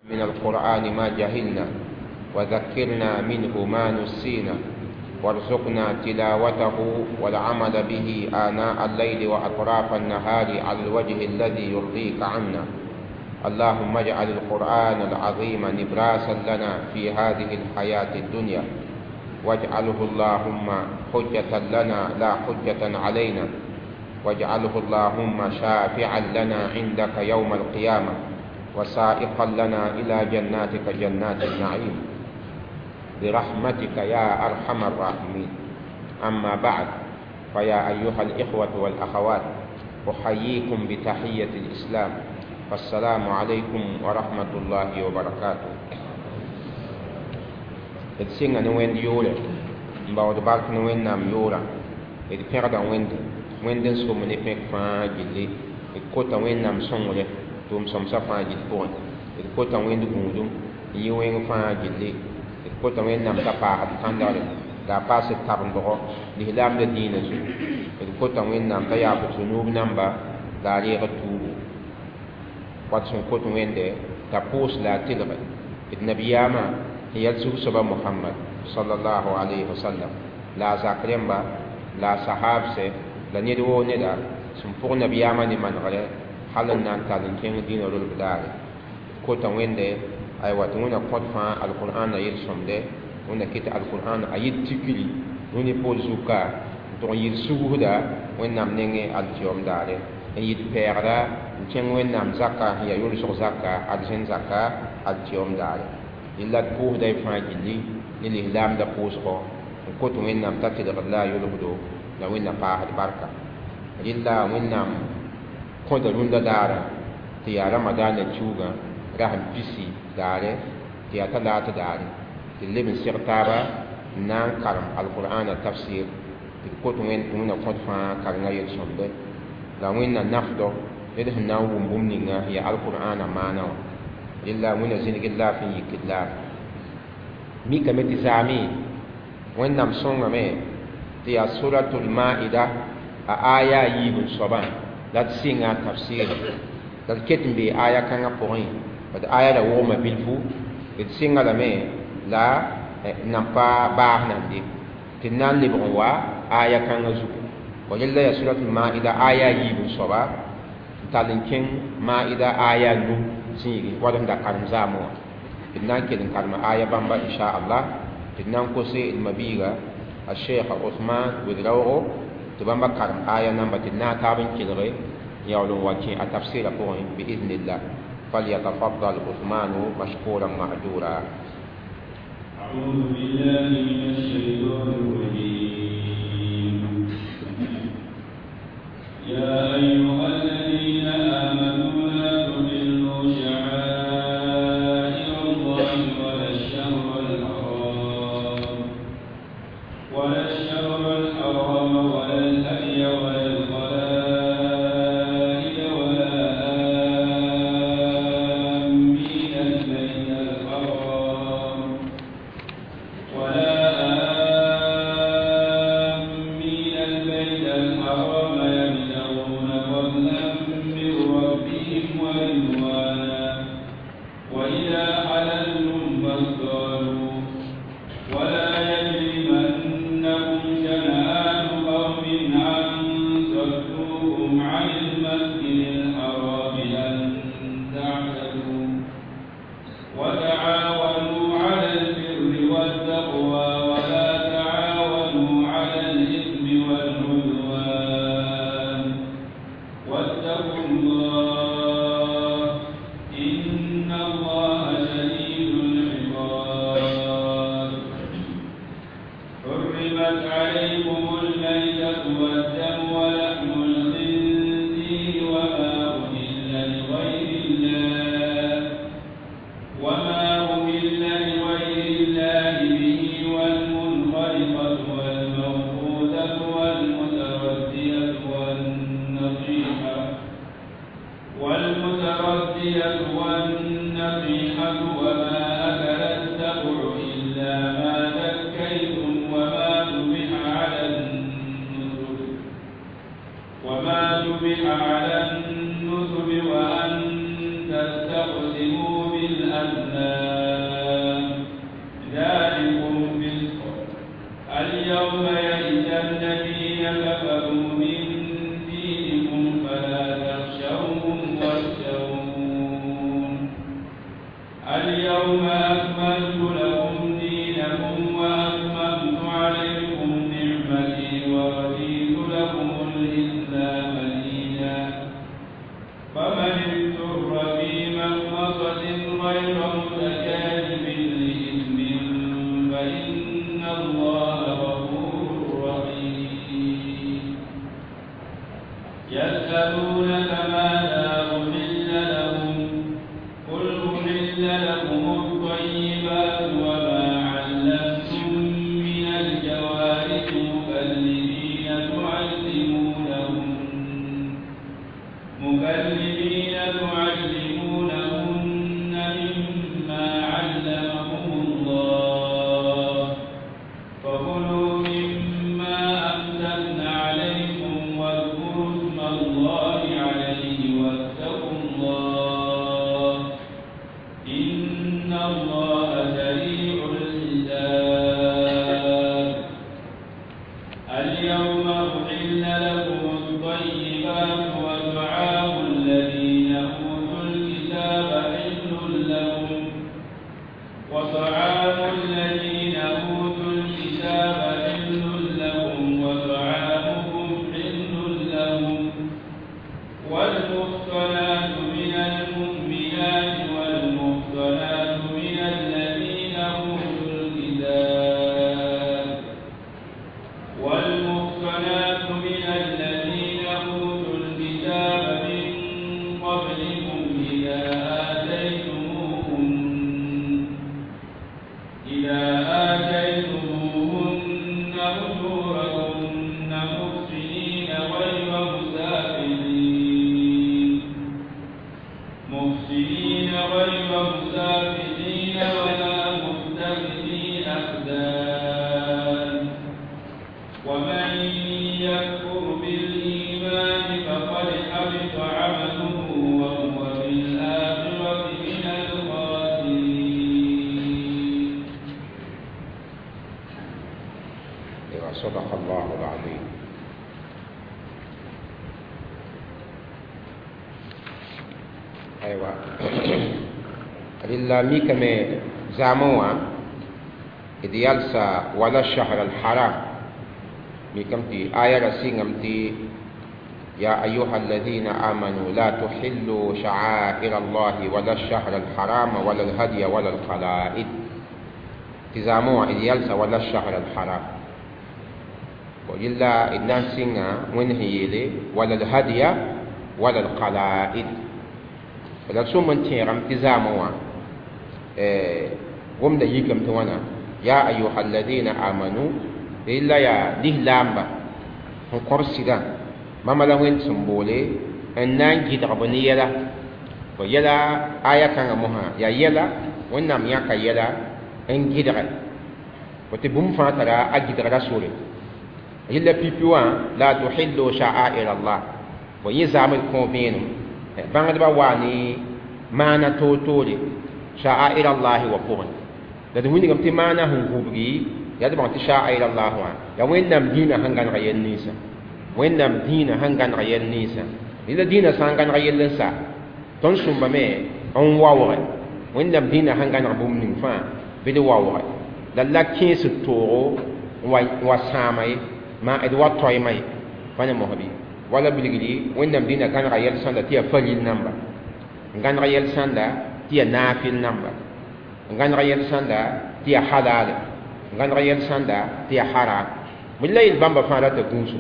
من القرآن ما جهلنا وذكرنا منه ما نسينا وارزقنا تلاوته والعمل به آناء الليل وأطراف النهار على الوجه الذي يرضيك عنا. اللهم اجعل القرآن العظيم نبراسا لنا في هذه الحياة الدنيا، واجعله اللهم حجة لنا لا حجة علينا، واجعله اللهم شافعا لنا عندك يوم القيامة، وسائقا لنا إلى جناتك جنات النعيم برحمتك يا أرحم الراحمين. أما بعد، فيا أيها الإخوة والأخوات، أحييكم بتحية الإسلام، فالسلام عليكم ورحمة الله وبركاته. D sɩnga ne Wẽnd yʋʋrɛ n baood bark ne Wẽnnaam yʋʋra, d pẽgda Wẽnde, Wẽnd n som ne pẽk fãa gilli. D kota Wẽnnaam sõngre tʋʋm-sõmsã fãa gill pʋgẽ. D kota Wẽnd gũudum n yɩ wẽng fãa gilli. D kota Wẽnnaam t'a paasd kãndgre la a paas d tabendgo lislaamda dĩinã zugu. D kota Wẽnnaam t'a yaaf d zũnuub namba la a reeg d tuubu. Wat sẽn kot Wẽnde t'a pʋʋs la a tɩlge d nabiyaamã sẽn yaa zug-soaba Mohamad sallallahu alayhi wa sallam, la a zak rẽmba, la a sahabse, la ned woo neda sẽn pʋg nabiyaamã ne manegre hal n na n tall n kẽng dĩinã rolb daare. D kota Wẽnde aywa tɩ Wẽnna kõt fãa alqur'ãna yel-sõmde, Wẽnna kɩt alqur'ãna a yɩ tikri rũni poor zuka n tʋg n yɩ sugusda Wẽnnaam nengẽ altɩyom daare, n yɩ pɛɛgda n kẽng Wẽnnaam zaka sẽn yaa yʋlsg zaka arzẽn zaka altɩyom daare. Yella d pʋʋsda y fãa gilli ne lislaamda pʋʋsgɔ n kot Wẽnnaam t'a tɩlgd la a yʋlsdo la Wẽnna paasd barka. Rɩlla Wẽnnaam kõda rũndã daara tɩ yaa ramadaanã kiuugã rasem pisi daare tɩ yaa talaat daare tɩ d leb n seg taaba n na n karem alqur'ãna tafsir tɩ d kot Wẽnd tɩ Wẽnna kõt fãa karengã yel-sõmde la Wẽnna nafdɔ ned sẽn na n wʋm bũmb ninga sẽn yaa alqur'ãna maana wã. Rɩlla Wẽnna zĩnigd laafɩ n yikd laafɩ. Mikame tɩ zaame Wẽnnaam sõngame tɩ yaa suratul maida a aya a yiib n soabã la d sɩnga a tafsɩɩrã la d ket n bee aya kãngã pʋgẽ d aya ra wogma bilfu. D sɩnga lame la nan pa baas nande tɩ d na n lebg n wa aya kãngã zugu. Rẽlla yaa suratul maida aya a yiib n soaba n tall n kẽng maida aya nu zĩigi wad sẽn da karem zaamẽ wã. D na n kell n karema aya bãmba inchallah tɩ d na n kose d mabiiga a Sheikh Ousmane Ouedraogo tɩ bãmba karem aya namba tɩ d na taab n kelge n yaool n wa kẽ a tafsɩɩrã pʋgẽ biiznillah. فليتفضل عثمان مشكورا مأجورا. أعوذ بالله من الشيطان الرجيم. يا أيها الذين آمنوا لا تحلوا شعائر الله ولا الشهر الحرام ولا الشهر الحرام ولا الهدي ولا القلائد ولا آمين البيت الحرام ولا آمين البيت الحرام يبتغون فضلا من ربهم ورضوانا وإذا حللتم فاصطادوا ولا يجرمنكم شنآن قوم أن صدوكم عن المسجد الحرام أن تعتدوا وتعاونوا على البر والتقوى ولا تعاونوا على الإثم والعدوان واتقوا الله إن الله شديد العقاب. حرمت عليكم الميتة والدم ولحم الخنزير وما أهل لغير الله وما أهل لغير الله به والمنخرقة والموقوذة والمتردية والنطيحة اليوم أكملت لكم دينكم وأتممت عليكم نعمتي ورضيت لكم الإسلام دينا فمن اضطر في مخمصة غير متجانف لإثم فإن الله غفور رحيم. يسألونك ماذا أحل لهم قل أحل لكم الطيبات وما علمتم من الجوارح مكلبين تعلمونهن مما علمكم الله فكلوا مما أمسكن عليكم واذكروا اسم الله عليه واتقوا الله إن الله سريع الحساب. اليوم أحل لكم الطيبات وطعام الذين أوتوا الكتاب حل لكم وطعام الذين أوتوا الكتاب حل لكم وطعامكم حل لهم والمحصنات من المؤمنات والمحصنات من الذين أوتوا الكتاب والمحصنات من الذين أوتوا الكتاب من قبلكم إذا آتيتموهن أجورهن محسنين غير مسافحين ولا متخذي أخدان ومن يكفر بالإيمان فقد حبط عمله وهو في الآخرة من الخاسرين. صدق الله العظيم. أيوة لله ميك مي زاموا إذ يلسى ولا الشهر الحرام ميكمتي آية رسينمتي يا أيها الذين آمنوا لا تحلوا شعائر الله ولا الشهر الحرام ولا الهدي ولا القلائد تزاموا إذ يلسى ولا الشهر الحرام وإلا إذن سينا ونهيلي ولا الهدي ولا القلائد فلا سومن تيرم تزاموا وم دا يكم توانا يا أيها الذين آمنوا إلا يا لهلامبا هنقرسدا ما لا وين سنبولي أن نانجي تغبني يلا ويلا آية كان مها يا يلا ونام ياكا يلا أن جدغ وتبوم فاترا أجدغ رسولي إلا بيبيوان لا تحلوا شعائر الله ويزعم الكومين بعد بواني ما نتوتولي شعائر الله وقرن لذا وين قمت ما نهم غبري يا دبان شعائر الله وان يا وين نم دينا هنغان غير نيسا وين نم دينا هنغان غير نيسا إلا دينا سانغان غير نيسا تنسون بمي أن واوري وين نم دينا هنغان غبوم نفان بدي واوري لا كيس التورو وسامي ما إدوا توي ماي فانا مهبي ولا بلغلي وين نم دينا كان غير ساندا تيا فليل نمبر كان غير ساندا تيا نافل نمبر كان غير ساندا تيا حلال كان غير ساندا تيا حرام من لا يلبام بفارة تكونسو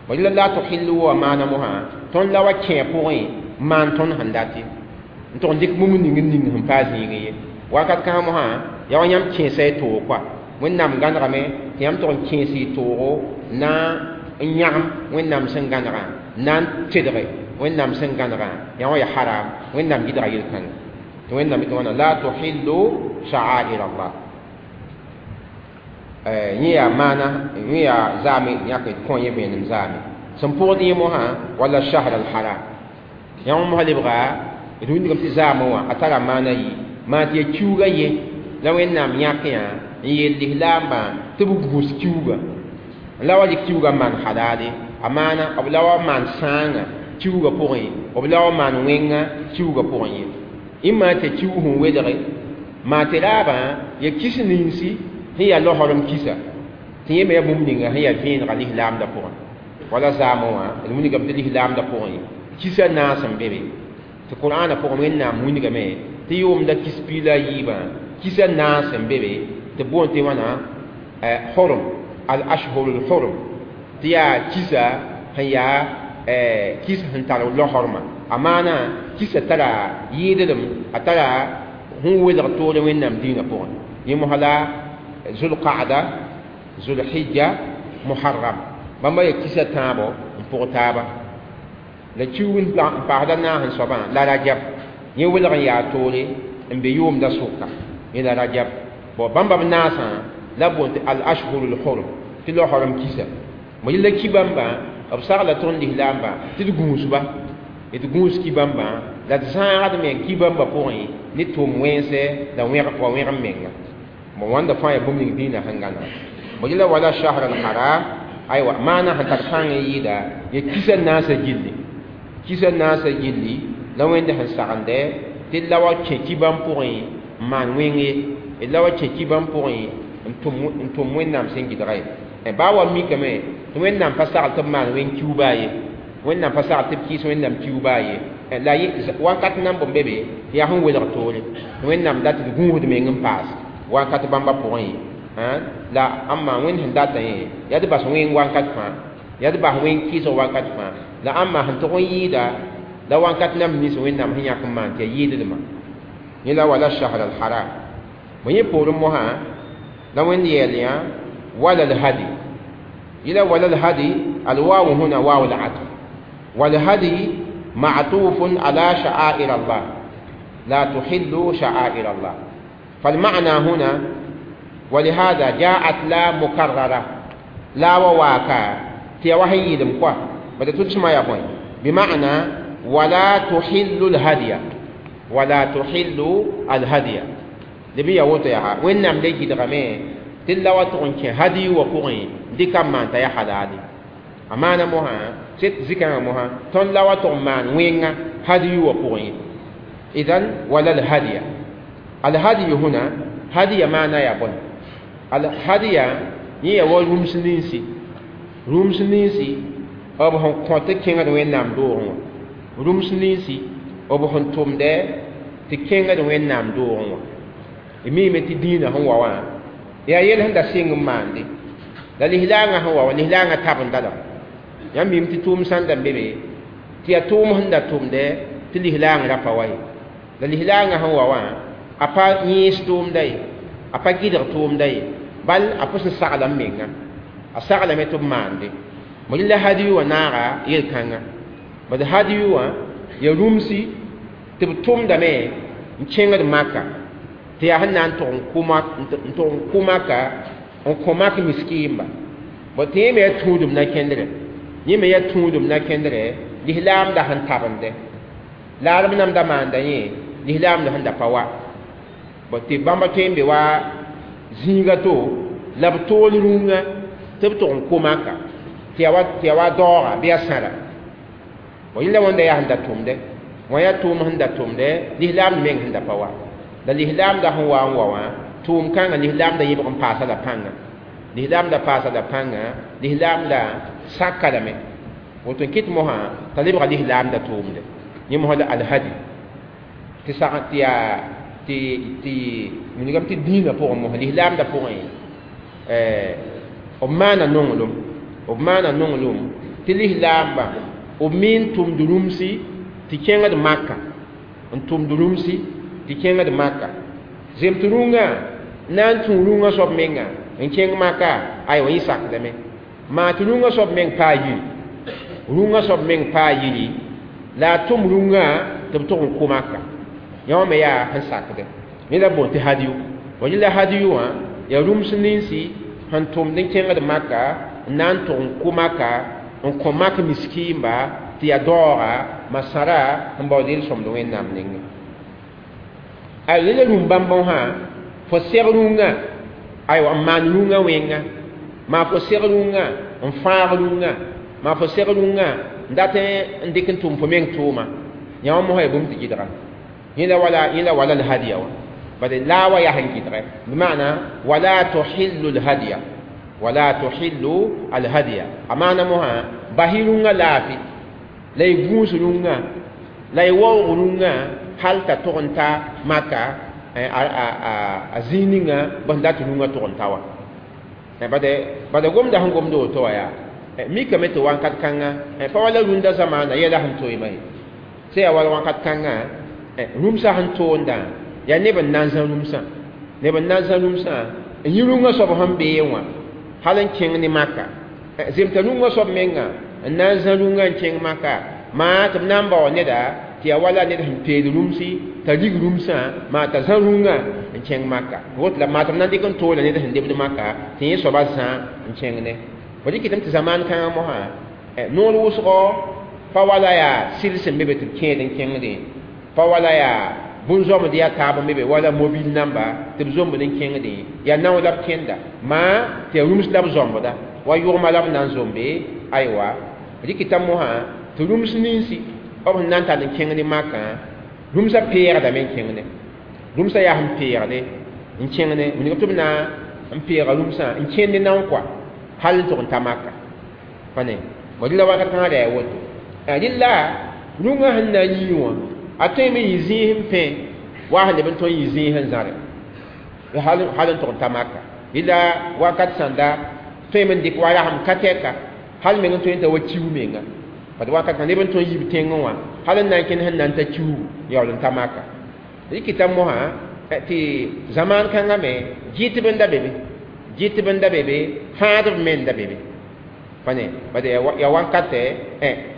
ولا لا تحلوا ما نمها تون لا وكين بوين ما تون هنداتي تون ديك ممن نين هم بازيني وقت كامها يا ونيام كين سي تو كوا وين نام غان رامي تيام تون كين سي تو نا نيام وين نام سن غان رام نان تدري وين نام سن غان رام يا ويا حرام وين نام جدرا يلكن وين نام تون لا تحلوا شعائر الله نيا مانا نيا زامي نيا كون يبين زامي سمبودي موها ولا الشهر الحرام يا مو هلبغا يدون كم تزاموا اترى مانا يي ما تي كيوغا يي لا وين نام ياكيا يلي لامبا تبغوس كيوغا لا ولي كيوغا مان حلالي امانا او لا مان سانغا كيوغا بوين او لا مان وينغا كيوغا بوين Imma tɩ kiu sẽn welge maa tɩ raabã ya kis ninsi sẽn yaa laoorem kisa tɩ yẽ me yaa bũmb ninga sẽn yaa vẽenega lislaamdã pʋgẽ wala zaamẽ wã d wilgame tɩ lislaamdã pʋgẽ kisa naas n be be tɩ qur'aanã pʋgẽ Wẽnnaam wilgame tɩ yʋʋmda kis piig la a yiibã kisa naas n be be tɩ boond tɩ wãna hurum al ashhurul hurum tɩ yaa kisa sẽn yaa kis sẽn tar laoormã a maana kisa tara yɩɩdlem a tara sẽn welg toore Wẽnnaam dĩinã pʋgẽ yẽ mosã la zulqaada zulhijja muharram bãmba yaa kisa tãabo n pʋg taaba la kiug n paasda naas n soabã la rajab yẽ welg n yaa toore n be yʋʋmda sʋka yẽ la rajab bon bãmba b naasã la boond tɩ al ashhurul hurum tɩ laoorem kisa mo yella ki bãmba b sagla tõnd lislaambã tɩ d gũusba d gũus ki bãmbã la d zãagd meng ki bãmba pʋgẽ ne tʋʋm wẽnse la wa wẽg n menga bon wãnda fãa yaa bũmb ning dĩinã sẽn gãnega mo yella wala shahr al haram aywa maana sẽn tar pãng n yɩɩda ya kisa naasã gilli kisa naasã gilli la Wẽnd sẽn sagende tɩ la wa kẽ ki bãmb pʋgẽ n maan wẽng ye d la wa kẽ ki bãmb pʋgẽ n tʋm Wẽnnaam sẽn gɩdga ye baa wa mikame tɩ Wẽnnaam pa sagl tɩ b maan wẽng kiu baa ye Wẽnnaam pa sagl tɩ b kɩɩs Wẽnnaam kiu baa ye la wakat nan bõn be be tɩ yaa sẽn welg toore tɩ Wẽnnaam dat d gũusd meng n paas wakat bãmba pʋgẽ la ãmba Wẽnd sẽn datã yẽ yaa d bas wẽng wakat fãa yaa d bas wẽng kɩɩsg wakat fãa la ãmba sẽn tʋg n yɩɩda la wakat nam nins Wẽnnaam sẽn yãk n maan tɩ yaa yɩɩdlmã yẽ la wala shahr al haram bõ yẽ poorẽ mosã la Wẽnd yɛɛl yã wala al hadi yẽla wala al hadi al wawu huna wawu al atf wal hadi معطوف على شعائر الله لا تحلوا شعائر الله فالمعنى هنا ولهذا جاءت لا مكررة لا وواكا تي وحي يدم بدأ تسمع يا بوي بمعنى ولا تحل الهدي ولا تحل الهدي لبي يوتو يا وين نام دي دغمي تلا وتون هدي وقوي دي كم ما يا حلالي أمانة موها ست زكاة موها تون لا وتون مان وين هدي وقوي إذن ولا الهدي الهدي هنا هدي معنى يا بوي الهدي هي والرمسنينسي رمسنينسي b sẽn kõ tɩ kẽngd Wẽnnaam doogẽ wã rũms ninsi b sẽn tʋmdɛ tɩ kẽngd Wẽnnaam doogẽ wã d miime tɩ dĩinã sẽn wa wã yaa yel sẽn da sɩng n maande la lislaangã sẽn wa wã lislaangã tabenda lame yãmb miime tɩ tʋʋm sãn da n be be tɩ yaa tʋʋm sẽn da tʋmdɛ tɩ lislaang ra pa wa ye la lislaangã sẽn wa wã a pa yẽes tʋʋmda ye a pa gɩdg tʋʋmda ye bal a pʋs n sagla n menga a saglame tɩ b maande mo la hadiyu wã naaga yel-kãnga bad hadiyu wã ya rũmsi tɩ b tʋmdame n kẽngd maka tɩ yaa sẽn na n tʋg n kʋ maka n kõ mak miskiimba bõ tɩ yẽ me yaa tũudum na kẽndrɛ yẽ me yaa tũudum na kẽndrɛ lislaamda sẽn tabende laarb nam da maanda yẽ lislaamda sẽn da pa wa bõ tɩ bãmba tõe n be wa zĩiga to la b tool rũngã tɩ b tʋg n kʋ maka tɩ yaa wa daooga bɩ yaa sãra bõ yẽla wãnda yaa sẽn da tʋmdɛ wã yaa tʋʋm sẽn da tʋmdɛ lislaamd meng sẽn da pa wa la lislaamda sẽn wa n wa wã tʋʋm kãngã lislaamda yẽbg n paasa la pãnga lislaamda paasa la pãnga lislaamda saka lame woto n kɩt mosã t'a lebga lislaamda tʋʋmdɛ yẽ mosã la alhadi tɩ sag tɩ yaa tɩ tɩ wilgame tɩ dĩinã pʋgẽ mosã lislaamda pʋgẽ b maana nonglem b maana nonglem tɩ lislaambã b mi n tʋmd rũmsi tɩ kẽngd maka n tʋmd rũmsi tɩ kẽngd maka zem tɩ rũngã na n tũ rũngã soab menga n kẽng maka aywa yẽ sakdame maa tɩ rũngã soab meng paa yiri rũngã soab meng paa yiri la a tʋm rũngã tɩ b tʋg n kʋ maka yã wã me yaa sẽn sakdɛ yẽ la boond tɩ hadiyu wa yẽ la hadiyu wã yaa rũms ninsi sẽn tʋmd n kẽngd maka n na n tʋg n kʋ maka n kõ mak miskiimba tɩ yaa daooga masara n baood yel-sõmd Wẽnnaam nengẽ a yẽla rũm bãmb sã fo seg rũngã aywa n maan rũngã wẽnga maa fo seg rũngã n fãag rũngã maa fo seg rũngã n dat n dɩk n tʋm fo meng tʋʋma yã wã mosã yaa bũmb tɩ gɩdga Yẽla wala l-hadiya wã bad la wa yaa sẽn gɩdgɛ bɩmaana wala tuhillu l-hadiya wala tuhillu al-hadiya a maana mosã bas-y rũngã laafɩ la y gũus rũngã la y waoog rũngã hal t'a tʋg n ta maka a zĩig ninga b sẽn dat rũngã tʋg n ta wã bad gomda sẽn gomd woto wã yaa mikame tɩ wãnkat kãngã pa wala rũndã zamaana yɛla sẽn toeema ye sã yaa wala wãnkat kãngã rũmsã sẽn toondã yaa neb n na n zã rũmsã neb n na n zã rũmsã n yĩ rũngã soab sẽn bee wã hal n kẽng ne maka zemta rũngã soab menga n na n zã rũngã n kẽng maka maa tɩ b na n bao neda tɩ yaa wala ned sẽn peel rũmsi t'a rig rũmsã maa t'a zã rũngã n kẽng maka woto la maa tɩ b na n dɩk n toola ned sẽn lebd maka tɩ yẽ soaba zã n kẽng ne fo dɩk tɩ zamaan kãngã mosã noor wʋsgɔ pa wala yaa sɩl sẽn be be tɩ b kẽed n kẽngdẽ pa wala yaa bũn-zoamd yaa taab n be be wala mobil namba tɩ b zombd n kẽngdẽ yaa nao la b kẽnda maa tɩ yaa rũms la b zõmbda wa yʋgma la b na n zombe aywa rɩkɩta mosã tɩ rũms ninsi b sẽn na n tall n kẽng ne makã rũmsã peegdame n kẽng ne rũmsã yaa sẽn peegde n kẽng ne wilg tɩ b na n peega rũmsã n kẽnd ne nao kɔa hal n tʋg n ta maka pa ne bõ rɩla wakat kãngã ra yaa woto rɩla rũngã sẽn na n yii wã a tõeme n yɩ zĩis n pẽ wa sẽn leb n tõe n yɩ zĩis n zãre hal n tʋg n ta maka rɩla wakat sãnda tõeme n dɩk wa rasem ka tɛka hal meng n tõe n ta wa kiu menga bad wakat kãngã neb n tõe n yib tẽngẽ wã hal n na n kẽnd sẽn na n ta kiugu yaool n ta maka rɩkɩta mosã tɩ zamaan kãngã me gɩtb n da be be gɩtb n da be be fãadb me n da be be pa ne bad yaa wankatɛ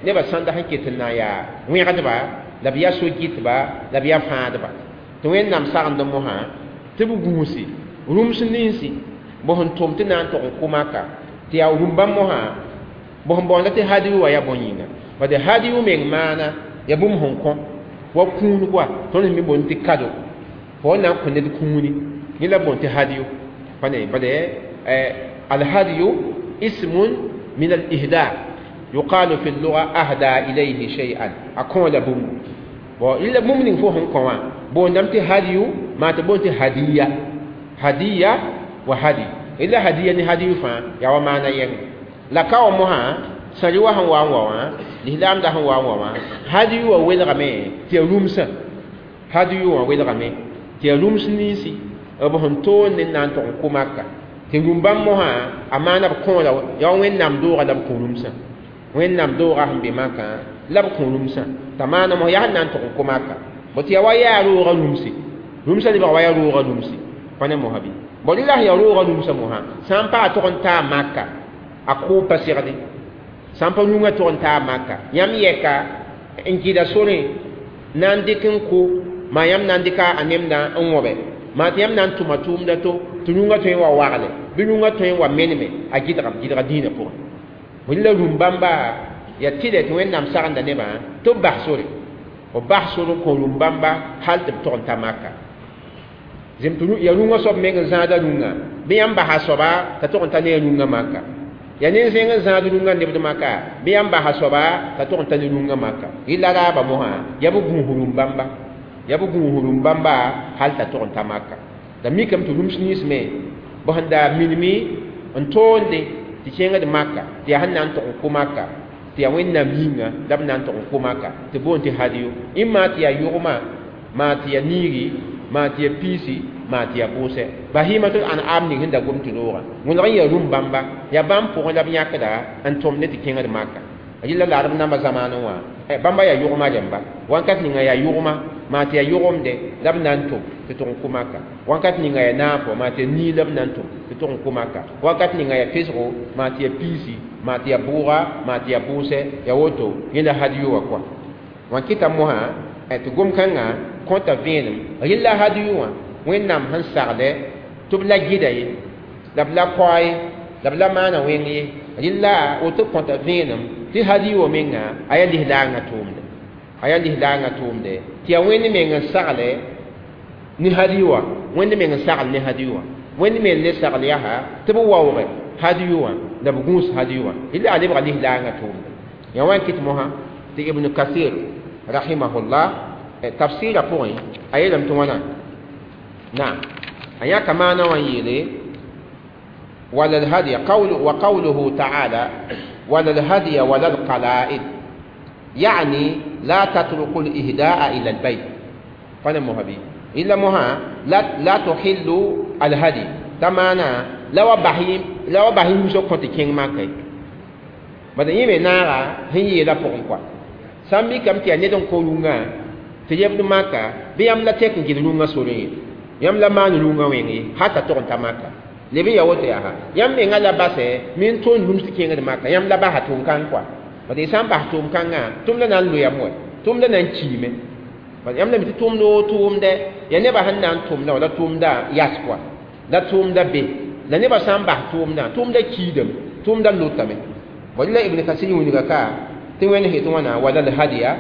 nebã sãnda sẽn ket n na n yaa wẽgdba la b yaa so-gɩtba la b yaa fãadba tɩ Wẽnnaam sagend mosã tɩ b gũusi rũms ninsi b sẽn tʋm tɩ na n tʋg n kʋ maka tɩ yaa rũm-bãmb mosã b sẽn baoonda tɩ hadiyu wã yaa bõe yĩnga bad hadiyu meng maana yaa bũmb sẽn kõ wa kũun koa tõnd sẽn mi boond tɩ kado fo na n kõ ned kũuni yẽ la boond tɩ hadiyu pa ne bad alhadiyu ismun min alihda yuqalu fi lluga ahda ilayhi shay'an a kõ la bũmbu bon illa bũmb ning fo sẽn kõ wã boondame tɩ hadiyu maa tɩ boond tɩ hadiya hadiya wa hadi illa hadiya ne hadiyu fãa yaa wa maana yɛng la ka wa mosã sãri wa sẽn wa n wa wã lislaamda sẽn wa n wa wã hadiyu wã welgame tɩ yaa rũmsã hadiyu wã welgame tɩ yaa rũms ninsi b sẽn toond n na n tʋg n kʋ maka tɩ rũm-bãmb mosã a maana b kõola yaa Wẽnnaam doogã la b kõ rũmsã Wẽnnaam doogã sẽn be makã la b kõ rũmsã t'a maana mos yaa sẽn na n tʋg n kʋ maka bõ tɩ yaa wa yaa roogã rũmse rũmsã lebga wa yaa roogã rũmse pa ne mosã bɩ bõ rɩla sẽn yaa roogã rũmsã mosã sã n paa tʋg n taa maka a kʋʋb pa segde sã n pa rũngã tʋg n taa maka yãmb yɛka n gɩda sorẽ na n dɩk n kʋ maa yãmb na n dɩka a nemdã n wõbe maa tɩ yãmb na n tʋma tʋʋmda to tɩ rũngã tõe n wa wagle bɩ rũngã tõe n wa meneme a gɩdga dĩinã pʋgẽ rɩla rũm-bãmba yaa tɩlɛ tɩ Wẽnnaam sagenda nebã tɩ b bas sore b bas sor n kõ rũm-bãmba hal tɩ b tʋg n ta maka zem tɩ yaa rũngã soab meng n zãada rũngã bɩ yãmb basa soaba t'a tʋg n ta ne a rũngã maka yaa nin-zẽng n zãad rũngã nebd maka bɩ yãmb basa soaba t'a tʋg n ta ne rũngã maka rɩla raaba mosã yaa b gũus rũm-bãmba yaa b gũus rũm-bãmba hal t'a tʋg n ta maka la mikame tɩ rũms nins me b sẽn da minimi n toonde tɩ kẽngd maka tɩ yaa sẽn na n tʋg n kʋ maka tɩ yaa Wẽnnaam yĩnga la b na n tʋg n kʋ maka tɩ boond tɩ hadiyo ĩmma tɩ yaa yʋgma maa tɩ yaa niigi maa tɩ yaa piisi maa tɩ yaa bʋʋsɛ bahimatul an'am ning sẽn da gom tɩ roogã wẽlg n yaa rũm-bãmba yaa bãmb pʋgẽ la b yãkda n tõm ne tɩ kẽngd maka rɩla la b namba zamaanẽ wã bãmba yaa yʋgma rẽmba wãnkat ninga yaa yʋgma maa tɩ yaa yʋgemde la b na n tʋm tɩ tʋg n kʋ maka wãnkat ninga yaa naafo maa tɩ yaa nii la b na n tʋm tɩ tʋg n kʋ maka wakat ninga yaa pesgo maa tɩ yaa piisi maa tɩ yaa bʋʋga maa tɩ yaa bʋʋsɛ yaa woto yẽ la hadiyu wã kɔa wã kɩta mosã tɩ gom-kãngã kõta vẽenem rɩla hadiyu wã Wẽnnaam sẽn saglɛ tɩ b la gɩda ye la b la kaoa ye la b la maana wẽng ye rɩla woto kõta vẽenem tɩ hadiyu wã menga a yaa lislaangã tʋʋmde a yaa lislaangã tʋʋmde tɩ yaa Wẽnd meng n sagle ne hadiyu wã Wẽnd meng n sagl ne hadiyu wã Wẽnd meng le sagl yaa tɩ b waooge hadiyu wã la b gũus hadiyu wã rɩla a lebga lislaangã tʋʋmde yaa wã n kɩt mosã tɩ Ibn Kasir rahimahullah Tafsɩɩrã pʋgẽ a yeelame tɩ wãna naam a yãka maana wã n yeele ولا الهدي قول وقوله تعالى ولا الهدي ولا القلائد يعني لا تتركوا الإهداء إلى البيت فأنا مهبي إلا مها لا تحلوا الهدي تمانا لو بحيم سو كنت كين ماكي بدأ يمي نارا هي لا فوق كوا سامي كم تي ندون كولونغا تيبد ماكا بيام لا تكن جدلونغا سوري يام لا مان لونغا ويني حتى تون تماكا lebe ya woto yaa yãmb menga la basɛ min tõnd rũms tɩ kẽngd maka yãmb la basa tʋʋm-kãng kɔa bad y sã n bas tʋʋm-kãngã tʋmda na n loeam wɛ tʋmda na n kiime bad yãmb la mi tɩ tʋʋmd woo tʋʋmdɛ yaa nebã sẽn na n tʋmda wã la tʋʋmda yas kɔa la tʋʋmda be la nebã sã n bas tʋʋmdã tʋʋmda kiidame tʋʋmda lotame bad la Ibn Kasir wilga ka tɩ wẽnd sẽn tɩ wãna wala l hadiya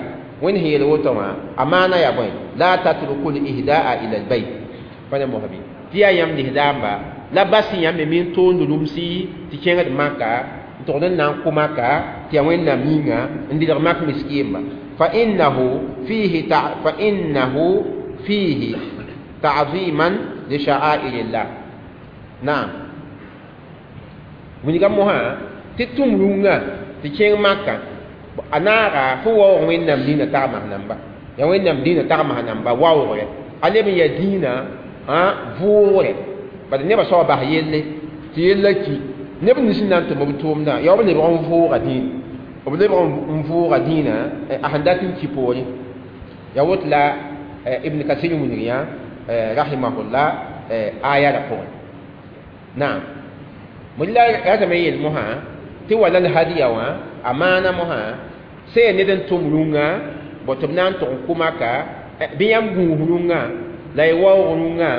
wẽnd sẽn yeel woto wã a maana yaa bõe la tatruku l ihdaa ila lbayt pa ne mosbi tɩ yaa yãmb lislaamba la bas yãmb me min toond rũmsi tɩ kẽngd maka n togd n na n kʋ maka tɩ yaa wẽnnaam yĩnga n dɩlg mak miskiimba fa innahu fihi ta'ziman li sha'airillah naam wilga mosã tɩ tʋm rũngã tɩ kẽng maka a naaga fo waoog wẽnnaam dĩinã tagmas namba yaa wẽnnaam dĩinã tagmas namba waoogre a leb n yaa dĩinã vʋʋgre bad nebã soaba bas yelle tɩ yella ki neb nins n na n tʋm b tʋʋmdã yaa b lebg n vʋʋga dĩinã b lebg n vʋʋga dĩinã a sẽn dat n ki poore yaa woto la Ibn Kasir wilg yã rahimahullah aya la pʋgẽ naam la ratame yeel mosã tɩ wala l hadiya wã a maana mosã sẽn yaa ned n tʋm rũngã bõ tɩ b na n tʋg n kʋ maka bɩ yãmb gũus rũngã la y waoog rũngã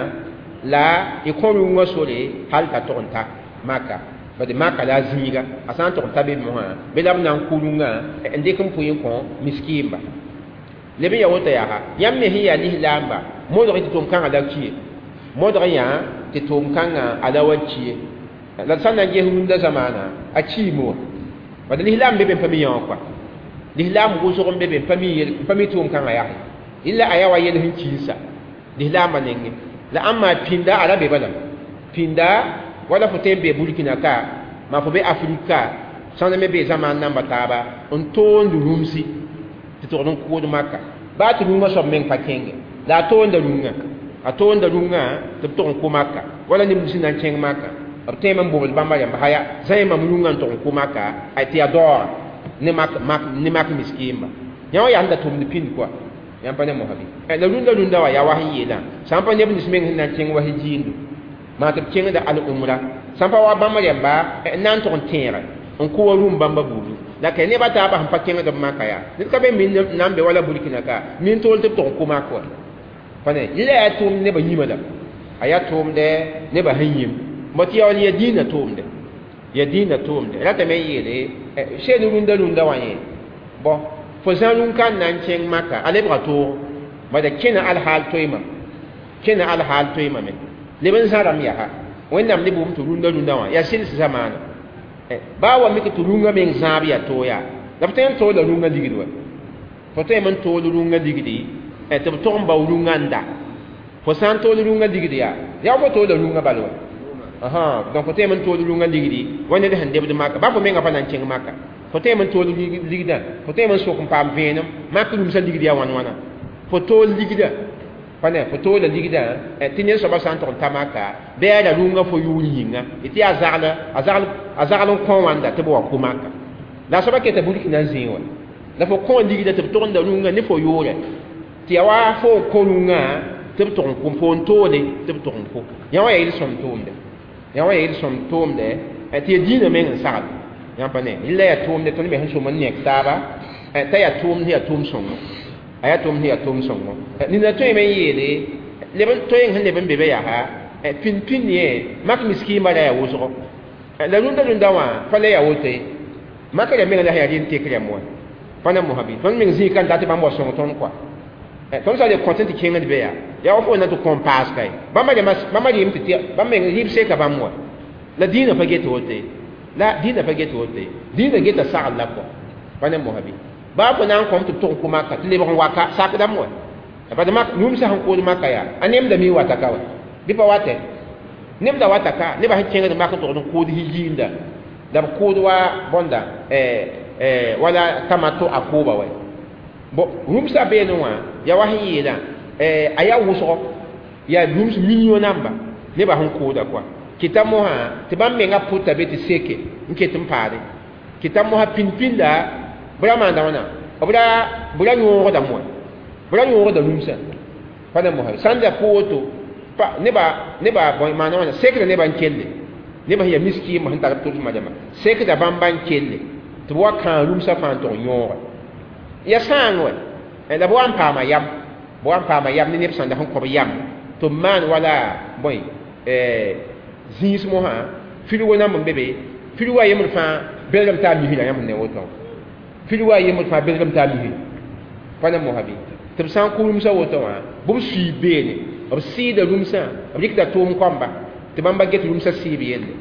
la y kõ rũngã sore hal t'a tʋg n ta maka bad maka la a zĩiga a sã n tʋg n ta be mosã bɩ la b na n kʋ rũngã n dɩk n pʋɩ n kõ miskiimba leb n ya woto yaa yãmb me sẽn yaa lislaamba modg tɩ tʋʋm-kãngã la kie modg yã tɩ tʋʋm-kãngã a la wa kie la sã n na n ges rũndã zamaana a kiime wã bad lislaam be be n pa mi yã wã kɔa lislaam wʋsg n be be n pa mi tʋʋm-kãngã yaa illa a yaa wa yel sẽn kiisa lislaambã nengẽ la ãmba pĩnda a ra be bala pĩnda wala fo tõe n be Burkina ka maa fo be Afrika ka sãn me be zamaan namba taaba n toond rũmsi tɩ togd n kʋʋd maka baa tɩ rũngã soab meng pa kẽnge la a toonda rũngã a toonda rũngã tɩ b tog n kʋ maka wala neb nins na n kẽng maka b tõeme n bobd bãmba rãmba haya zã mam rũngã n tog n kʋ maka tɩ yaa daoora ne mak miskiimba yã wã yaa sẽn da tʋmd pĩnd kɔa yãmb pa ne mosa bɩ la rũndã rũndã wã yaa wa sẽn yeelã sã n pa neb nins meng sẽn na n kẽng wa sẽn jiindo maa tɩ b kẽngda al-umra sã n pa wa bãmb rãmba n na n tʋg n tẽege n kʋ wa rũm bãmba buudu la ka nebã taabã sẽn pa kẽngd b maka yaa ned ka be min na n be wala Burkina ka min tool tɩ b tʋg n kʋ mak wa pa ne yɩla yaa tʋʋmd nebã yĩmã la a yaa tʋʋmdɛ nebã sẽn yĩm bõ tɩ yaa yaa dĩinã tʋʋmdɛ yaa dĩinã tʋʋmdɛ ratame n yeele seen rũndã rũndã wã yẽ bõ fo zã rũn-kãn na n kẽng maka a lebga toog bada kẽna alhaal toeemame kẽna alhaal toeemame leb n zãrame yaa wẽnnaam ne bʋʋm tɩ rũndã rũndã wã yaa sɩls zamaana baa wa mik tɩ rũngã meng zãab yaa toog yaa la f tõe n toola rũngã ligd wa fo tõeme n tool rũngã ligdi tɩ b tʋg n bao rũngã n da fo sã n tool rũngã ligd yaa yaa fo toola rũngã bal wa donc fo tõeme n tool rũngã ligdi wa ned sẽn debd maka baa fo menga pa na n kẽng maka fo tõeme n tool ligdã fo tõeme n sok n paam vẽenem mak rũmsã ligd yaa wãn wãna fo tool ligdã pa ne fo toola ligdã tɩ ned soabã sã n tʋg n ta maka bɩ a ra rũngã fo yʋʋr yĩnga tɩ yaa a zagl n kõ wãnda tɩ b wa kʋ maka la a soabã keta Burkina n zĩig wã la fo kõ ligdã tɩ b tʋgenda rũngã ne fo yʋʋrɛ tɩ yaa wa fo n kõ rũngã tɩ b tʋg n kʋ fo n toole tɩ b tʋg n kʋ yã wã yaa yel-sõm tʋʋmdɛ yã wã yaa yel-sõm tʋʋmdɛ tɩ yaa dĩinã meng n sagl yãmb pa ne yella yaa tʋʋmdɛ tõnd me sẽn sõm n nek taaba t'a yaa tʋʋmd sẽn yaa tʋʋm sõngo a yaa tʋʋmd sẽn yaa tʋʋm sõngo nina tõeme n yeele leb n toeng sẽn leb n be be yaa pĩnd pĩnd yẽ mak miskiimba ra yaa wʋsgo la rũndã rũndã wã pa la yaa woto ye mak rã meng la sẽn yaa rɩ n tek rãmb wã pa na mosã bɩ tõnd meng zĩig ka n dat tɩ bãmb wa sõng tõnd kɔa tõnd sã le kõt n tɩ kẽngd be yaa yaa wa fo na tɩ kõn paas ka ye bãmba rɩɩm tɩ bãmb meng rɩɩb seka bãmb wa la dĩinã pa get woto ye la dĩinã pa get woto ye dĩinã geta sagl la kɔa pa ne mosã bɩ baa fo na n kõm tɩ b tʋg n kʋ maka tɩ lebg n waka sakdame wa Bad mak rũmsã sẽn kood maka yaa a nemda mi wata ka wa bɩ pa watɛ nemda wata ka nebã sẽn kẽngd mak n togd n kood yiinda la b kood wa bõnda wala tamato a kooba wɛ bon rũmsã beene wã yaa wa sẽn yeelã a yaa wʋsgo yaa rũms million namba nebã sẽn kooda kɔa kɩta mosã tɩ bãmb menga pʋta be tɩ seke n ket n paade kɩta mosã pĩnd-pĩnda b ra maanda wãna b ra yõogda moa b ra yõogda rũmsã pa ne mosã sãn da kʋ woto nebã bõe maana wãna sekda nebã n kelle nebã sẽn yaa miskiimã sẽn tar b tʋls majama sekda bãmba n kelle tɩ b wa kãag rũmsã fãa n tog yõoga ya sãang wɛ la b wa n paama yam b wa n paama yam ne neb sãnda sẽn kõ b yam tɩ b maan wala bõe zĩis mosã filgo namb n be be filgo a yembr fãa belgame t'a misra yãmb sẽn ne woto filgo a yembr fãa belgame t'a misra pa ne mosã bɩ tɩ b sã n kʋ rũmsã woto wã bɩ b sui beene b sɩɩda rũmsã b rɩkda tʋʋm kɔmba tɩ bãmba get rũmsã sɩɩb yelle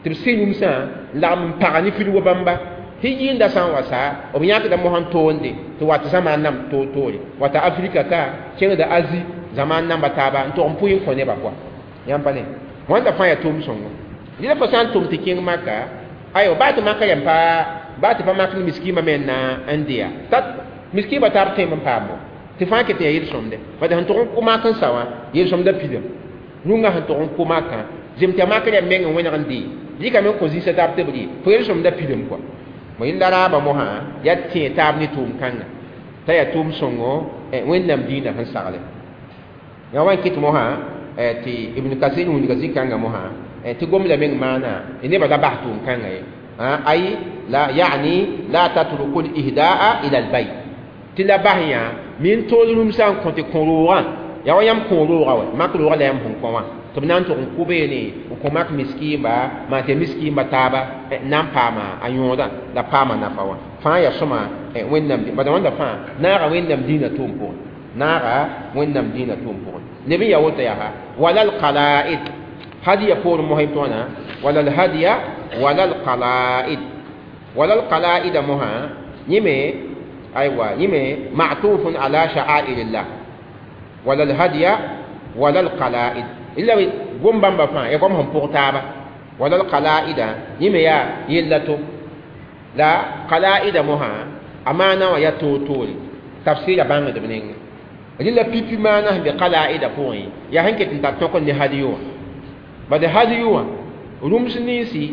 tɩ b sɩ rũmsã n lagm n pag ne filgo bãmba tɩ yɩɩnda sã n wa saa b yãkda mosã n toonde tɩ wat zãmaan namb toor-toore wata Afrika ka kẽngda Azi zãmaan namba taaba n tog n pʋɩ n kõ nebã kɔa yãmb pa ne wãnda fãa yaa tʋʋm sõngo rɩla fo sã n tʋm tɩ kẽng maka ayo baa tɩ maka yam pa baa tɩ pa mak ne miskiimã me n dɩya tat miskiimã taab tõeme n paam bo tɩ fãa ket n yaa yel-sõmde bad sẽn tʋg n kʋ mak n sa wã yel-sõmda pidame rũngã sẽn tʋg n kʋ makã zem tɩ a mak rɛm meng n wẽneg n dee rɩkame n kõ zĩisã taab tɩ b rɩ fo yel-sõmda pidame kɔa bõe yẽnda raabã mosã yaa tẽ taab ne tʋʋm kãnga t'a yaa tʋʋm sõngo Wẽnnaam dĩinã sẽn sagle yaa wa n kɩt mosã tɩ Ibn Kasir wilga zĩ-kãngã mosã tɩ gomda meng maana nebã la bas tʋʋm kãnga ye ay la yani la tatruku l-ihdaa ila al-bayt tɩ la bas yã min tool rũmsã n kõ tɩ kõ-roogã yaa wa yãmb kõ-roogã wɛ mak roogã la yãmb sẽn kõ wã tɩ b na n tʋg n kʋ beene n kõ mak miskiimba maan tɩ miskiimba taaba na n paama a yõodã la paama nafa wã fãa yaa sõma Wẽnnaam bad wãnda fãa naaga Wẽnnaam dĩinã tʋʋm pʋgẽ naaga Wẽnnaam dĩinã tʋʋm pʋgẽ leb n yaa woto yaa wala alqala'id hadiya poorẽ mosã tɩ wãna wala alhadiya wala alqala'id wala alqala'ida mosã yẽme aywa yẽme ma'tufun ala sha'airillah wala alhadiya wala alqala'id illa gom bãmba fãa ya goam sẽn pʋg taaba wala alqala'ida yẽme yaa yella to la qala'ida mosã a maana wã yaa toor-toore tafsɩra bãngdb nengẽ rɩla pipi maana sẽn be qala'ida pʋgẽ yaa sẽn ket n tar tõk n ne hadiyo wã bad hadiyo wã rũms ninsi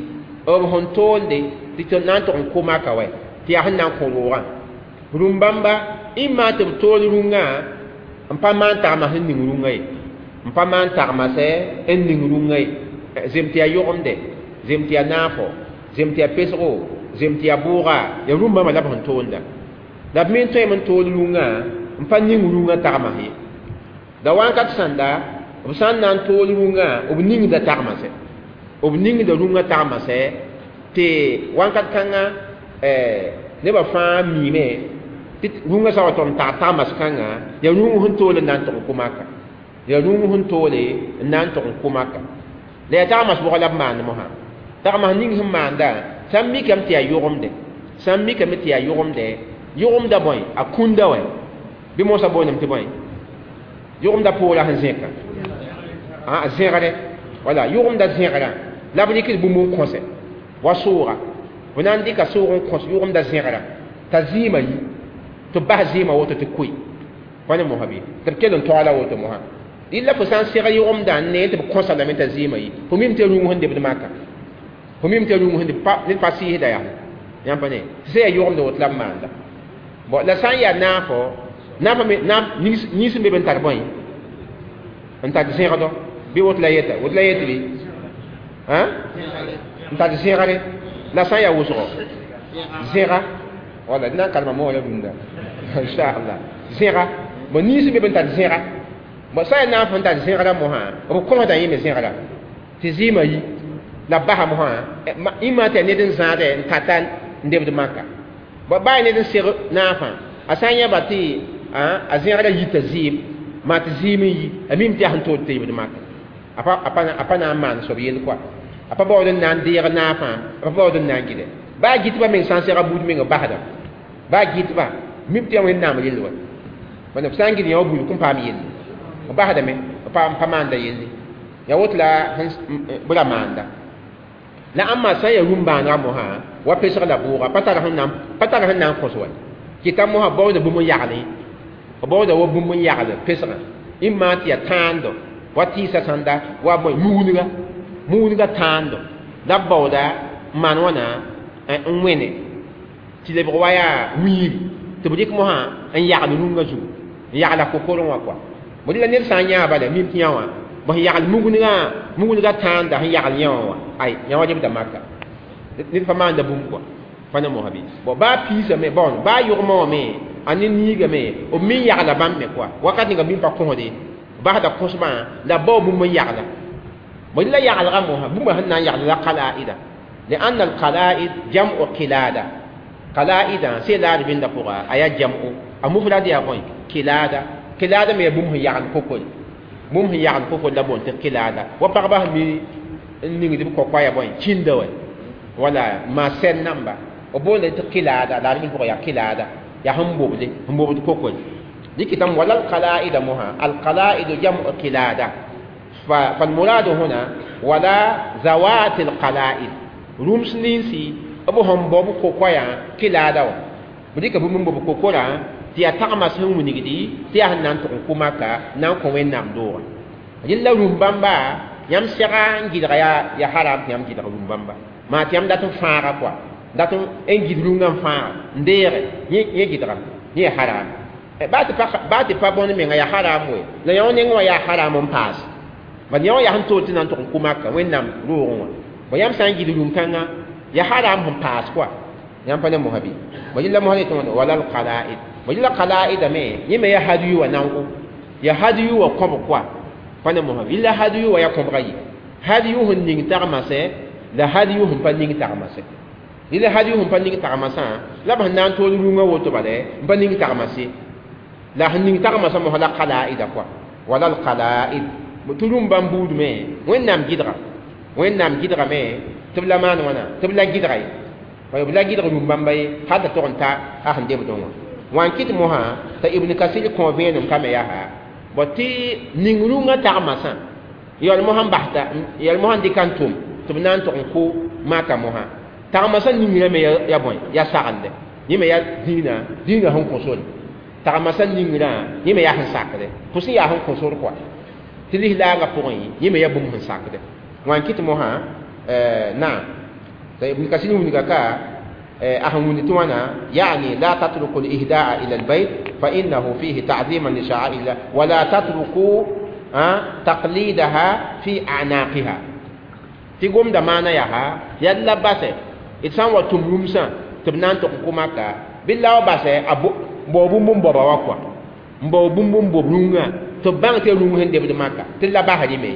b sẽn toonde tɩ na n tʋg n kʋ maka wɛ tɩ yaa sẽn na n kõ roogã rũm-bãmba ĩmma tɩ b tool rũngã n pa maan tagma sẽn ning rũngã ye n pa maan tagmasɛ n ning rũngã ye zem tɩ yaa yʋgemde zem tɩ yaa naafo zem tɩ yaa pesgo zem tɩ yaa bʋʋga yaa rũm-bãmba la b sẽn toonda la b me n tõeme n tool rũngã n pa ning rũngã tagmas ye la wãnkat sãnda b sã n na n tool rũngã b ningda tagmasɛ b ningda rũngã tagmasɛ tɩ wãnkat kãngã nebã fãa miime tɩ rũngã sã wa tʋg n tag tagmas kãngã yaa rũng sẽn tool n na n tʋg n kʋ maka yaa rũng sẽn toole n na n tʋg n kʋ maka la yaa tagmas bʋga la b maand mosã tagmas ning sẽn maanda sã n mikame tɩ yaa yʋgemde sã n mikame tɩ yaa yʋgemde yʋgemda bõe a kũnda wɛ bɩ mosã boondame tɩ bõe yʋgemda poorã sẽn zẽka a zẽgre wala yʋgemda zẽgrã la b rɩkd bũmb n kõsɛ wa sʋʋga b na n dɩka sʋʋg n kõs yʋgemda zẽgrã t'a zɩɩmã yi tɩ b bas zɩɩmã woto tɩ koe pa ne mosã bɩ tɩ b kell n taoola woto mosã rɩla fo sã n seg yʋgemdã n nee tɩ b kõsa lame t'a zɩɩmã yi fo mim tɩ rũng sẽn debd maka fo mim tɩ rũng sẽn deb ned pa sɩɩsda yaa yãmb pa ne tɩ sã yaa yʋgemd woto la b maanda bon la sã n yaa naafo naafã me naaf nins n be be n tar bõe n tar zẽgdɔ bɩ woto la yeta woto la yet bɩ n tar zẽgre la sã n yaa wʋsgo zẽga wala d na n kalma moora rũndã inchallah zẽga bon nins n be be n tar zẽga bon sã n yaa naaf n tar zẽgra mosã b kõsda yẽ me zẽgra tɩ zɩɩmã yi la basa mosã ĩmã tɩ yaa ned n zãadɛ n tata n debd maka bon baa ned n seg naafã a sã n yãba tɩ a zẽgra yita zɩɩm maa tɩ zɩɩm n yi a mim tɩ yaa sẽn tood tɩ yibd maka a pa na n maan soab yell kɔa a pa baood n na n deeg naafã a pa baood n na n gɩdɛ baa gɩtbã meng sã n sega buud meng basda baa gɩtbã mim tɩ yaa Wẽnnaam rell wa B sã n gɩd yã wa buud kõn paam yelle b basdame pa maanda yelle ya woto la b ra maanda la ãmba sã n yaa rũm-bãanegã mosã wa pesg la bʋʋga pa tar sẽn na n kõs wa kɩta mosã baooda bũmb n yagle b baooda wa bũmb n yagl pesgã ĩmma tɩ yaa tãando wa tɩɩsa sãnda wa bõe mugnega mugnega tãando la b baooda n maan wãna n wẽne tɩ lebg wa yaa wiiri tɩ b rɩk mosã n yagl rũngã zugu n yagla kokorẽ wã kɔa b la ned sã n yãa bala mim tɩ yã wã b sẽn yagl mugnega tãanda sẽn yagl yã wã wã ay yã wa lebda maka ned pa maanda bũmb kɔa pa ne mosã bɩ bon baa piisame bon baa yʋgmã wã me a ne niigame b me yagla bãmb me kɔa wakat ninga bĩm pa kõsde basda kõsbã la bao bũmb n yagla b la yaglga mosã bũmba sẽn na n yagl la qalaida لأن القلائد جمع قلادة قلائد سي لا بين دقوقا أيا جمع المفرد يا بوي قلادة قلادة ما يبوم هي عن كوكول بوم هي عن كوكول لا بون قلادة وبربه مي نيغي دي كوكوا يا بوي تشيندو ولا ما سن نمبا وبون قلادة لا بين يا قلادة يا هم بوبلي هم بوبلي كوكول دي كتام ولا القلائد مها القلائد جمع قلادة فالمراد هنا ولا ذوات القلائد rũms ninsi b sẽn bao b kokoyã kɩlaada wã b dɩka bũmb n bob kokorã tɩ yaa tagma sẽn wilgdi tɩ yaa sẽn na n tʋg n kʋ maka na n kõ wẽnnaam doogã rẽnd la rũm-bãmba yãmb sɛga n gɩdga yaa haram tɩ yãmb gɩdg rũm-bãmba maa tɩ yãmb dat n fãaga kɔa dat n gɩd rũngã n fãaga n deege yẽ gɩdgame yẽ yaa haram baa tɩ pa bõn menga yaa haram we la yã neng wã yaa haram n paas bad yã wã yaa sẽn toor tɩ na n tʋg n kʋ maka wẽnnaam roogẽ wã bõ yãmb sã n gɩd rũm-kãngã ya haram sẽn paas kɔa yãmb pa ne mosã bɩ bõ yella mosã yetɩ wala alqalaid bõ yella qalaida me yẽ me yaa hadiyu wã naogo ya hadiyu wã kõb kɔa pa ne mosã yella hadiyu wã yaa kõbga ye hadiyu sẽn ning tagmasẽ la hadiyu sẽn pa ning tagmasẽ yella hadiyu sẽn pa ning tagmasã la b sẽn na n tool rũngã woto bala n pa ning tagmase la sẽn ning tagmasã mosã la qalaida kɔa wala alqalaid tɩ rũm bãmb buud me wẽnnaam gɩdga wẽnnaam gɩdgame tɩ b la maan wãna tɩ b la gɩdga ye b la gɩdg rũm-bãmba ye hal t'a tog n ta a sẽn debdẽ wã wã n kɩt mosã t'a Ibn Kasir kõ vẽenem kame yaa bõ tɩ ning rũngã tagmasã yaool mosã n basta yaool mosã n dɩka n tʋm tɩ b na n tog n kʋ maka mosã tagmasã ningrame ya bõe ya sagende yẽ me ya dĩinã dĩinã sẽn kõ sore tagmasã ningrã yẽ me yaa sẽn sakde pʋs n yaa sẽn kõ sor kɔa tɩ lislaangã pʋgẽ yẽ me ya bũmb sẽn sakde wã n kɩt mosã naam Ibn Kasir wilga ka أهم ولتوانا يعني لا تتركوا الإهداء إلى البيت فإنه فيه تعظيما لشعائر الله ولا تتركوا تقليدها في أعناقها تقوم دمانا يها يلا بس إتسان وتمرمسا تبنان تقومك بالله بس أبو بوبوم بوبا وكوا بوبوم بوبونغا تبان تلوم هند بدماك تلا بحري مي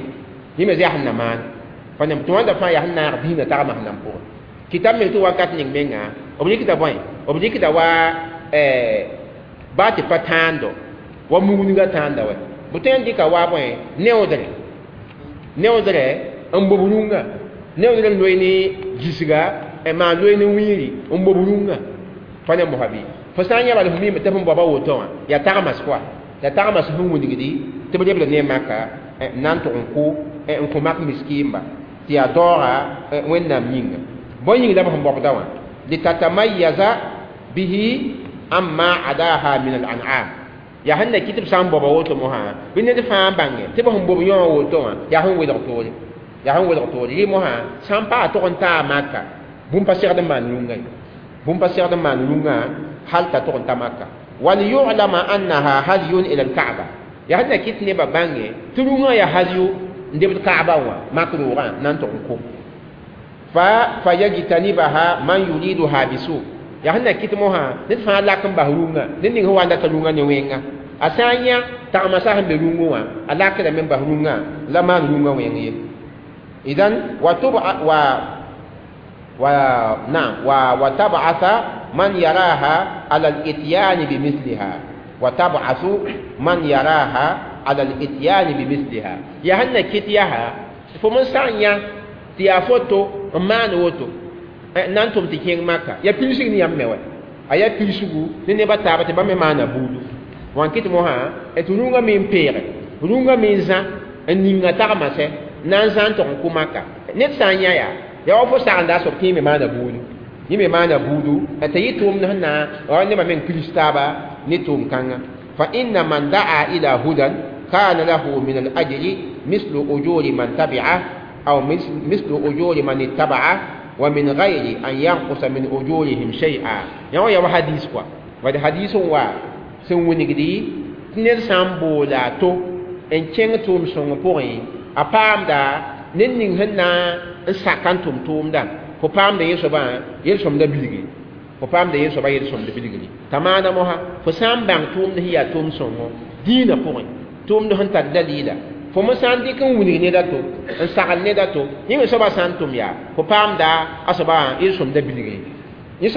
يمزي أحنا مان فنم توان دفع يحنا دينا تغمى نمبور kitab me tɩ wakat ning menga b rɩkda bõe b rɩkda wa baa tɩ pa tãando wa mugnga tãanda wɛ b tõe n dɩka wa bõe neoodre neoodre n bob rũngã neoodre n loe ne gisga maan loe ne wiiri n bob rũngã pa ne mosã bɩ fo sã n yã bala fo mime tɩ fõn baoba woto wã yaa tagmas kɔa yaa tagmas sẽn wilgdi tɩ b lebda ne maka n na n tʋg n kʋ n kõ mak miskiimba tɩ yaa daooga wẽnnaam yĩnga bõe yĩng la b sẽn bobda wã litatamayaza bihi amma adaha min al-an'am yaa sẽn na kɩ tɩ b sã n boba woto mosã bɩ ned fãa bãnge tɩ b sẽn bob yõ wã woto wã yaa sẽn welg toore yaa sẽn welg toore rɩ mosã sã n paa tog n taa maka bũmb pa segd n maan rũngã ye bũmb pa segd n maan rũngã hal t'a tog n ta maka waliyulama annaha hadyun ila alkaaba yaa sẽn na kɩ tɩ nebã bãnge tɩ rũngã yaa hadyu n debd kaaba wã mak roogã na n tog n ko فيجتنبها من يريدها بسوء ya sẽn na kɩt mosã ned fãa lak n bas rũngã ned ning sẽn wa n data rũngã ne wẽnga a sã n yã tagmasa sẽn be rũngẽ wã a lakdame n bas rũngã la maan rũngã wẽng ye idan wa tab'atha man yaraha ala al-ityan bimithliha wa tab'athu man yaraha ala al-ityan bimithliha ya sẽn na kɩt yaa fo n sã n yã tɩ yaa foto n maan woto na n tʋm tɩ kẽng maka ya pidsg ne yãmb me wɛ a yaa pidsgu ne nebã taaba tɩ bãmb me maana buudu Wan kɩt mosã tɩ rũngã me n peege rũngã me n zã n ninga tagmã sɛ na n zã n tog n kʋ maka ned sã n yã yaa yaa wa fo sagenda a soab tɩ yẽ me maana buudu yẽ me maana buudu t'a yɩ tʋʋmd sẽn na wa nebã meng kristaaba ne tʋʋm-kãngã fa inna man daa ila hudan kana lahu min al-ajri mislu ujuri man tabi'ah aw mislu ujuri man ittaba'ah wa min ghayri an yanqusa min ujurihim shay'a ya wa ya hadis kwa wa hadisun wa sẽn wilgdi tɩ ned sã n boola a to n kẽng tʋʋm sõng pʋgẽ a paamda ned ning sẽn na n sak n tʋm tʋʋmdã fo paamda yẽ soabã yel-sõmda bilgi fo paamda yẽ soabã yel-sõmda bilgri t'a maana mosã fo sã n bãng tʋʋmd sẽn yaa tʋʋm sõngo dĩinã pʋgẽ tʋʋmd sẽn tar dalila fo me sã n dɩk n wilg ned a to n sagl ned a to yẽ me soabã sã n tʋm yaa fo paamda a soabã yel-sõmda bilgri yẽ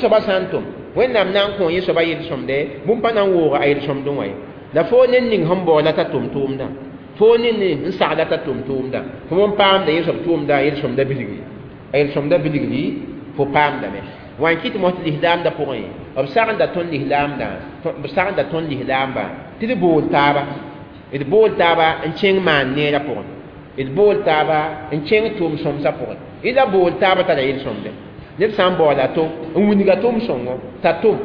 soabã sã n tʋm wẽnnaam na n kõ yẽ soaba yel-sõmde bũmb pa na n wooga a yel-sõmdẽ wã ye la fo ned ning sẽn baoola t'a tʋm tʋʋmdã fo ned ning n sagla t'a tʋm tʋʋmdã fo n paamda yẽ soab tʋʋmdã yel-sõmda bilgri a yel-sõmda bilgri fo paamdame wã n kɩt mos tɩ lislaamdã pʋgẽ b sagenda tõnd lislaamdã b sagenda tõnd lislaambã tɩ d bool taaba d bool taaba n kẽng maan neerã pʋgẽ d bool taaba n kẽng tʋʋm sõmsã pʋgẽ d la bool taaba tara yel-sõmde ned sã n baoola to n wilga tʋʋm sõngo t'a tʋm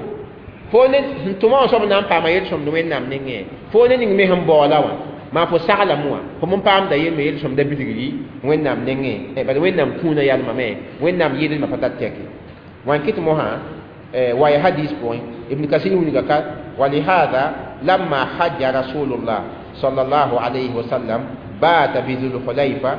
fo ne sẽn tʋma wã soab na n paama yel-sõmd wẽnnaam nengẽ fo ne ning me sẽn baoola wã maa fo saglame wã fo n paamda yel me yel-sõmda bilgri wẽnnaam nengẽ bala wẽnnaam kũunã yalmame wẽnnaam yɩlma pa tar tɛke wã n kɩt mosã wa ya hadis pʋgẽ ibn kasir wilga ka walihada lamma hajja rasulullah sallallahu alayhi wa sallam baata bi dhulhulayfa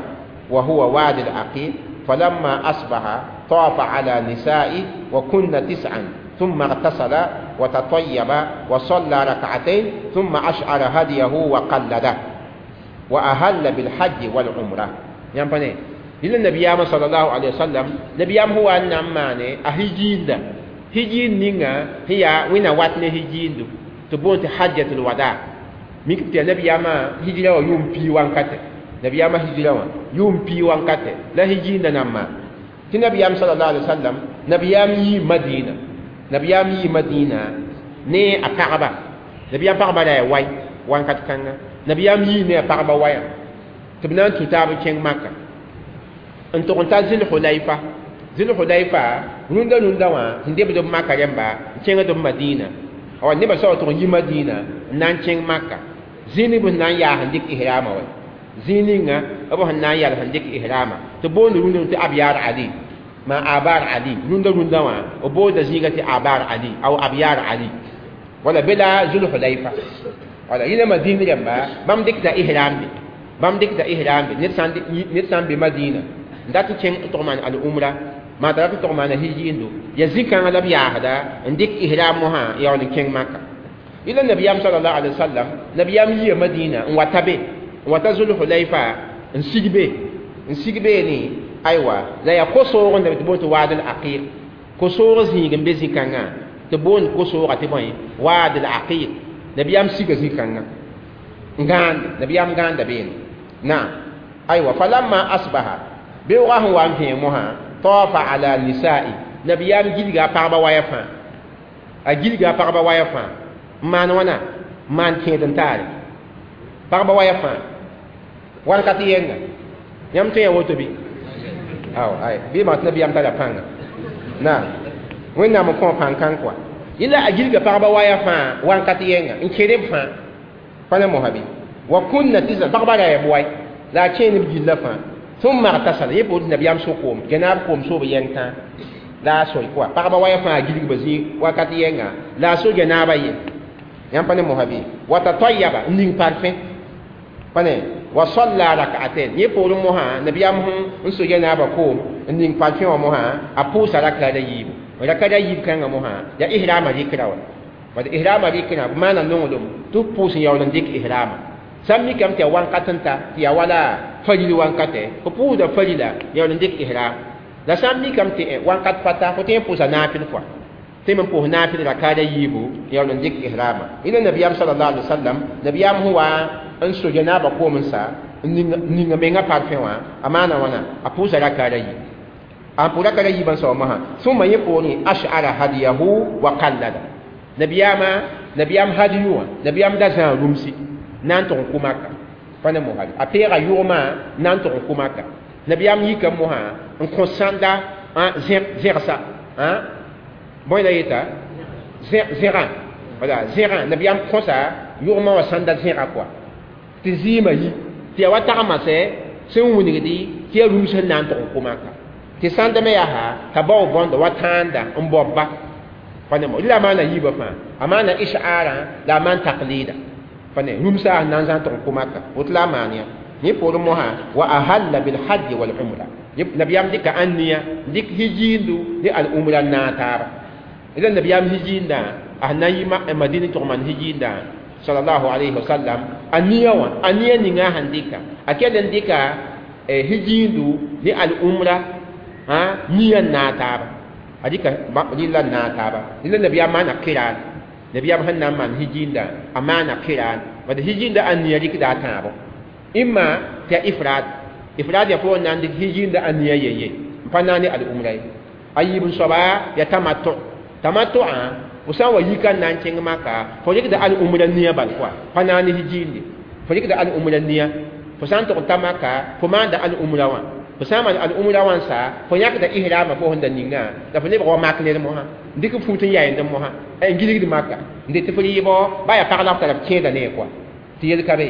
wa huwa wadi al-aqiq فلما أصبح طاف على نسائه وكن تسعا ثم اغتسل وتطيب وصلى ركعتين ثم أشعر هديه وقلده وأهل بالحج والعمرة يعني إلى النبي صلى الله عليه وسلم نبي هو أن أماني أهجين ده هجين نينا هي وين واتني هجين دو تبون حجة الوداع ميكتي النبي ما هجرة يوم في وانكته nabiyaama hijira wã yʋʋm pii wankatɛ la hijiindã nan maan tɩ nabiyaam sallallahu alaihi wasallam nabiyaam yii madina nabiyaam yii madina ne a pagba nabiyaam pagba la ya wai wankat kãnga nabiyaam yii ne a pagba waya tɩ b na n tũ taab n kẽng maka n tʋg n ta zil-hulayfa zil-hulayfa rũndã rũndã wã sẽn debd b maka rẽmba n kẽngd b madina awa nebã soab tʋg n yi madina n na n kẽng maka zĩig b sẽn na n yaas n dɩk ihrama wa zĩig ninga b sẽn na n yal sẽn dɩk ihrama tɩ boond rũndã tɩ abyar ali ma abar ali rũndã rũndã wã b boonda zĩiga tɩ abar ali aw abyar ali wala be la zulhulayfa wala yẽna madin rẽmba bãmb dɩkda ihram be bãmb dɩkda ihram be ned sã n be madina n dat n kẽng n tʋg maan al-umra maa t'a rat n tʋg maana hijiindo ya zĩ-kãngã la b yaasda n dɩk ihram mosã n yaool n kẽng maka yẽla nabiyaam sallallahu alaihi wasallam nabiyaam yia madina n wata be n wata zulhulayfa n sig be n sig beene aywa la yaa ko-soog n tɩ boond tɩ waad al-aqiq ko-soog zĩig n be zĩ-kãngã tɩ boond ko-sooga tɩ bõe waad al-aqiq nabiyaam siga zĩ-kãngã n gãande nabiyaam gãanda beene naam aywa falamma asbaha beoogã sẽn wa n vẽeg mosã tawafa ala nisa'i nabiyaam gilga a pagba waya fãa a gilga a pagba waya fãa n maan wãna n maan kẽed n taare pagba waya fãa wankat yɛnga yãmb tõe ya woto bɩ aw ay bɩ maa tɩ nabiyaam tara pãnga naam wẽnnaam n kõ pãn-kãng kɔa yẽla a gilga pagba waya fãa wankat yɛnga n kẽed b fãa pa na mosã bɩ wa kunna tɩsa pagba ra ya b wai la a kẽen b gilla fãa ثم اغتسل يبود نبيام سوكوم جناب كوم سوب ينتا لا سوي كوا pagba waya fãa gilg ba zĩ wakat yɛnga la a so janaaba ye yãmb pa ne mosã bɩ wa tatayyaba n ning parfẽ pa ne wa salla rak'atain yẽ poorẽ mosã nabiyaam sẽn so janaaba koom n ning parfẽ wã mosã a pʋʋsa rakaada yiibu rakaada yiib kãngã mosã yaa ihrama rɩkra wa bad ihrama rɩkra b maana nonglem tɩ b pʋʋs n yaool n dɩk ihrama sã n mikame tɩ yaa wankat n ta tɩ yaa wala faril wankatɛ fo pʋʋsda farila yaool n dɩk ihram la sã n mikame tɩ wankat pa ta fo tõe n pʋʋsa naafɩl kɔa tɩ me n pʋʋs naafɩl rakaada yiibu yaool n dɩk ihrama yẽla nabiyaam sallallahu alaihi wasallam nabiyaam sẽn wa n so janaaba koom n sa n ninga menga parfẽ wã a maana wãna a pʋʋsa rakaada yiib a pʋʋs rakaada yiibã n sao mosã sũma yẽ poorẽ ash'ara hadiyahu wa qallada nabiyaamã Nabiyam hadiyu wã nabiyam da zãa rũmsi na n tʋg n kʋ maka pa ne mosã a peega yʋgmã na n tʋg n kʋ maka nabiyam yika mosã n kõ sãnda zẽgsa bõe la yeta zẽgã wala zẽgã nabiyam kõsa yʋgmã wã sãnda zẽga kɔa tɩ zɩɩmã yi tɩ yaa wa tagmasɛ sẽn wilgdi tɩ yaa rũms sẽn na n tʋg n kʋ maka tɩ sãnda me yaa t'a bao bõnda wa tãanda n baobba pa ne mo la maana yiibã fãa a maana ishaarã la a maan taklida pa ne rũmsa sẽn na n zãn tʋg n kʋ maka woto la a maan yã yẽ poorẽ mosã wa ahalla bilhajji wal umra nabiyam dɩka ãnniya dɩk hijiindu ne al umra n naag taaba la nabiyam hijiindã a sẽn na n yi madina tʋg maan hijiindã sallallahu alayhi wa sallam a nia wã a nia ninga sẽn dɩka a kell n dɩka hijiindu ne al umra nia n naag taaba a dɩka rɩlla n naag taaba rɩlla nabiyaam maana kiran nabiyaam sẽn na n maan hijiindã a maana kiran bad hijiinda a nia rɩkda a tãabo imma tɩ ya ifrad ifrad ya pʋgẽ na n dɩk hijiinda a nia yen-ye n pa naag ne al umra ye a yiib n soaba ya tamattu tamattu'ã fo sã n wa yika n na n kẽng maka fo rɩkda al umra nia bal kɔa pa naag ne hijiinde fo rɩkda al umra nia fo sã n tʋg n ta maka fo maanda al umra wã fo sã n maan al umra wã n sa fo yãkda ihrama fo sẽn da ninga la fo lebg wa mak ned mosã n dɩk fut n yayend mosã n gilgd maka n det tɩ fo rɩɩbɔ ba yaa pag la f tara f kẽeda ne kɔa tɩ yel ka be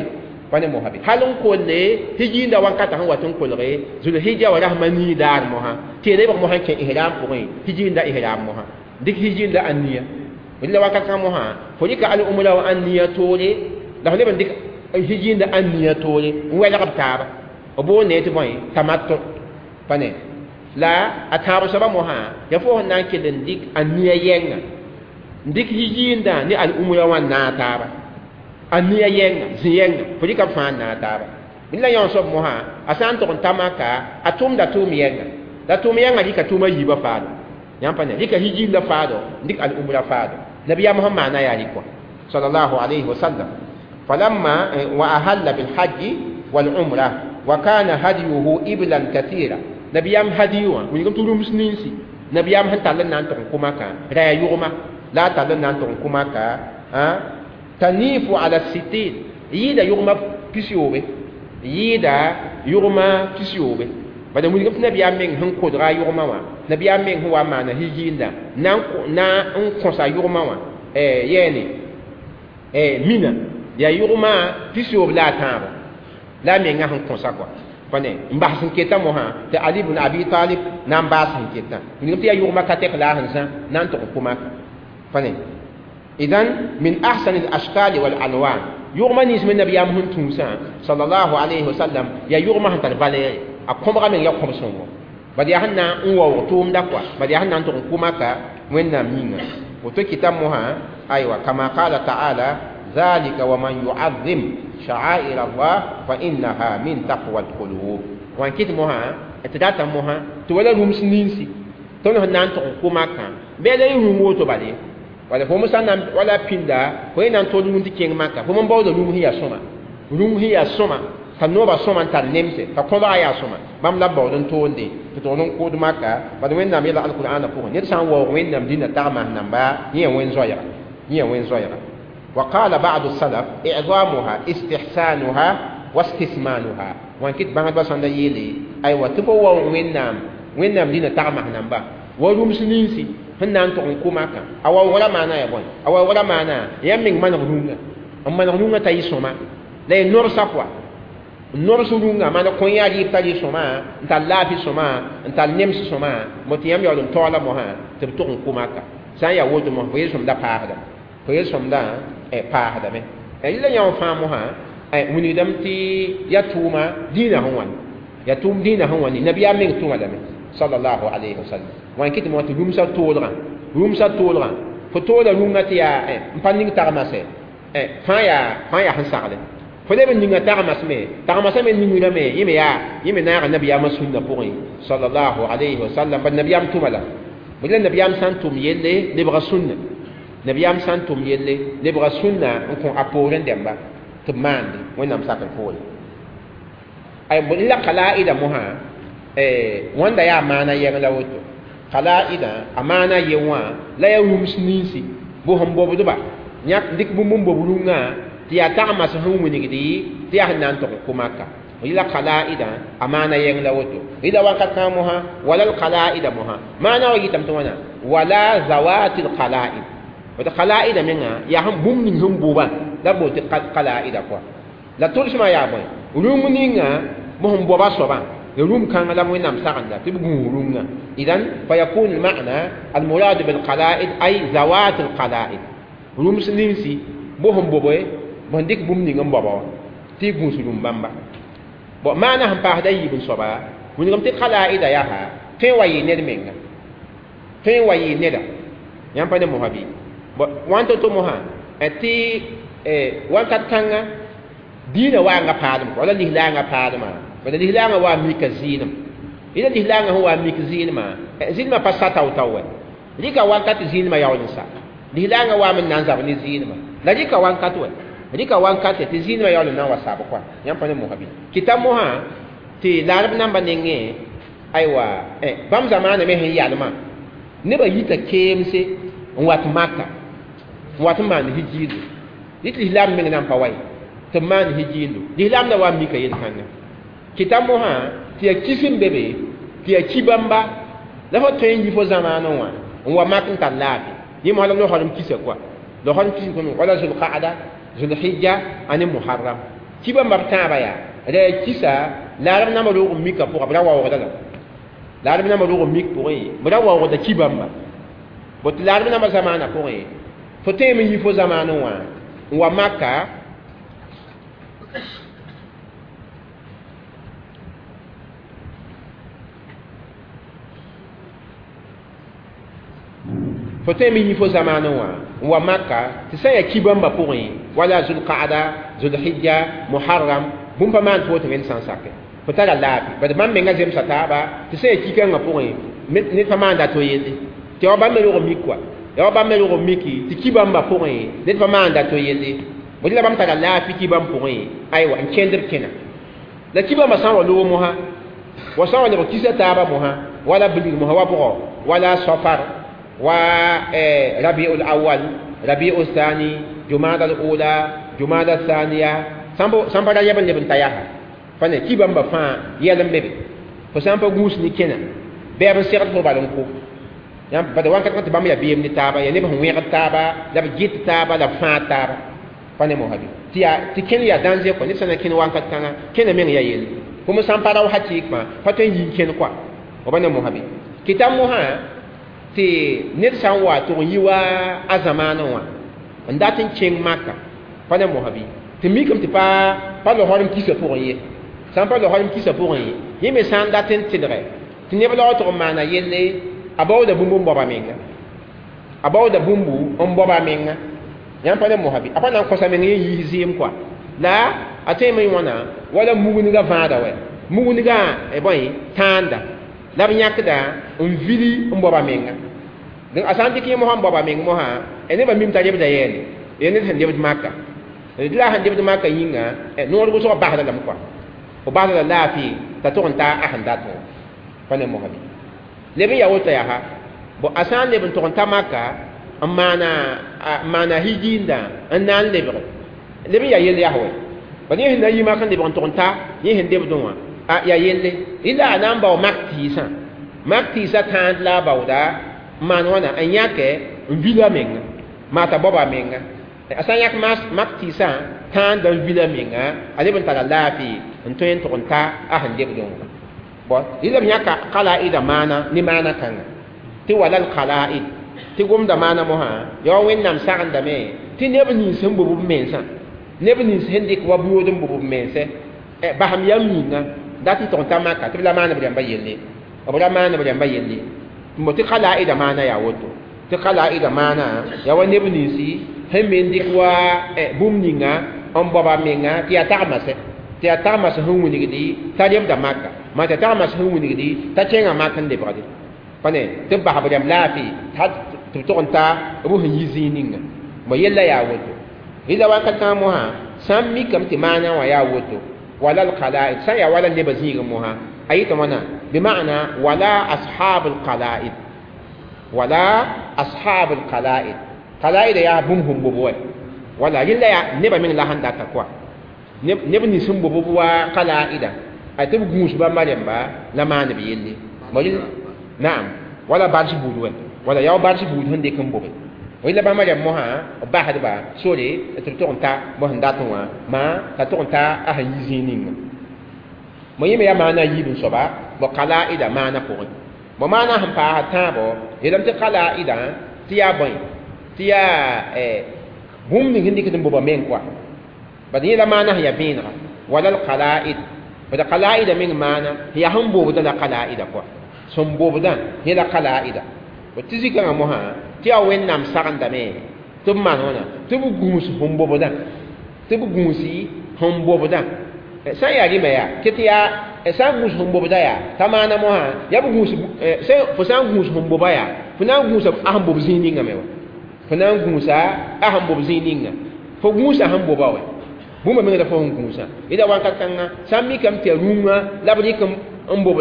pa ne mosã be hal n kolle hijiinda wankata sẽn wat n kolge zulhija wa rasmã nii daar mosã tɩ ya lebg mosã n kẽ ihram pʋgẽ hijiinda ihram mosã dɩk hijiinda a nia la wakat kãng mosã fo rɩka al umra wã ãn nia toore la fo leb n dɩk hijiinda ãn nia toore n wɛlg b taaba b boond ne tɩ bõe tamattu pa ne la a tãab soaba mosã yaa fo sẽn na n kell n dɩk a nia yɛnga n dɩk hijiindã ne al umra wã n naag taaba a nia yɛnga zĩ yɛnga fo rɩka b fãa n naag taaba la yão soab mosã a sã n tʋg n ta maka a tʋmda tʋʋm yɛnga la tʋʋm yɛnga rɩka tʋʋma yiibã faado yãmb pa ne rɩka hijiinda faado n dɩk al umra faado nabiyam sẽn maana yaa rɩkwa sallallahu alayhi wa sallam falamma wa ahalla bilhajji walumra wa kana hadiyuhu iblan kathira nabiyam hadiyu wã wilgm tɩ rũms ninsi nabiyam sẽn tall n na n tʋg n kʋ maka raya yʋgma la a tall n na n tʋg n kʋ maka tanifu ala sitin yɩɩda yʋgma pisiyoobe yɩɩda yʋgma pisiyoobe bala wilgm tɩ nabiyaam meng sẽn kodga a yʋgmã wã nabiyaam meng sẽn wa n maana hijiinda na n kõsa yʋgmã wã yɛɛne mina yaa yʋgmã pisiyoob la a tãabo la a menga sẽn kõsa kɔa pa ne n bas sẽn keta mosã tɩ ali bn abi talib na n baas sẽn ketã wilgm tɩ yaa yʋgmã ka tɛk la a sẽn zã na n tʋg n kʋ maka pa ne idan min ahsan al ashkal wal alwan yʋgmã nins me nabiyaam sẽn tũusã sallallahu alayhi wa sallam yaa yʋgmã sẽn tar valɛɛre a kõbga meng yaa kõb sõngo bad yaa sẽn na n waoog tʋʋmda kɔa bad yaa sẽn na n tʋg n kʋ maka wẽnnaam yĩnga woto kɩta mosã aywa kama qala taala ذلك ومن يعظم شعائر الله فإنها من تقوى القلوب وان كت موها تداتا موها تولا رمس نينسي تونو نان تو كوما كان بلا يرمو تو بالي wala fo musa nan wala pinda fo nan to dum ti keng maka fo mon bawdo rum hiya soma rum hiya soma ka noba soma n tar nemse ka kõba yaa sõma bãmb la baood n toonde tɩ tʋgd n kʋʋd maka bad wẽnnaam yɛla alqur'ana pʋgẽ ned sã n waoog wẽnnaam dĩnã tagmas namba yẽ wẽn-zoɛɛga yẽ wẽn-zoɛɛga وقال بعض السلف إعظامها استحسانها واستثمانها وان كت بانت بس عند يلي أيوة تبوا وينام وينام دينا تعمه نمبا ورم سنينسي هن أنتم كوماكا أو ولا معنى يا بون أو ولا معنى يمين من غنونا أما غنونا تايسوما لا نور سقوا نور سرونga mana konya ri tali soma nta lafi soma nta nems soma motiyam yolun tola mo ha tɩ b tʋg n kʋ maka sã n yaa woto mos fo yel-sõmda paasdame fo yel-sõmda paasdame la yã fãa mosã wilgdame tɩ ya tʋʋma dĩinã sẽn wãn ya tʋʋm dĩinã sẽn wãn nabiyaam meng tʋma lame sallallahu alayhi wa sallam wãn kɩ tɩ mo tɩ rũmsã toolgã rũmsã toolgã fo toola rũngã tɩ yaa n pa ning tagmasɛ fãa yaa sẽn sagle fo leb n ninga tagmas me tagmasã me ningrame yẽ me yaa yẽ me naaga nabiyaamã sũnna pʋgẽ sallallahu alayhi wa sallam bad nabiyaam tʋma la la nabiyaam sã n tʋm yelle lebga sũnna nabiyaam sã n tʋm yelle lebga sũnna n kõ a poorẽ dẽmba tɩ b maande wẽnnaam sakr poore ay la kalaida mosã wãnda yaa maana yɛng la woto kalaida a maana ye wã la yaa rũms ninsi bʋ sẽn bobdba yãk dɩk bũmb n bob rũngã tɩ yaa tagmas sẽn wilgdi tɩ yaa sẽn na n tog n kʋ maka rɩla qalaida a maana yɛng la woto rɩla wakat kãng mosã wala lqalaida mosã maana wa yɩtame tɩ wãna wala zawati lqalaid woto qalaida menga yaa sẽn bũmb ning sẽn bʋbã la b bool tɩ qalaida kɔa la tʋlsmã yaa bõe rũng ninga b sẽn boba soabã rũm kãngã la wẽnnaam sagenda tɩ b gũus rũngã idan fayakunu lmana almuradu bilqalaid ay zawat alqalaid rũms ninsi b sẽn bobe b sẽn dɩk bũmb ning n baoba wã tɩ y gũus rũm bãmba bon maana sẽn paasda yiib n soaba wilgem tɩ qalaida yaa tõe n wa yɩ ned menga tõe n wa yɩ neda yãmb pa ne mosã bɩ bon wãn to-to mosã tɩ wakat kãnga diinã waanga paalem wala lislaangã paalmã wala lislaangã wa mika zɩɩnem ila lislaangã sẽn wa mik zɩɩnemã zɩɩnemã pa sa tao-tao wɛ rɩka wakat zɩɩnemã yaool n sa lislaangã waam n na n zab ne zɩɩnemã la rɩka wakat wɛ rɩka wankate tɩ zĩinemã yaool n na n wa saab kɔa yãmb pa ne mosã bɩ kɩta mosã tɩ laarb namba nengẽ aywa bãmb zamaanã me sẽn yalmã nebã yita keemse n wat maka n wat n maan hijiindo dɩ tɩ lislaam meng na n pa wa ye tɩ b maan hijiindo lislaam la wa n mika yel-kãngã kɩta mosã tɩ yaa kis n be be tɩ yaa ki bãmba la fo tõe n yi fo zamaanẽ wã n wa mak n tar laafɩ yẽ mosã la losrem kisa kɔa losrem kis wala zulqaada zulhijja ane muharram ki bãmba b tãabã yaa la yaa kisa laarb namba roog n mika pʋga b ra waoogda la laarb namba roog n mik pʋgẽ b ra waoogda ki bãmba bot laarb namba zamaanã pʋgẽ fo tõeme n yi fo zamaanẽ wã n wa maka fo tõeme n yi fo zamaanẽ wã n wa maka tɩ sã n yaa ki bãmba pʋgẽ wala zulqaada zulhijja muharram bũmb pa maan tɩ woto wẽnd sã n sake fo tara laafɩ bad bãmb menga zemsa taaba tɩ sã n yaa ki-kãngã pʋgẽ ned pa maanda to yelle tɩ ya wa bãmb me rog n mik kɔa ya wa bãmb me rog n miki tɩ ki bãmba pʋgẽ ned pa maanda to yelle bõe la bãmb tara laafɩ ki bãmb pʋgẽ aywa n kẽnd b kẽna la ki bãmba sã n wa loog mosã wa sã n wa lebg kisa taaba mosã wala bilg mosã wa bʋgɔ wala safar wa rabiul awal rabiul thani jumada al ula jumada thaniya sãn pa ra yɛb n leb n ta yaa pa ne ki bãmba fãa yɛl n be be fo sã n pa gũus ne kẽna bɛɛb n segd fo bal n ko yãmb bad wakat tɩ bãmb yaa beem ne taaba yaa neb sẽn wẽgd taaba la b gɩt taaba la b fãag taaba pa ne mosã bɩ tɩ yaa tɩ kẽn yaa dãnze kɔa ned sã na kẽn wakat kãngã kẽna meng yaa yelle fo sã n pa rao hakɩɩkmã pa tõe n yi n kẽn kɔa b pa ne mosã bɩ kɩta mosã tɩ ned sã n wa tʋg n yi wa a zamaanẽ wã n dat n kẽng maka pa ne mosã bɩ tɩ mikame tɩ pa losrem kisa pʋgẽ ye sã n pa losrem kisa pʋgẽ ye yẽ me sã n dat n tɩlgɛ tɩ neb laog tʋg n maana yelle a baooda bũmb n baoba menga a baooda bũmbu n baoba menga yãmb pa ne mosã bɩ a pa na n kõsa meng yẽ yiis zɩɩm kɔa la a tõeme wãna wala mugnigã vãada wɛ mugnigã bõe tãanda la b yãkda n vili n baoba menga donc a sã n dɩk yẽ mosã n baoba meng mosã nebã mim t'a lebda yɛɛne ya ned sẽn lebd maka d la sẽn lebd maka yĩnga noor wʋsgã basda lame kɔa fo basda la laafɩ t'a tʋg n taa a sẽn dat wã pa ne mosã bɩ leb n yaa woto yaa bon a sã n leb n tʋg n ta maka n maana hijiinda n na n lebge leb n yaa yell yaa wɛ bad yẽ sẽn na yi mak n lebg n tʋg n ta yẽ sẽn lebdẽ wã a yaa yelle rɩla a na n bao mak tɩɩsã mak tɩɩsã tãand la a baooda n maan wãna n yãkɛ n vila menga maa t'a baoba menga a sã n yãk mak tɩɩsã tãanda n vila menga a leb n tara laafɩ n tõe n tʋg n ta a sẽn lebdẽ wã bon rɩla b yãka qalaida maana ne maana kãnga tɩ wala lqalaid tɩ gomda maana mosã yaa wa wẽnnaam sagendame tɩ neb nins sẽn bob b mensã neb nins sẽn dɩk wa buood n bob b mense basem yam yĩnga dat n tʋg n ta maka tɩ b la maan b rãmba yelle b ra maan b rãmba yelle n bo tɩ qalaida maana yaa woto tɩ qalaida maana yaa wa neb ninsi sẽn me n dɩk wa bũmb ninga n baoba menga tɩ yaa tagmase tɩ yaa tagmas sẽn wilgdi t'a lebda maka maa tɩ tagmas sẽn wilgdi t'a kẽngã mak n lebgde pa ne tɩ b bas b rãmb laafɩ tɩ b tʋg n ta b sẽn yi zĩig ninga bõ yella yaa woto rɩla wakat kãng mosã sã n mikame tɩ maana wã yaa woto wala lqalaid sã n yaa wala nebã zĩigẽ mosã a yɩta wãna bima'na wala ashab lqalaid wala ashab lqalaid qalaida yaa bũmb sẽn bob wɛ Wala yella ya neba meng la sẽn data kɔa neb nins n bob b wa qalaida a tɩ b gũus bãmba rẽmba la maan b yelle. Naam, wala bars buud wɛ wala yaa bars buud sẽn dɩk n bobe. Wẽla bãmba rẽmb mosã b basdba sore tɩ b tog n ta bõ sẽn dat wã maa t'a tog n ta a sẽn yi zĩig ninga. Mo yẽ me yaa maana a yiib n soaba bõ qalaida maana pʋgẽ. Bõ maana sẽn paas tãabo yeelame tɩ qalaida tɩ yaa bõe tɩ yaa bũmb ning sẽn dɩkd n boba meng kɔa. Bad yẽ la maana sẽn yaa vẽenega wala l-qalaid. Bad qalaida meng maana sẽn yaa sẽn bobdã la qalaida kɔa. Sẽn bobdã yẽ la qalaida. Tɩ zikãngã mosã tɩ yaa Wẽnnaam sagendame tɩ b maan wãna tɩ b gũus sẽn bobdã tɩ b gũusi sẽn bobdã. Sã n yaa rɩma yaa ket yaa sã n gũus sẽn bobda yaa t'a maana mosã yaa b gũus fo sã n gũus sẽn boba yaa fo na n gũusa a sẽn bob zĩig ninga me wa. Fo na n gũusa a sẽn bob zĩig ninga. Fo gũusa sẽn boba wɛ bũmba meng la fo sẽn gũusã. Yẽla wakat kãnga sã n mikame tɩ yaa rũngã la b rɩk n bob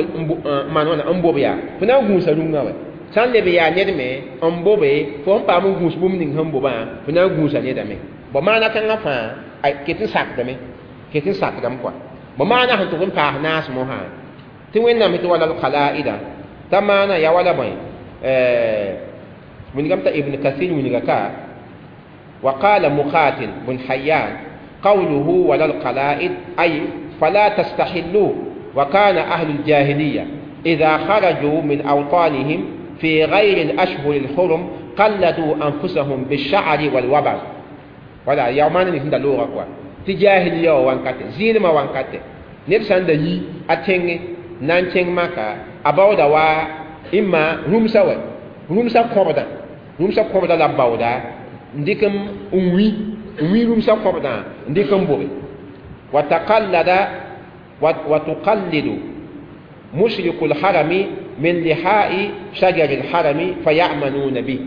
maan wãna n bob yaa fo na n gũusa rũngã wɛ. Sã n leb yaa ned me n bobe fo sẽn paam n gũus bũmb ning sẽn bobã fo na n gũusa nedame. Bõ maana kãngã fãa ket n sakdame ket n sakdame kɔa. Bõ maana sẽn tʋg n paas naas mosã tɩ Wẽnnaam tɩ wala l-qalaida t'a maana yaa wala bõe wilgame t'a Ibn Kathir wilga ka wa qala Muqatil bn Hayyan qawluhu wala al-qala'id ay fala tastahillu wa kana ahlu al-jahiliya idha kharaju min awtanihim fi ghayri al-ashhur al-hurum qalladuu anfusahum bish-sha'ri wal-wabar. Wala yaa maana ning sẽn da loogã kɔa tɩ jahiliya wã wankate zɩɩlmã wankate ned sã n da yi a tẽngẽ na n kẽng maka a baooda wa imma rũmsã wɛ rũmsã kõbdã rũmsã kõbdã la b baooda n dɩk n wĩ n wĩ rũmsã kõbdã n dɩk n bobe. Wa taqallada wa tuqallidu mushriku lharami min lihai shajari lharami fayamanuna bih.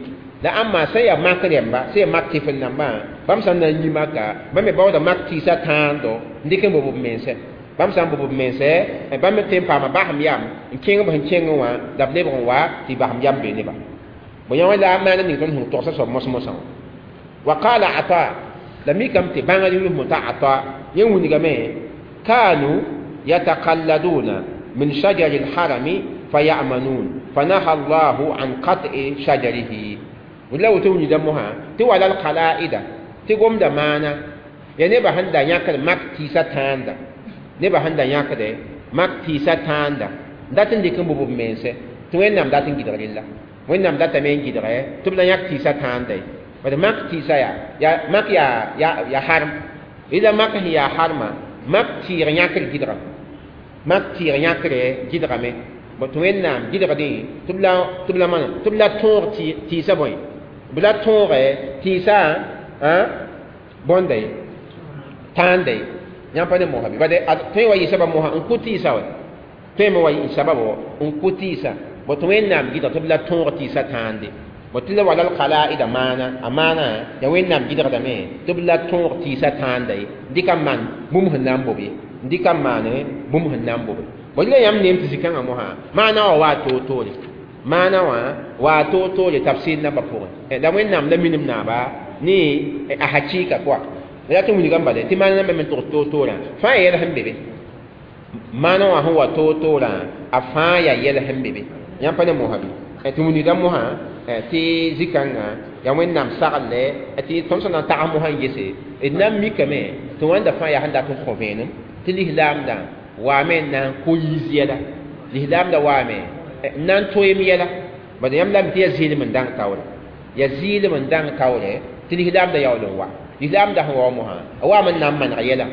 La ãmba sã n yaa mak rẽmba sã n yaa mak tɩfel nambã bãmb sã n na n yi maka bãmb me baooda mak tɩɩsã tãando n dɩk n bob b mense. Bãmb sã n bob b mense bãmb me tõe n paama basem yam n kẽng b sẽn kẽngẽ wã la b lebg n wa tɩ basem yam be neba. Bõ yã wã la a maana ning tõnd sẽn togsã soab mos-mosã wã. Wa qala Ata la mikame tɩ bãngr yʋsem t'a Ata yẽ wilgame kanu yataqalladuna min shajari lharami fayamanun fanaha Allahu an qat'i shajarihi. La woto wilda mosã tɩ wala l-qalaida tɩ gomda maana yaa nebã sẽn da yãkd mak tɩɩsã tãanda nebã sẽn da yãkde mak tɩɩsã tãanda dat n dɩk n bob b mense tɩ Wẽnnaam dat n gɩdg rella. Wẽnnaam datame n gɩdge tɩ b la yãk tɩɩsã tãanda ye. Bad mak tɩɩsã yaa mak yaa harm rɩla mak sẽn yaa harmã mak tɩɩg yãkr gɩdgame mak tɩɩg yãkre gɩdgame. Bõ tɩ Wẽnnaam gɩdgdẽ tɩ b la maana tɩ b la tõog tɩɩsã bõe b la tõoge tɩɩsã bõnda ye tãanda ye. Yãmb pa ne mosã bɩ bad tõe wa yɩ sabab mosã n kʋ tɩɩsã wɛ tõe me wa yɩ sababo n kʋ tɩɩsã. Bõ tɩ Wẽnnaam gɩdg tɩ b la tõog tɩɩsã tãande. Bõ tɩ la wala l-qalaida maana a maana yaa Wẽnnaam gɩdgdame tɩ b la tõog tɩɩsã tãanda ye dɩka n maan bũmb sẽn na n bob ye dɩka n maane bũmb sẽn na n bobe. Bõ la yãmb neem tɩ zĩ-kãngã mosã maana wã waa toor-toore maana wã waa toor-toore tafsir nambã pʋgẽ. La Wẽnnaam la minim naaba ne a hakɩɩka kɔa. La tɩ wilgame bala tɩ maana nambã me tʋgs toor-toorã fãa yɛl sẽn be be maana wã sẽn wa toor-toorã a fãa yaa yɛl sẽn be be. Yãmb pa ne mosã bɩ tɩ wilgdã mosã tɩ zĩ-kãngã yaa Wẽnnaam saglle tɩ tõnd sẽn na n tags mosã n yese d na n mikame tɩ wãnda fãa yaa sẽn dat n kõ vẽenem tɩ lislaamdã waame n na n ko yiis yɛla lislaamdã waame n na n toeem yɛla. Bad yãmb lame tɩ yaa zɩɩlem n dãng taoore yaa zɩɩlem n dãng taoore tɩ lislaamdã yaool n wa lislaamdã sẽn wa mosã a waame n na n maneg yɛla.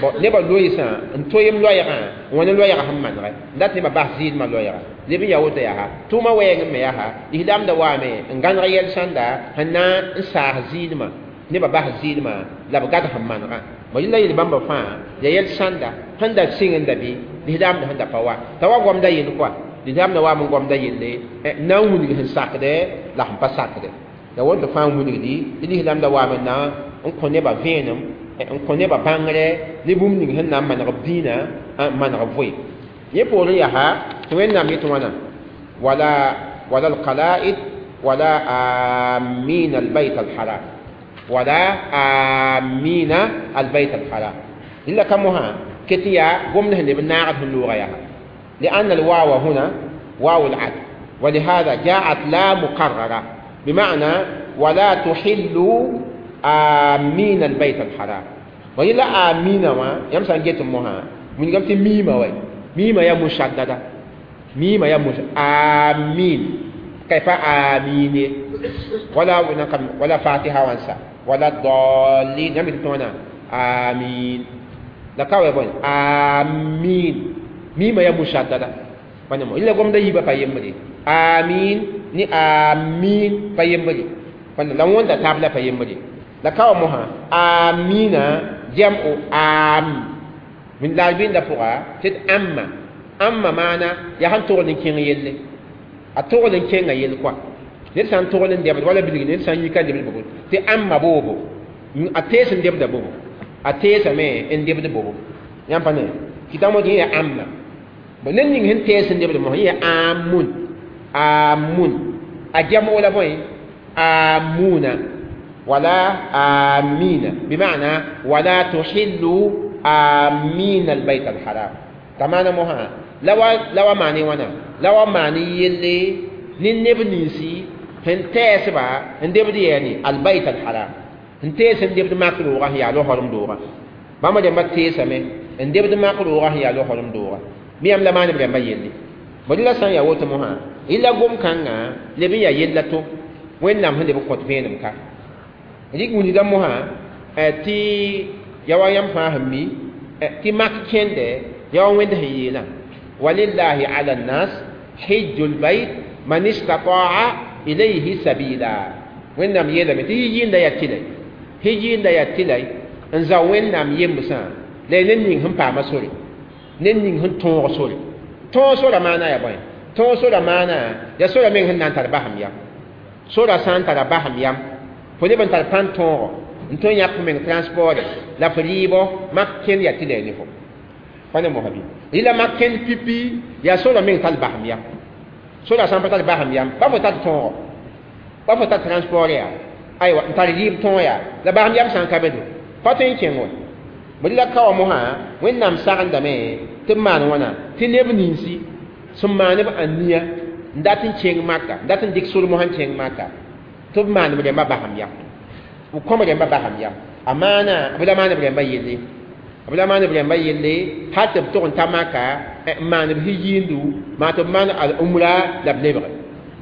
Bõ nebã loeesã n toeem loɛɛgã n wa ne loɛɛgã sẽn manegɛ n dat nebã bas zɩɩlmã loɛɛga leb n yaa woto yaa tʋʋmã wɛɛng me yaa lislaamdã waame n gãneg yɛl sãnda sẽn na n saas zɩɩlmã nebã bas zɩɩlmã la b gad sẽn manegã. Bõ yẽla yel bãmba fãa yaa yɛl sãnda sẽn da sɩng n da bɩ lislaamdã sẽn da pa wa t'a wa goamda yell kɔa lislaamdã waam n goamda yelle n na n wilg sẽn sakdɛ la sẽn pa sakdɛ. La woto fãa n wilgdi tɩ lislaamdã waam n na n kõ nebã vẽenem n kõ nebã bãngre ne bũmb ning sẽn na n maneg b dĩinã n maneg b voe. Yẽ poorẽ yaa tɩ Wẽnnaam yetɩ wãna wala wala al-qala'id wala amin al-bayt al-haram. ولا آمين البيت الحرام إلا كمها كتيا قمنا هن بناعد اللغة يا لأن الواو هنا واو العدل ولهذا جاءت لا مقررة بمعنى ولا تحلوا آمين البيت الحرام وإلا آمين ما يمسان جيت مها من قمت ميمة وي ميمة يا مشددة ميمة يا مشددة آمين كيف آمين ولا ولا فاتحة وانسى ولا الضالين يمسان آمين لكاوي بون آمين ميمة يا مشددة فنمو إلا قم ده يبقى فيمري آمين ni آمين فيمري فن لو وانت تابلا فيمري لكاو مها آمين جمع آم من لاعبين دفوغا تد أما أما معنى يهان تغلن كين يلي أتغلن كين يلي كوا نرسان تغلن ديبت ولا بلغي نرسان يكا ديبت بوبو تي أما بوبو أتيسن ديبت بوبو أتيسا مي إن ديبت بوبو يامباني كتامو دي أما بنن نين تيسن ديبت مو هي آمون آمون أجمع ولا بوين آمون ولا آمين بمعنى ولا تحلوا آمين البيت الحرام تماما مها لو معني وانا لو معني يلي ننبنيسي هنتاسبا هندبدي يعني البيت الحرام هنتاس هندبد ماكلوغا هي على حرم دوغا بما جنب تيسمه هندبد ماكلوغا هي على حرم دوغا ميام لا معني بجنب يلي بدلا سان يا وتمها إلا قوم كان لبي يا يلتو وين نام هندب قط فينم كا dik wuni da moha ti yawa yam fahmi ti mak kende yawa wende hiyela walillahi ala nas hajjul bayt man istata'a ilayhi sabila wennam yela me ti yinda ya tilay hijinda ya tilay nza wennam yemsa le nen ning hum pa masori nen ning hum ton sori ton sora mana ya boy ton sora mana ya sora men hin nan tar baham ya sora san tar baham ya fo neb n tar pãn tõogo n tõe n yãk fo meng transport la fo rɩɩbɔ mak kẽnd yaa tɩ la ne fo pa ne mosa bɩ rɩla mak kẽnd pipi yaa sora meng tar basem yam sora sã n pa tar basem yam pa fo tar tõogo pa fo tar transport yaa aywa n tar rɩɩb tõog yaa la basem yam sã n ka be do pa tõe n kẽng wa bõe la ka wa mosã wẽnnaam sagendame tɩ b maan wãna tɩ neb ninsi sẽn maan b ania n dat n kẽng maka n dat n dɩk sor mosã n kẽng maka tɩ b maan b rẽmba basem yam b kõm rẽmba basem yam a maana b la maan b rẽmba yelle b la maan b rẽmba yelle hal tɩ b tʋg n ta maka n maan b yiindu maa tɩ b maan al-umra la b lebge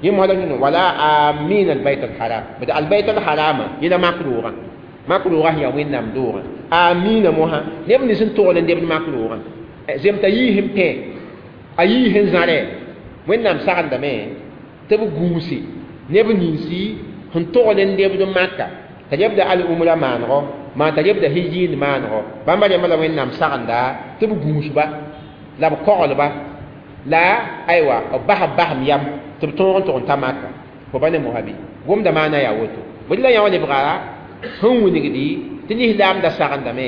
yẽ mosa la wala amin albayt alharam bd albayt alharama yẽla mak roogã mak roogã sẽn yaa wẽnnaam doogã amina mosã neb nins n togl n debd mak roogã zem t'a yiis n pẽ a yiis n zãrɛ wẽnnaam sagendame tɩ b gũuse neb ninsi sẽn togl n debd maka t'a lebda al-umra maanego maa t'a lebda hijiind maanego bãmba rẽmba la wẽnnaam sagenda tɩ b gũusba la b koglba la aywa b bas b basem yam tɩ b tõog n tʋg n ta maka fo ba ne mosa bɩ gomda maana yaa woto bõe la yã wã lebga sẽn wilgdi tɩ lislaamda sagendame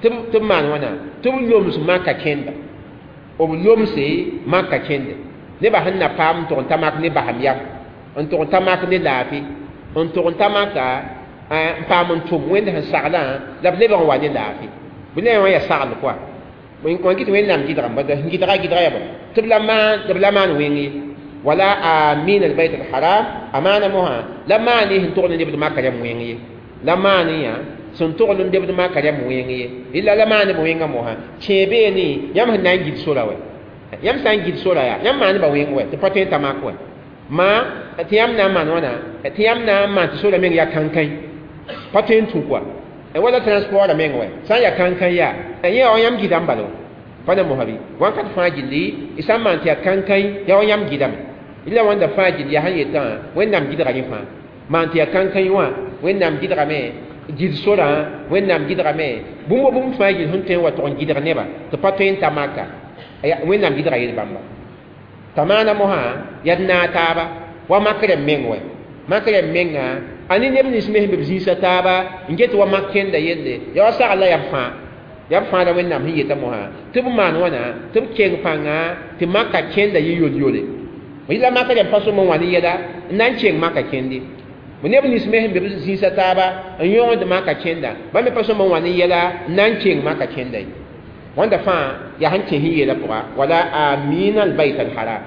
tɩ b maan wãna tɩ b loms maka kẽnda b lomse maka kẽnde nebã sẽn na paam n tʋg n ta mak ne basem yam n tʋg n ta mak ne laafɩ n tʋg n ta maka n paam n tʋm wẽnd sẽn saglã la b lebg n wa ne laafɩ bõe la yã wã yaa sagl koa wã gɩt wẽnnaam gɩdgame sẽn gɩdga gɩdga yaa bõe tɩ b la maan wẽng ye wala amin albayt alharam a maana mosã la maan sẽn togl n lebd maka rãmb wẽng ye la maan yã sẽn togl n lebd maka rãmb wẽng ye illa la maan b wẽngã mosã kẽe beene yãmb sẽn na n gid sora wɛ yãmb sã n gid sora yaa yãmb maan ba wẽng wɛ tɩ pa tõe n ta mak wɛ ma tɩ yãmb na n maan wãna tɩ yãmb na n maan tɩ sora meng yaa kãnkãĩ pa tõe n tũ koa wala transport meng wɛ sã n yaa kãnkã yaa yẽ wa yãmb gɩdame bala pa ne mosa bɩ wãnkat fãa gilli y sã n maan tɩ yaa kãnkãĩ yaa wa yãmb gɩdame illa wãnda fãa gilli yaa sẽn yetã wẽnnaam gɩdga yẽ fãa maan tɩ yaa kãnkãĩ wã wẽnnaam gɩdgame gid sorã wẽnnaam gɩdgame bũmb wa bũmb fãa gill sẽn tõe n wa tʋg n gɩdg nebã tɩ pa tõe n ta maka wẽnnaam gɩdga yel bãmba t'a maana mosã yaa d naag taaba wa mak rẽmb meng wɛ mak rẽmb menga a ne neb nins me sẽn be b zĩisa taaba n get wa mak kẽnda yelle yaa wa sagl la yaa b fãa yaa b fãa la wẽnnaam sẽn yeta mosã tɩ b maan wãna tɩ b keng pãnga tɩ maka kẽnda yɩ yol-yole la maka rẽmb pa sõm n wa ne yɛla n na n keng maka kẽnde Neb nins me sẽn be b zĩisa taaba n yõgd maka kẽnda bãmb me pa sõma n wa ne yɛla n na n keng maka kẽnda ye wãnda fãa yaa sẽn kẽ sẽn yeelã pʋga wala amina albayt alharam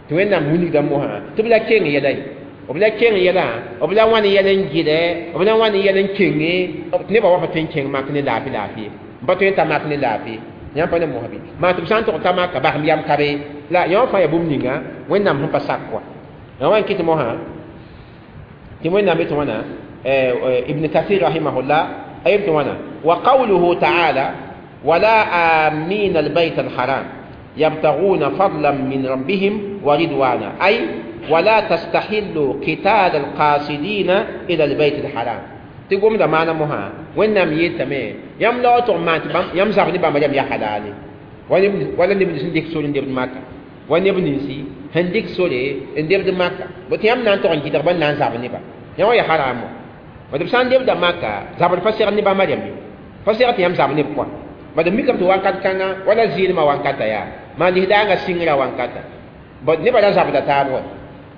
tɩ Wẽnnaam wilgda mosã tɩ b la keng yɛla ye b la keng yɛlã b la wãn yɛl n gɩdɛ b la wãn yɛl n kenge tɩ nebã wa pa tõe n kẽng mak ne laafɩ laafɩ n pa tõe n ta mak ne laafɩ yãmb pa ne mosã bɩ maa tɩ b sã n tog ta maka basem yam ka be la yã wã fãa yaa bũmb ninga Wẽnnaam sẽn pa sak kɔa yã wa n kɩt mosã tɩ Wẽnnaam yetɩ wãna Ibn Kathir rahimahullah a yem tɩ wãna wa qawluhu taala wala amin albayt alharam yabtaguna fadlan min rabbihim wa ridwana ay ولا تستحلوا قتال القاصدين إلى البيت الحرام تقوم da maana mosã Wẽnnaam yeetame yãmb la wa tʋg n maan tɩ yãmb zab ne bãmba yam yaa halale wala neb nins n dɩk sore n debd maka wa neb ninsi sẽn dɩk sore n debd maka bo tɩ yãmb na n tog n gɩdg ba n na n zab neba yã wã yaa haram wã b sã n debda maka zabr pa segd ne bãmba rẽmb ye pa segd tɩ yãmb zab neb kɔa bad mikame tɩ wakat kãngã wala zɩɩlmã wankata yaa maan lislaangã sɩngrã wankata bd nebã ra zabda taab wa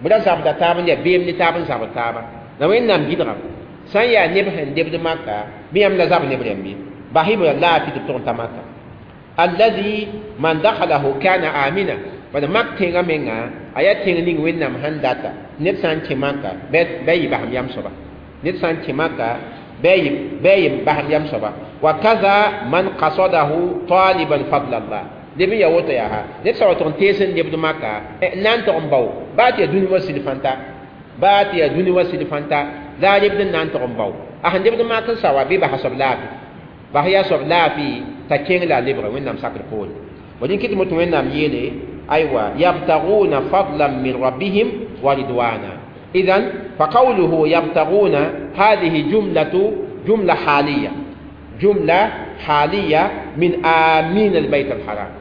b ra zabda taab n yaa beem ne taab n zabd taaba la Wẽnnaam gɩdgame sã n yaa neb sẽn debd maka bɩ yãmb la zab neb rẽmb ye bas-y b laafɩ tɩ b tʋg n ta maka alladhi man dakhalahu kana amina bad mak tẽngã menga a yaa tẽng ning Wẽnnaam sẽn data ned sã n kẽ maka bɩ yɩ basem yam soaba ned sã n kẽ maka bɩ yɩ basem yam soaba wa kaza man qasadahu taliban fadla Allah leb n yaa woto yaa ha ned sã wa tʋg n tees n lebd maka n na n tʋg n bao baa tɩ yaa dũni wã sɩd fãnta baa tɩ yaa dũni wã sɩd fãnta la a lebd n na n tʋg n bao a sẽn lebd mak n sa wa bɩ basa soab laafɩ bas yaa soab laafɩ t'a kẽng la a lebga Wẽnnaam sakr poore bõe kɩt tɩ Wẽnnaam yeele aywa yabtaguna fadlan min rabbihim wa ridwana idan fa qawluhu yabtaguna hadihi jumlatu jumla haliya jumla haliya min amin albayt alharam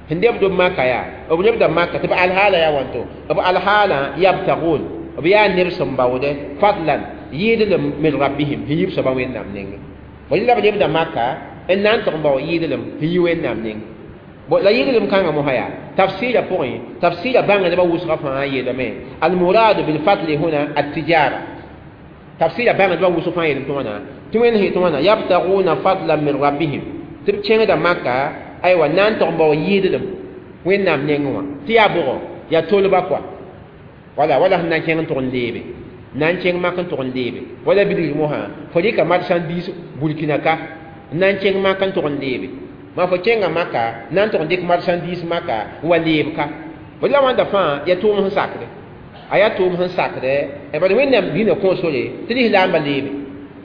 sẽn debd b maka yaa b lebda maka tɩ b alhaala yaa wãnto b alhaala yabtagun b yaa neb sẽn baoode fadlan yɩɩdlem min rabbihim sẽn yib soaba Wẽnnaam nengẽ bõe la b lebda maka n na n tʋg n bao yɩɩdlem sẽn yi Wẽnnaam nengẽ bon la yɩɩdlem kãngã mosã yaa tafsɩɩrã pʋgẽ tafsɩɩrã bãngdbã wʋsgã fãa yeelame almuradu bilfadli huna attijara tafsɩɩrã bãngdbã wʋsg fãa yeelame tɩ wãna tɩ Wẽnd sẽn tɩ wãna yabtaguna fadlan min rabbihim tɩ b kẽngda maka aywa na n tʋg n bao yɩɩdlem Wẽnnaam nengẽ wã tɩ yaa bʋgɔ yaa tolba kɔa wala wala sẽn na n kẽng n tʋg n leebe na n kẽng mak n tʋg n leebe wala bilgr mosã fo rɩka marchandise Burkina ka n na n kẽng mak n tʋg n leebe ma fo kẽnga maka na n tʋg n dɩk marchandise maka n wa leeb ka bd la wãnda fãa yaa tʋʋm sẽn sakde a yaa tʋʋm sẽn sakdɛ bad Wẽnnaam dĩinã kõo sore tɩ lislaambã leebe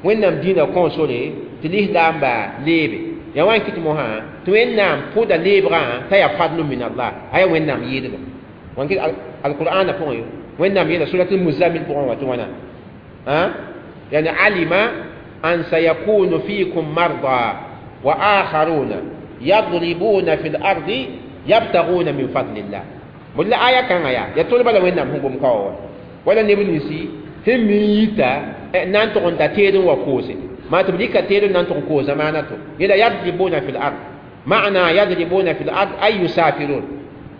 Wẽnnaam dĩinã kõo sore tɩ lislaambã leebe yaa wa n kɩt mosã tɩ Wẽnnaam pʋda leebgã t'a yaa fadlu min Allah a yaa Wẽnnaam yɩɩdlem wan kɩt alqur'ana pʋgẽ Wẽnnaam yeela surat almuzammil pʋgẽ wã tɩ wãna yani alima an sayakunu fikum marda wa akharuna yadribuna fi lardi yabtaguna min fadlillah bd la aya kãngã yaa yaa tolba la Wẽnnaam sẽn gom ka wa wala neb ninsi sẽn mi n yita na n tʋg n ta teed n wa koose maa tɩ b dɩka teed n na n tʋg n koos zamaana to yela yadribuna fi lard maana yadribuna fi lard ay yusafirun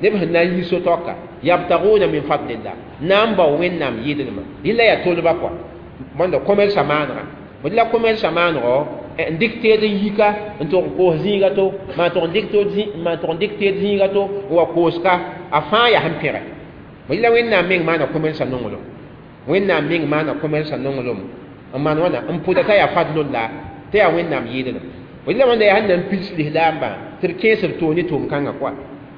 neb sẽn na n yi so-taoka yabtaguna min fadlillah na n bao Wẽnnaam yɩɩdlmã rɩla yaa tolba kɔa bõnda commerce maanegã bd la commerce maanegɔ n dɩk teed n yika n tʋg n koos zĩiga to maa tʋg n dɩk teed zĩiga to n wa kooska a fãa yaa sẽn pẽgɛ bd la Wẽnnaam meng maana commerce nonglem Wẽnnaam meng maana commerce nonglem n maan wãna n pʋda t'a yaa fadlullah t'a yaa Wẽnnaam yɩɩdlem bd la wãnda yaa sẽn na n pids lislaambã tɩ b kẽes b toog ne tʋʋm kãngã kɔa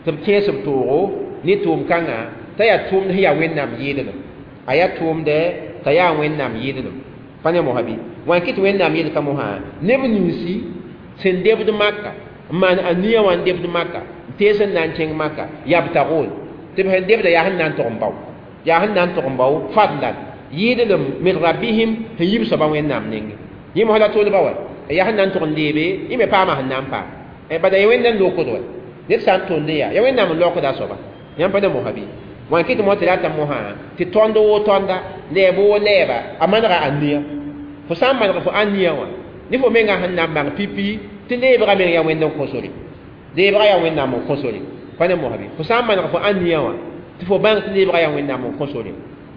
tɩ b kẽes b toogo ne tʋʋm kãngã t'a yaa tʋʋmd sẽn yaa Wẽnnaam yɩɩdlem a yaa tʋʋmdɛ t'a yaa Wẽnnaam yɩɩdlem pa ne mosã bɩ wã n kɩt Wẽnnaam yelka mosã neb ninsi sẽn debd maka n maan a nia wã n debd maka n tees n na n kẽng maka yabtagun tɩ b sẽn debda yaa sẽn na n tʋg n bao yaa sẽn na n tʋg n bao fadlan yɩɩdlem min rabbihim sẽn yib soaba Wẽnnaam nengẽ yẽ mosã la tolba wa yaa sẽn na n tʋg n leebe yẽ me paama sẽn na n paam bada ya Wẽnnaam lokd wa ned sã n tõnd yaa ya Wẽnnaam n laokda a soaba yãmb pa ne mosã bɩ wã n kɩt mo tɩ rata mosã tɩ tõnd woo tõnda lɛɛb woo lɛɛba a manega a nia fo sã n maneg fo ania wã ne fo mengã sẽn na n bãng pipi tɩ leebgã meng yaa Wẽnd n kõ sore leebgã yaa Wẽnnaam n kõ sore pa ne mosã bɩ fo sã n maneg fo ania wã tɩ fo bãng tɩ leebgã yaa Wẽnnaam n kõ sore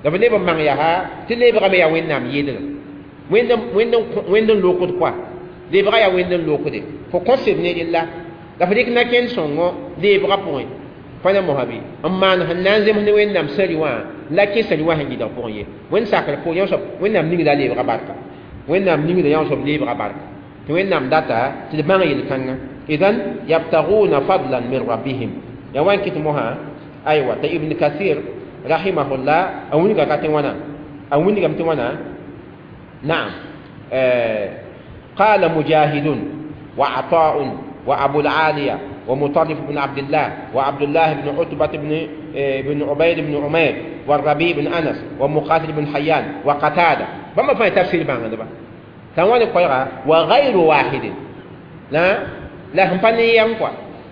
La b leb n bãng yaa tɩ lebgame yaa Wẽnnaam yɩɩdgã wẽnd n lokd koa lebga yaa wẽnd n lokde fo kõ seb ne rella la fo dɩk na-kẽnd sõngo lebgã pʋgẽ pa ne mosã bɩ n maan sẽn na n zems ne Wẽnnaam sari wã la kẽsa wã sẽn gɩdg pʋgẽ ye wẽnd sakr pʋgẽ yã soab Wẽnnaam ningda lebga barka Wẽnnaam ningda yã soab lebga barka tɩ Wẽnnaam data tɩ d bãng yel-kãngã idan yabtaguna fadlan min rabbihim ya wan kɩt mosã aywa t'a Ibn Kathir rahimahullah a wilga ka tɩ wãna a wilgame tɩ wãna naam قال مجاهد وعطاء وأبو العالية ومطرف بن عبد الله وعبد الله بن عتبة بن عبيد بن عمير والربيع بن أنس ومقاتل بن حيان وقتادة بما فهم تفسير بان دبا تنواني قيرا وغير واحد لا لا هم فني ينقوا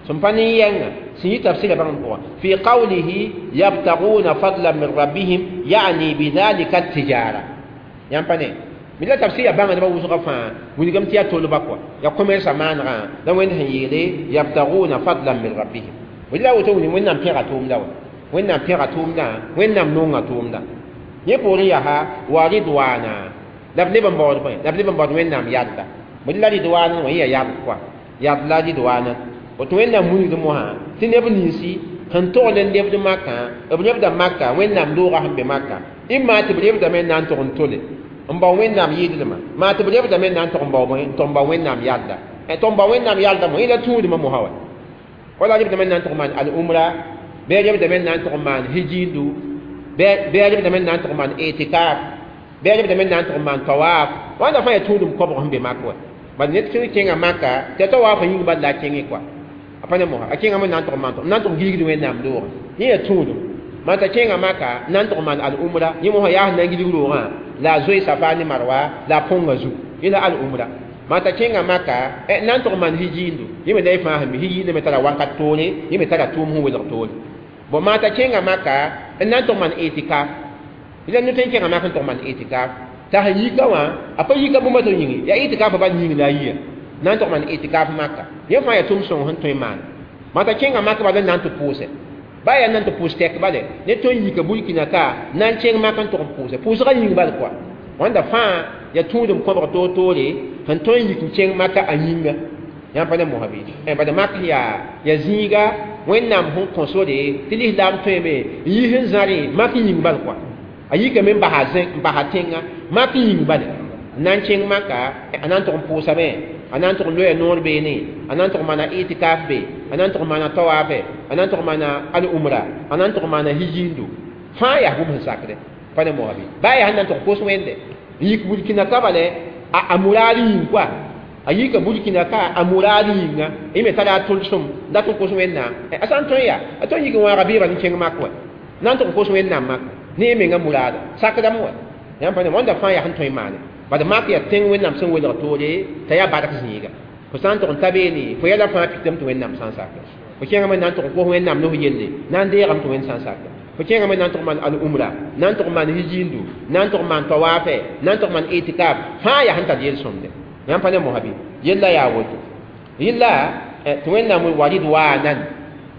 ثم فني ينقى سي تفسير بان في قوله يبتغون فضلا من ربهم يعني بذلك التجارة ينفني mi la tafsir ya bãnga nebã wʋsgã fãa wilgame tɩ yaa tolba kɔa ya commerce maanegã la Wẽnd sẽn yeele yabtaguna fadlan min rabbihim la woto wilg Wẽnnaam pẽga tʋʋmda wa Wẽnnaam pẽga tʋʋmdã Wẽnnaam nonga tʋʋmda yẽ poorẽ yaa wa ridwaana la b leb n baood bõe la b leb n baood Wẽnnaam yadda bõe la ridwaana wã yẽ yaa yad kɔa yad la ridwaana woto Wẽnnaam wilgd mosã tɩ neb ninsi sẽn togl n lebd makã b lebda maka Wẽnnaam doogã sẽn be maka ɩma tɩ b lebdame n na n tog n tole n bao Wẽnnaam yɩɩdlmã maa tɩ b lebdame n na n tog n bao bõe n tog n bao Wẽnnaam yalda tog n bao Wẽnnaam yalda mo yẽ la tũudmã mosã wa wala lebdame n na n tog n maan al-umra bɩ a lebdame n na n tog n maan hijiindu bɩ a lebdame n na n tog n maan itikaf bɩ a lebdame n na n tog n maan tawaaf wãnda fãa yaa tũudum kobg sẽn be mak wa bala ned sẽn kẽngã maka tɩ a tawaafã yĩng bal la a kẽngẽ kɔa a pa ne mosã a kẽngame n na n tog n maan n na n tog n gilgd Wẽnnaam doogã yẽ yaa tũudum maan t'a kẽngã maka n na n tog n maan al-umra yẽ mosã yaa sẽn na n gilg roogã la zoe safa ne marwa la pʋnga zu yẽ la al-umra maan t'a kẽngã maka n na n tog n maan hijiindu yẽ me la y fãa sẽn mi hijiindã me tara wakat toore yẽ me tara tʋʋm sẽn welg toore bon maan t'a kẽngã maka n na n tog n maan itikaf la ned n kẽngã mak n tog n maan itikaf t'a sẽn yika wã a pa yika bũmba tɩ yĩngi yaa itikafã bal yĩng la a yia na n tog maan itikaf maka yẽ fãa yaa tʋʋm sõng sẽn tõe n maana maan t'a kẽngã maka bala n na n tɩ pʋʋsɛ ba yaa nan tɩ pʋʋs tɛk bale ne tõe n yika Burkina ka na n kẽng mak n tog n pʋʋsɛ pʋʋsgã yĩng bal kɔa wãnda fãa yaa tũudum kõbg toor-toore sẽn tõe n yik n kẽng maka a yĩnga yãmb pa ne mosã bɩ bad mak yaa zĩiga Wẽnnaam sẽn kõ sore tɩ lislaam tõeme n yi sẽn zãrẽ mak yĩng bal kɔa a yikame n basa tẽngã mak yĩng bale n na n kẽng maka a na n tog n pʋʋsame a na n tog n loya noor beene a na n tog n maana itikaf be a na n tog n maana tawaafe a na n tog n maana al-umra a na n tog n maana hijiindu fãa yaa bũmb sẽn sakdɛ pa ne mosã bɩ baa yaa sẽn na n tog kos wẽnde n yik Burkina ka bale a muraad yĩng koa a yika Burkina ka a muraad yĩnga yẽ me tara a tʋlsem dat n kos Wẽnnaam a sã n tõe yaa a tõe n yik n wãaga beebã n kẽng mak wa na n tog n kos Wẽnnaam maka ne yẽ menga muraada sakdame wa yãmb pa ne wãnda fãa yaa sẽn tõe n maane bad mak yaa tẽng Wẽnnaam sẽn welg toore t'a yaa bark zĩiga fo sã n tog n ta beene fo yɛla fãa pitame tɩ Wẽnnaam sã n saka fo kẽngame na n tog n kos Wẽnnaam nos yelle na n deegame tɩ Wẽnd sã n saka fo kẽngame na n tog maan al-umra na n tog maan hijiindu na n tog maan tawaafe na n tog maan itikaf fãa yaa sẽn tar yel-sõmde yãmb pa ne mosã bɩ yella yaa woto yella tɩ Wẽnnaam wa ridwaanan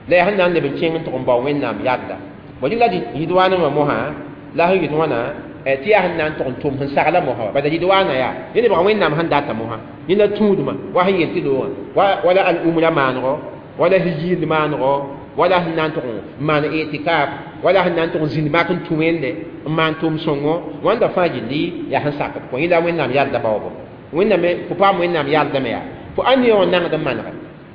la yaa sẽn na n leb n kẽng n tog n bao Wẽnnaam yadda bõ rɩla ridwaanã wã mosã la sẽn yet wãna tɩ yaa sẽn na n tog n tʋm sẽn sagla mosã wa bala ridwaana yaa yẽ lebga Wẽnnaam sẽn data mosã yẽ la tũudmã wa sẽn yel tɩ loogã wala al-umra maanego wala hijiind maanego wala sẽn na n tog n maan itikaf wala sẽn na n tog n zĩnd mak n tũ wẽnde n maan tʋʋm sõngo wãnda fãa gilli yaa sẽn sakd kõ yẽ la Wẽnnaam yalda baoobo Wẽnnaam fo paam Wẽnnaam yaldame yaa fo ãn-nia wã nangd n manege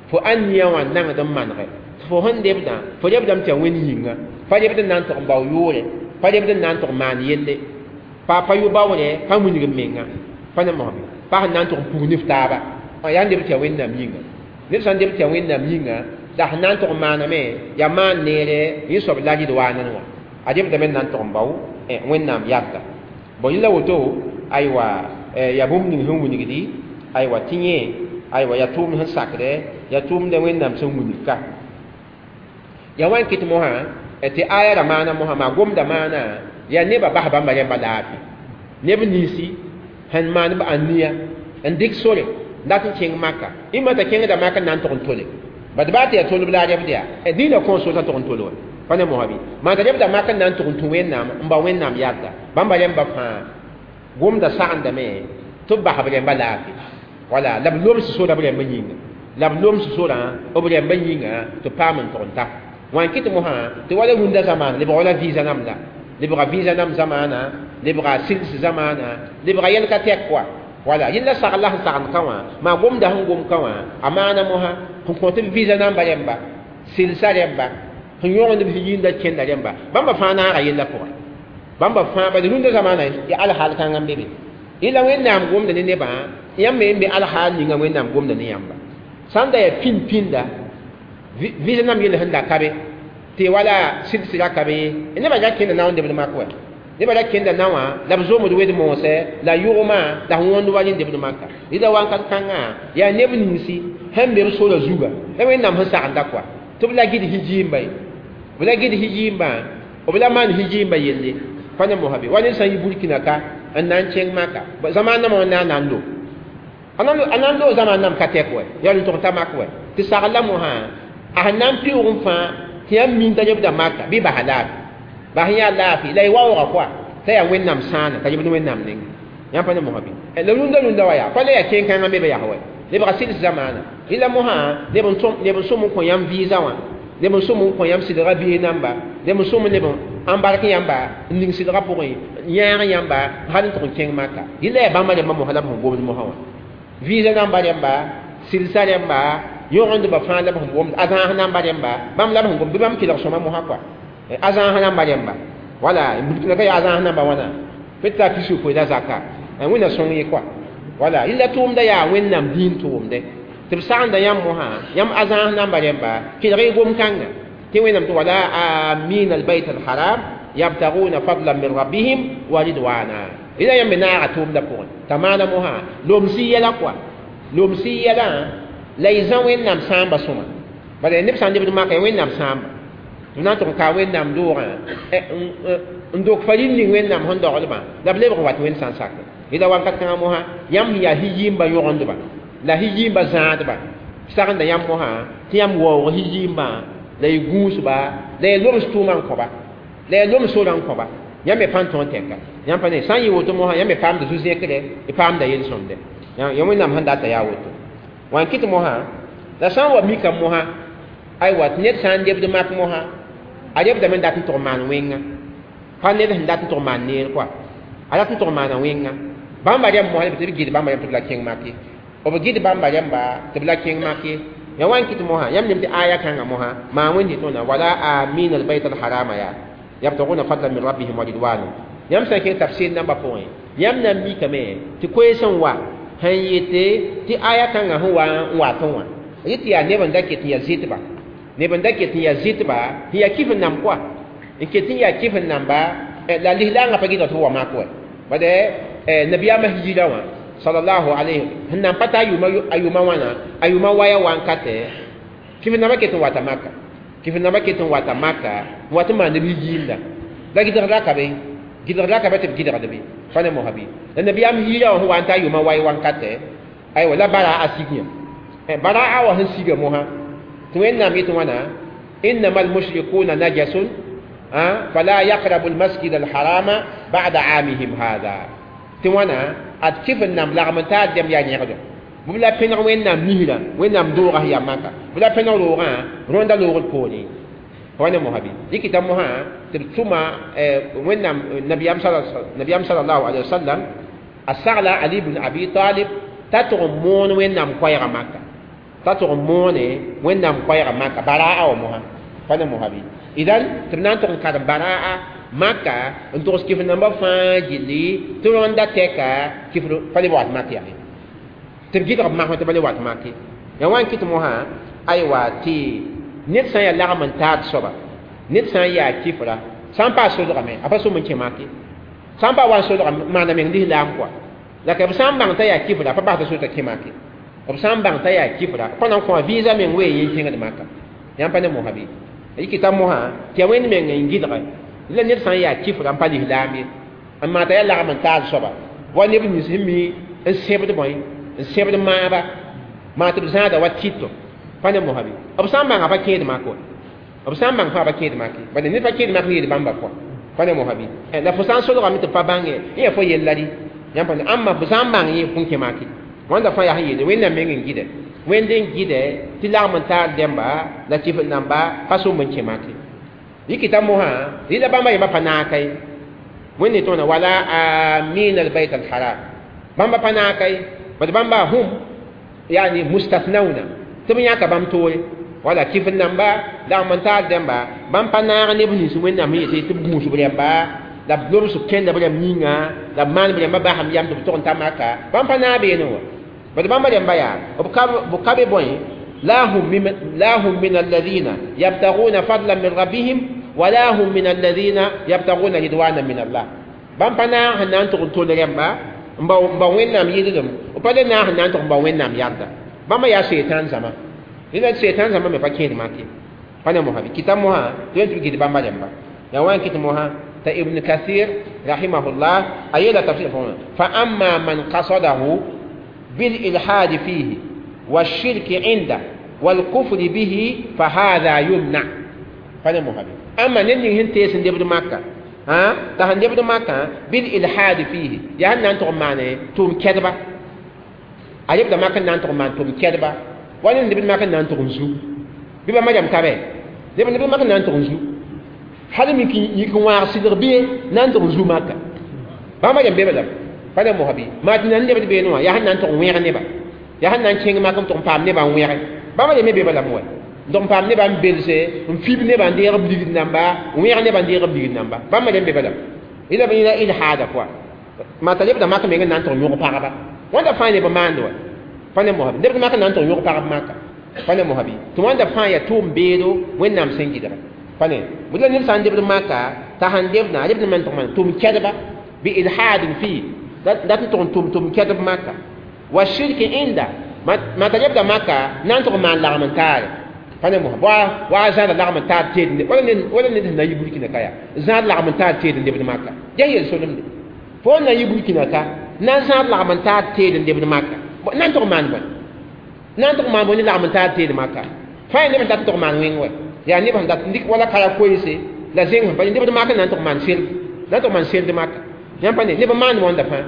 fo ãn-nia wã nangd n manege fo sẽn lebdã fo lebdame tɩ yaa Wẽnd yĩnga pa lebd n na n tog n bao yʋʋre pa lebd n na n tog maan yelle pa pa yʋ baoore pa wilg n menga pa ne mosã pa sẽn na n tog n pug ne f taaba yaa n leb tɩ yaa Wẽnnaam yĩnga ned sã n leb tɩ yaa Wẽnnaam yĩnga la sẽn na n tog n maaname yaa maan neere yẽ soab la ridwaanã wã a lebdame n na n tog n bao Wẽnnaam yalda bon yẽ la woto aywa yaa bũmb ning sẽn wilgdi aywa tɩ yẽ aywa yaa tʋʋmd sẽn sakdɛ yaa tʋʋmdɛ Wẽnnaam sẽn wilg ka yaa wa n kɩt mosã tɩ aya ra maana mosã maa gomda maana yaa nebã bas bãmba rẽmba laafɩ neb ninsi sẽn maan b ãnia n dɩk sore dat n kẽng maka ĩmã t'a kẽngda maka n na n tog n tole bad baa tɩ yaa tolb la a rebd yaa dĩinã kõn so t'a tog n tol wa Pa ne mosã bɩ maan t'a lebda mak n na n tʋg n tũ Wẽnnaam n bao Wẽnnaam yadda bãmba rẽmba fãa gomda sagendame tɩ b bas b rẽmba laafɩ wala la b loms sora b rẽmba yĩnga la b loms sorã b rẽmba yĩnga tɩ paam n tʋg n ta wã n kɩt mosã tɩ wala rũndã zamaana lebga wala visa nam la lebga visa nam zamaana lebga sils zamaana lebga yɛl ka tɛk koa wala yẽnda sagl la sẽn sagend ka wã maa gomda sẽn gom ka wã a maana mosã sẽn kõ tɩ b visa namba rẽmba silsa rẽmba sẽn yõgend b yĩnda kẽnda rẽmba bãmba fãa naaga yella pʋgẽ bãmba fãa bala rũndã zamaana ya alhaal kãngã n be be yẽla Wẽnnaam gomda ne nebã yãmb me n be alhaal ninga Wẽnnaam gomda ne yãmba sãn da yaa pĩnd pĩnda visa nam yell sẽn da ka be tɩ wala sɩds ra ka be ye nebã ra kẽnda nao n debd mak wɛ nebã ra kẽnda naowã la b zomd wed moosɛ la yʋgmã la sẽn wõnd wa rẽn debd maka rɩla wãnkat kãngã yaa neb ninsi sẽn be b sora zuga la Wẽnnaam sẽn sagenda koa tɩ b la gɩd hijiimba ye b la gɩd hijiimbã b la maan hijiimba yelle pa ne mosã be wa ned sã n yi Burkina ka n na n kẽng maka zamaan nambã wã na n lo a na n loog zamaan nam ka tɛk wɛ yaa n tʋg n ta mak wɛ tɩ sagl la mosã a sẽn na n pɩʋʋg n fãa tɩ yãmb min t'a lebda maka bɩ basa laafɩ bas yã laafɩ la y waooga koa t'a yaa Wẽnnaam sãana t'a lebd Wẽnnaam neng yãmb pa ne mosã bɩ la rũndã rũndã wa yaa pa la yaa kẽn-kãngã me be yaa wɛ lebga sɩls zamaana rɩla mosã neb n sõm n kõ yãmb visa wã neb n sõm n kõ yãmb sɩdga biis namba neb n sõm neb n embark yãmba n ning sɩdga pʋgẽ yãag yãmba hal n tʋg n kẽng maka rɩla yaa bãmba rẽmba mosã la b sẽn gomd mosã wã visa namba rẽmba silsa rẽmba yõgendba fãa la b sẽn gomd a zãas namba rẽmba bãmb la b sẽn gomd bɩ bãmb kelg sõma mosã koa a zãas namba rẽmba wala Burkina ka yaa a zãas namba wãna pet t'a pis la zaka Wẽnna sõng ye koa wala yella tʋʋmda yaa Wẽnnaam dĩin tʋʋmde tɩ b sagenda yãmb mosã yãmb a zãas namba rẽmba kelg y gom-kãnga tɩ Wẽnnaam tɩ wala amin albayt alharam yabtaguna fadlan min rabbihim wa ridwana rɩla yãmb me naaga tʋʋmda pʋgẽ t'a maana mosã lomsi yɛla koa lomsi yɛlã la y zã Wẽnnaam sãamba sõma bala neb sã n lebd maka ya Wẽnnaam sãamba tɩ b na n tʋg n kaa Wẽnnaam doogã n dok farin ning Wẽnnaam sẽn doglbã la b lebg n wat Wẽnd sã n sakr rɩla wakat kãngã mosã yãmb sẽn yaa hijiimba yõgendba la hijiimba zãadba sagenda yãmb mosã tɩ yãmb waoog hijiimbã la y gũusba la y loms tʋʋmã n kõba la y loms sorã n kõba yãmb me pa n tõog tɛka yãmb pa ne sã n yɩ woto mosã yãmb me paamda zu-zẽkre y paamda yel-sõmde ya Wẽnnaam sẽn data yaa woto wã n kɩt mosã la sã n wa mika mosã aywa tɩ ned sã n lebd mak mosã a lebdame n dat n tʋg maan wẽnga pa ned sẽn dat n tʋg maan neer koa a dat n tʋg maana wẽnga bãmba rẽmb mosã tɩ b gɩd bãmba rẽmb tɩ b la kẽng make b gɩd bãmba rẽmba tɩ b la kẽng make ya wã n kɩt mosã yãmb nem tɩ aya kãngã mosã maa wẽnd tõna wala amin albayt alharama yaa yabtaguna fadlan min rabbihim wa ridwana yãmb sã n kẽng tafsir nambã pʋgẽ yãmb na n mikame tɩ koees n wa sẽn yete tɩ aya kãngã sẽn wa n watẽ wã yetɩ yaa neb n da ket n yaa zɩtba neb n da ket n yaa zɩtba sẽn yaa kɩf n namb koa n ket n yaa kɩf n namba la lislaangã pa gɩdg tɩ b wa mak wɛ bade nabiyaamã hijira wã sallallahu alayhi sẽn nan pa ta a yʋʋma wãna a yʋʋma waya wankatɛ kɩf nambã ket n wata maka kɩf nambã ket n wata maka n wat n maan neb hijiimda la gɩdg ra ka be gɩdg ra ka be tɩ b gɩdgd be pa ne mosã bɩ la nabiyaam hijira wã sẽn wa n ta a yʋʋma way wankatɛ aywa la bara a sig yã bara a wa sẽn siga mosã tɩ Wẽnnaam yetɩ wãna innama almushrikuna najasun fala yaqrabu almasjid alharama ba'da aamihim hada tɩ wãna ad kɩf n namb lagm n taa dɛm yaa yẽgdo b la pẽneg Wẽnnaam misrã Wẽnnaam doogã sẽn yaa maka b la pẽneg roogã rõnda loogd poorẽ pa ne mosã bɩ dɩkɩta mosã tɩ b tʋma Wẽnnaam nabiyaam salallahu alayhi wa sallam a sagla Ali ibn Abi Talib t'a tʋg n moon Wẽnnaam koɛɛgã maka t'a tʋg n moone Wẽnnaam koɛɛgã maka baraa wa mosã pa ne mosã bɩ idan tɩ b na n tʋg n karem baraa maka n togs kɩf nambã fãa gilli tɩ rõnda tɛka kɩf pa le wat mak yaa tɩ b gɩdg b masmã tɩ pa le wat mak ye ya wã n kɩt mosã aywa tɩ ned sã n yaa lagm n taad soaba ned sã n yaa kɩfra sã n pa solgame a pa sõm n kẽ mak ye sã n pa wa n solga maana meng lislaam koa la ka b sã n bãng t'a yaa kɩfra pa basda sor t'a kẽ mak ye b sã n bãng t'a yaa kɩfra pa na n kõ a visa meng wee yẽ kẽngd maka yãmb pa ne mosã bɩ yikɩta mosã tɩ ya Wẽnd meng n gɩdge la ned sã n yaa kɩfra n pa lislaam ye n maan t'a yaa lagm n taad soaba wa neb nins sẽn mi n sẽbd bõe n sẽbd maaba maa tɩ b zãada wa tɩto pa ne mosã bɩ b sã n bãnga pa kẽed mak wa B sã n bãng fãa pa kẽed make bad ned pa kẽed mak n yeel bãmba pʋga pa ne mosã bɩ la fo sã n solgame tɩ pa bãnge yẽ yaa fo yella rɩ yãmb pa ãmba fo sã n bãng yẽ fõn kẽ make wãnda fãa yaa sẽn yeele wẽnnaam meng n gɩdɛ wẽnd n gɩdɛ tɩ lagm n taar dẽmba la kɩf namba pa sõm n kẽ make yikita mosã rɩla bãmba yẽmba pa naaka ye wẽnde tõna wala amin albayt alharam bãmba pa naaka ye bad bãmba hum yani mustathnawna tɩ b yãka bãmb toore wala kɩf namba lagm n taar dẽmba bãmb pa naag neb nins wẽnnaam sẽn yete tɩ b gũus b rẽmba la b lobs b kẽnda b rẽmb yĩnga la b maan b rẽmba basam yam tɩ b tog n ta maka bãmb pa naag beene wã bad bãmba rẽmba yaa b ka be bõe لا هم من الذين يبتغون فضلا من ربهم ولا هم من الذين يبتغون رضوانا من الله بام پنا هنان تو تو رمبا مبا وينام يدم وبا نا هنان تو مبا وينام ياردا بام يا شيطان زما إذا شيطان زما ما فكين ماكي فانا مهابي كتاب مها تنتو كده بام رمبا يا وين كتاب مها تا ابن كثير رحمه الله أيلا تفسير فأما من قصده بالإلحاد فيه والشرك عنده والكفر به فهذا يمنع فانا مهابي أما نني هن تيسن دبر مكة ها تهن دبر مكة بالإلحاد فيه يعني أنتم معنى توم كذبة أجيب ده مكة نانتم مان توم كذبة ولا دبر مكة نانتم زو بيبقى ما جام كابي دبر مكة نانتم زو هذا ممكن يكون واحد بيه نانتم زو مكة ما جام بيبقى فانا مهابي ما تنان دبر بينوا يعني نانتم وين نبا يعني نانتم ما كم توم بام نبا وين بما جام بيبقى لاموه donc pam ne ban belse n fib ne ban deeg b ligd namba n wẽeg ne ban deeg b ligd namba bãmba rẽmb be bala ila b ila ilhaada pʋa maa t'a lebda mak meng n na n tʋg yõg pagba wãnda fãa neb maand wa pa ne mosã neb mak n na n tʋg yõg pagb maka pa ne mosã bɩ tɩ wãnda fãa yaa tʋʋm beedo wẽnnaam sẽn gɩdga pa ne bʋ la ned sã n lebd maka t'a sãn lebdã a lebd me n tʋg maan tʋm kɛdba bi ilhaadin fii dat n tʋg n tʋm kɛdb maka wa shirki inda maa t'a lebda maka na n tʋg maan lagm n taare fane mo wa wa zan la lagm ta te ne wala ne wala ne na yi burkina kaya zan lagm ta te ne de maka ya yel solum de fo na yi burkina ka na zan lagm ta te ne de maka nan to man bon nan to man bon ni lagm ta te de maka fa ne ta to man wing we ya ne ban dat ndik wala kaya ko yese la zeng ba ne de maka nan to man sel nan to man sel de maka yan pa ne ne ba man wonda fa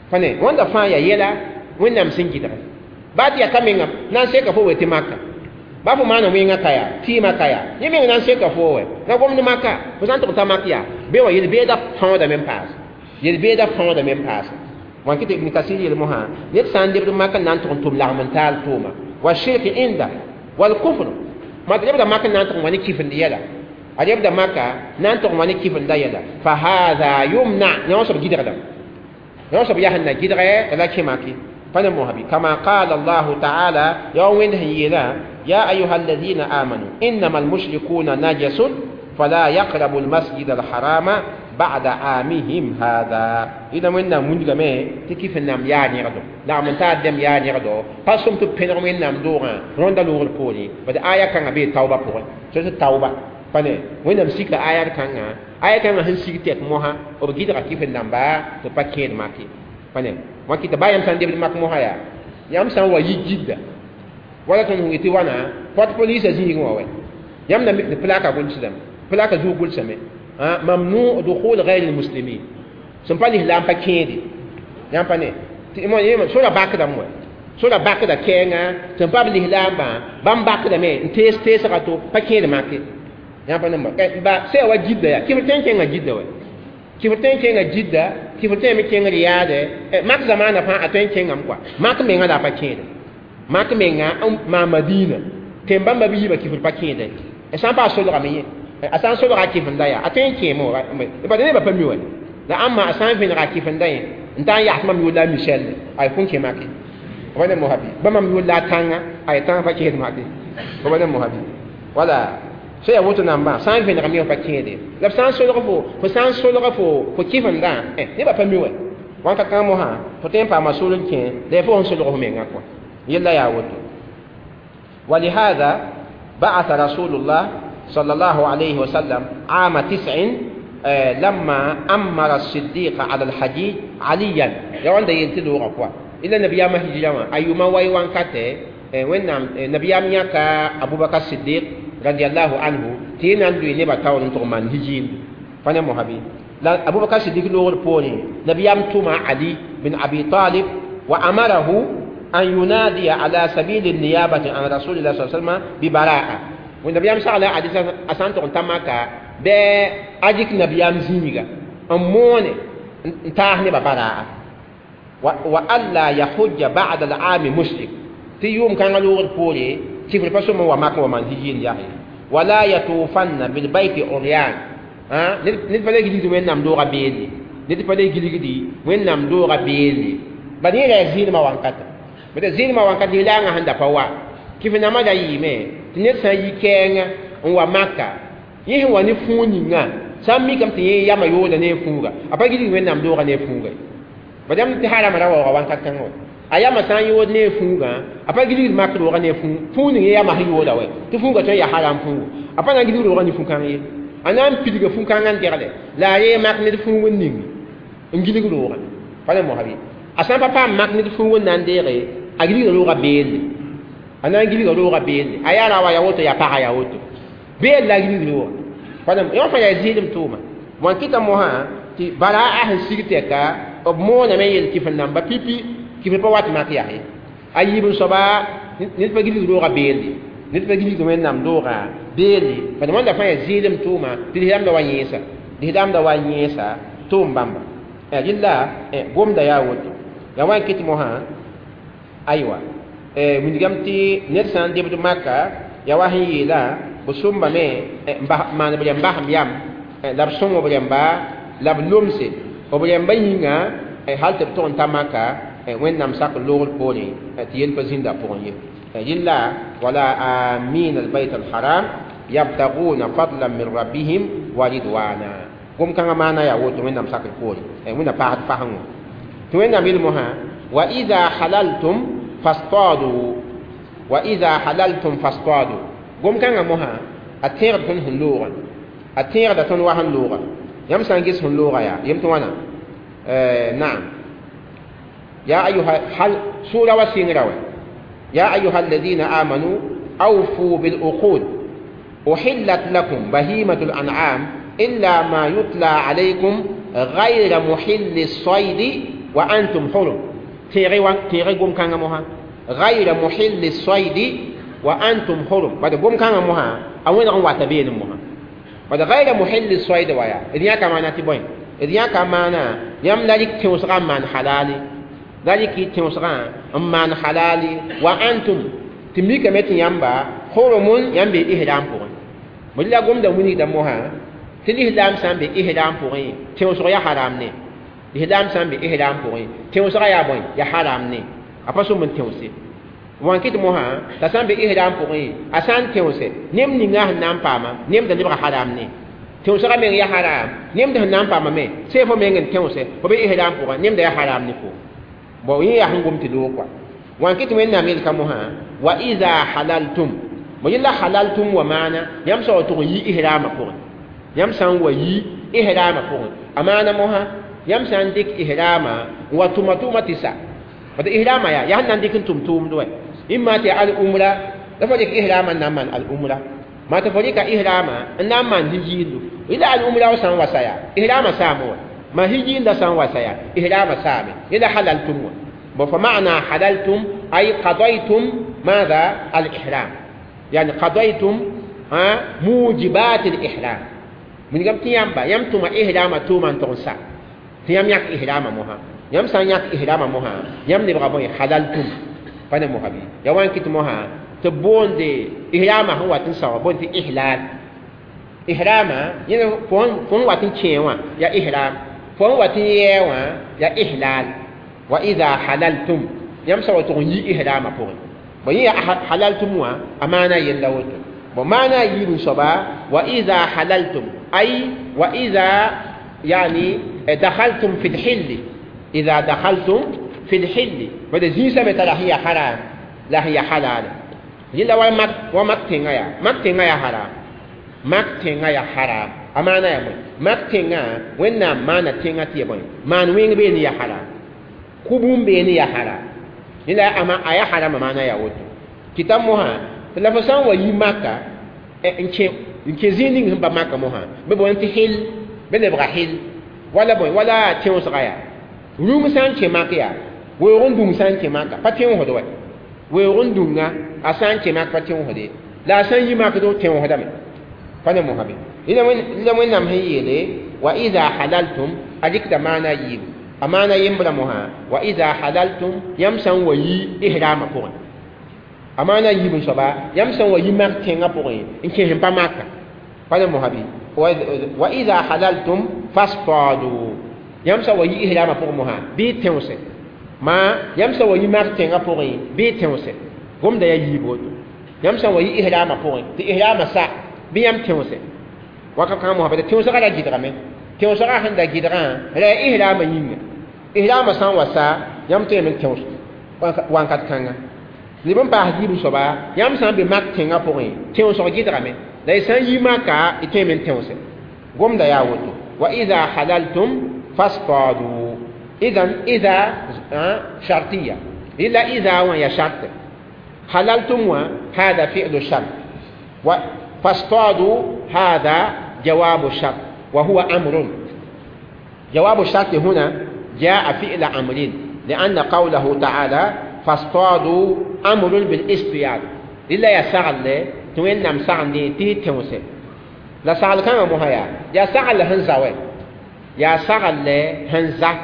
fa ne wonda fa ya yela wennam singida ba ti ya kamenga nan se ka fo we te maka babu mana winga kaya tima kaya yimi nan seka fowe na gomni maka fo san to tamakia be wa yel be da fãoda men paas yel be da fãoda men paas wan kɩ tɩ Ibn Kasir yel mosã ned sã n lebd maka n na n tʋg n tʋm lagm n taal tʋʋma wa shirk inda wal kufr ma tɩ lebda maka n na n tʋg n wa ne kifend yɛla a lebda maka na n tʋg n wa ne kifenda yɛla fa hada yumna yã wã soab gɩdgdame yã wã soab yaa sẽn na gɩdgɛ t'a la kẽ maki pa ne mosã bɩ kama qala allahu taala yaa wa wẽnd sẽn yeelã يا أيها الذين آمنوا إنما المشركون نجس فلا يقربوا المسجد الحرام بعد عامهم هذا إذا من من جمع تكيف النام يا نيردو لا من تعدم يا نيردو قسم تبين من نام دورا روندا لور بولي بعد آية كان أبي توبة بول شو توبة فني وين نمسك آية كان آية كان هنسيك تك موها وبجد كيف النام با تبكين ماكي فني ما كي تبايم سندي بالماك موها يا يام سان ويجد wala tõnd sẽn yetɩ wãna pot police zĩigẽ wã wɛ yãmb na mik plaka gʋlsdame plaka zug gʋlsame mamnu dukhul ghayr almuslimin sẽn pa lislaam pa kẽede yãmb pa ne sora bakdame wɛ sora bakda kɛɛngã sẽn pa b lislaambã bãmb bakdame n tees teesga to pa kẽed make yãmb pa ne ba sã wa jidda yaa kɩf tõe n kẽnga jidda wɛ kɩf tõe n kẽnga jidda kɩf tõe me kẽng riyaadɛ mak zamaana fãa a tõe n kẽngame kɔa mak mengã la a pa kẽede mak menga ma madina tẽn bãmba bɩ yiibã kifr pa kẽede sã n paas solgame yẽ a sã n solga a kifenda yaa a tõe n kẽemo bad nebã pa mi wa la ãmba a sã n vẽnega a kifenda yẽ n ta n yags mam yʋʋr la a michel ay fõn kẽ make b ne mosabi ba mam yʋʋr la a tãnga ay tãng pa kẽed make b ne mosabi wala sã yaa woto nambã sã n vẽnegame yẽ pa kẽede la b sã n solg fo sã n solg fo kifendã nebã pa mi wa wãnka kãng mosã fo tõe n paama sol n kẽ la yaa fo sẽn solg fo menga kɔa يلا يا ودو ولهذا بعث رسول الله صلى الله عليه وسلم عام 9 لما أمر الصديق على الحجيج عليا يا عند ينتلو غفوا إلا نبي ما هجرا أيما ويوان كاته وين نبي أمياك أبو بكر الصديق رضي الله عنه Tɩ na n loe nebã taoor n tʋg maan hijiindu pa ne mosã bɩ la Abubakar Sidik loogr poorẽ nabiyaam tʋma Ali bin Abi Talib wa amarahu an yunadiya ala sabili niyabati an rasulillah sa sallam bi baraa. Nabiyaam sagla Ali a sã n tʋg n ta Maka bɩ a dɩk nabiyaam zĩiga n moone n taas nebã baraa wa alla yahujja ba'da al-aami mushrik tɩ yʋʋm kãngã loogr poore kifr pa sõm n wa mak wa maan hijiin yaa wala yatufanna bilbayti uryan ned pa le gilgd wẽnnaam doogã beelle ned pa le gilgdi wẽnnaam doogã beelle bad yẽ ra yaa zɩɩlmã wankata bd zɩɩlmã wankat lislaangã sẽn da pa wa kɩf nambã da yɩɩme tɩ ned sã n yi kɛɛngã n wa Maka yẽ sẽn wa ne fũug ninga sã n mikame tɩ yẽ yamã yooda ne a fũuga a pa gilgd wẽnnaam doogã ne a fũuga ye bad yãmb tɩ harama ra waooga wankat kãngã wa a yamã sã n yood ne a fũugã a pa gilgd mak roogã ne a fũug ning yẽ yamã sẽn yooda wɛ tɩ fũugã tõe n yaa haram fũugo a pa na n gilgd roogã ne fũ-kãng ye a na n pidga fũ-kãngã n degle la a ree mak ned fũug n ning n gilg roogã pa ne mosã bɩ a sã n pa paam mak ned fũug n na n deege a gilgda roogã beelle a na n gilga roogã beelle a yaa ra wa yaa woto yaa paga yaa woto beel la a gilgd roogã pa ne yõ fãa yaa zɩɩlem tʋʋma wã kɩta mosã tɩ baraa sẽn sig tɛka b mooname yel kɩf n namba pipi kɩf pa wat mak yaa ye a yiib n soaba ned pa gilgd roogã beelle ned pa gilgd wẽnnaam doogã beelle bad wãnda fãa yaa zɩɩlem tʋʋma tɩ lislaamda wa yẽesa lislaamda wa yẽesa tʋʋm bãmba rɩlla gomda yaa woto yaa wa n kɩt mosã aywa wilgame tɩ ned sã n debd maka yaa wa sẽn yeela b sõmbame maan b rẽmba sẽm yam la b sõng b rẽmba la b lomse b rẽmba yĩnga hal tɩ b tʋg n ta Maka wẽnnaam sak loogr poorẽ tɩ yel pa zĩnda pʋgẽ ye rɩlla wala amin albayt alharam yabtaguna fadlan min rabbihim wa ridwana gom-kãngã maana yaa woto wẽnnaam sakr poorẽ wẽnna paasd fasengõ tɩ wẽnnaam yel mosã wa ida halaltum fastadu wa ida halaltum fastadu gom-kãngã mosã a tẽegd tõnd sẽn loogã a tẽegda tõnd wa sẽn looga yãmb sã n ges sẽn looga yaa yem tɩ wãna naam ya ayuha hal sura wa sɩngra wɛ يا أيها الذين آمنوا أوفوا بالعقود أحلت لكم بهيمة الأنعام إلا ما يتلى عليكم غير محل الصيد وأنتم حرم تيغي قوم كان موها غير محل الصيد وأنتم حرم بعد قوم كان موها أوين غن واتبين موها بعد غير محل الصيد ويا إذن يا كمان تبين إذن يا كمان يملك تيوسغا من حلالي ذلك تيوسغا من حلالي وأنتم تملك متي يامبا حرم يامبي إحرام بوغن ملي قوم دا وني دا موها تلي إحرام سام بي إحرام بوغن تيوسغا يا حرام ني إحرام سام بي إحرام بوغن تيوسغا يا بوين يا حرام ني أباسو من تيوسي وان كيت موها تسام بي إحرام بوغن أسان تيوسي نيم نيغا نام باما نيم دا لبغا حرام ني تيوسغا مين يا حرام نيم دا نام باما مي سيفو مين تيوسي وبي إحرام بوغن نيم دا يا حرام ني فو bon yẽ yaa sẽn gom tɩ loog kɔa wã kɩ tɩ wẽnnaam yelka mosã wa ida halaltum mo yella halaltum wa maana yãmb sã wa tʋg n yi ihrama pʋgẽ yãmb sã n wa yi ihrama pʋgẽ a maana mosã yãmb sã n dɩk ihrama n wa tʋma tʋʋma tɩ sa bad ihrama yaa yaa sẽn na n dɩk n tʋm tʋʋmd wɛ imma tɩ al umra la fo dɩk ihrama n na n maan al umra maa tɩ fo dɩka ihrama n na n maan hijiindu yella al umra wa sã n wa sa yaa ihrama saame wa ma hijiinda sã n wa sa yaa ihrama saame yella halaltum wa فمعنى حللتم أي قضيتم ماذا؟ الإحرام يعني قضيتم موجبات الإحرام من قام تيامبا يمتم إحرام توما تغسا تيام يك إحرام مها يم سان يك إحرام مها يم نبغى بوي حللتم فأنا مها بي يوان كت مها تبون دي إحرام هو تنسى بون دي إحلال إحرام يعني فون فون واتن تشيوا يا إحرام فون واتن يوا يا إحلال وإذا حللتم يمسوا تغني إحرام بوغن بني حللتم أمانة يلوت ومعنى يبن صبا وإذا حللتم أي وإذا يعني دخلتم في الحل إذا دخلتم في الحل وإذا زين لا هي حرام لا هي حلال يلا ومك ومك تنغيا مك تنغيا حرام مك تنغيا حرام أمانة يا بني مك تنغا وين ما نتنغا تي بني ما نوين بيني يا حرام kubun be ne ya haram ila ama aya haram mana ya woto kitab moha la fa san wa yi maka n kẽ N kẽ zĩig ning sẽn pa maka mosã bɩ boond tɩ hɩl bɩ lebga hɩl wala bõe wala tẽosga yaa rũng sã n kẽ mak yaa weoog n dũng sã n kẽ maka pa tẽosd wɛ weoog n dũnga a sã n kẽ mak pa tẽosd ye la a sã n yi makdo tẽosdame pa ne mosã be la Wẽnnaam sẽn yeele wa ida halaltum a dɩkda maana yiibu a maana yembra mosã wa ida halaltum yãmb sã n wa yi ihrama pʋgẽ a maana yiib n soaba yãmb sã n wa yi mak tẽngã pʋgẽ n kẽ sẽn pa maka pa ne mosã bɩ wa ida halaltum fastadu yãmb sã n wa yi ihrama pʋgẽ mosã bɩ tẽose ma yãmb sã n wa yi mak tẽngã pʋgẽ bɩ tẽose gomda yaa yiib woto yãmb sã n wa yi ihrama pʋgẽ tɩ ihrama sa bɩ yãmb tẽose wakat kãngã mosã bala tẽosgã ra gɩdgame tẽosgã sẽn da gɩdgã ra yaa ihrama yĩnga ihrama sã n wa sa yãmb tõeme n tẽos wãnkat kãnga leb n paas yiib soaba yãmb sã n be mak tẽngã pʋgẽ tẽosg gɩdgame la y sã n yi maka y tõeme n tẽose gomda yaa woto wa ida halaltum fastadu idan ida shartiya ila ida wã ya shart halaltum wã hada fi'lu shart wa فاصطادوا هذا جواب الشرط وهو أمر جواب الشرط هنا جاء فعل أمر لأن قوله تعالى فاصطادوا أمر بالاصطياد إلا يسعل توين نم سعل تي تونسي لا سعل كان مهيا يا سعل هنزاوي يا سعل هنزا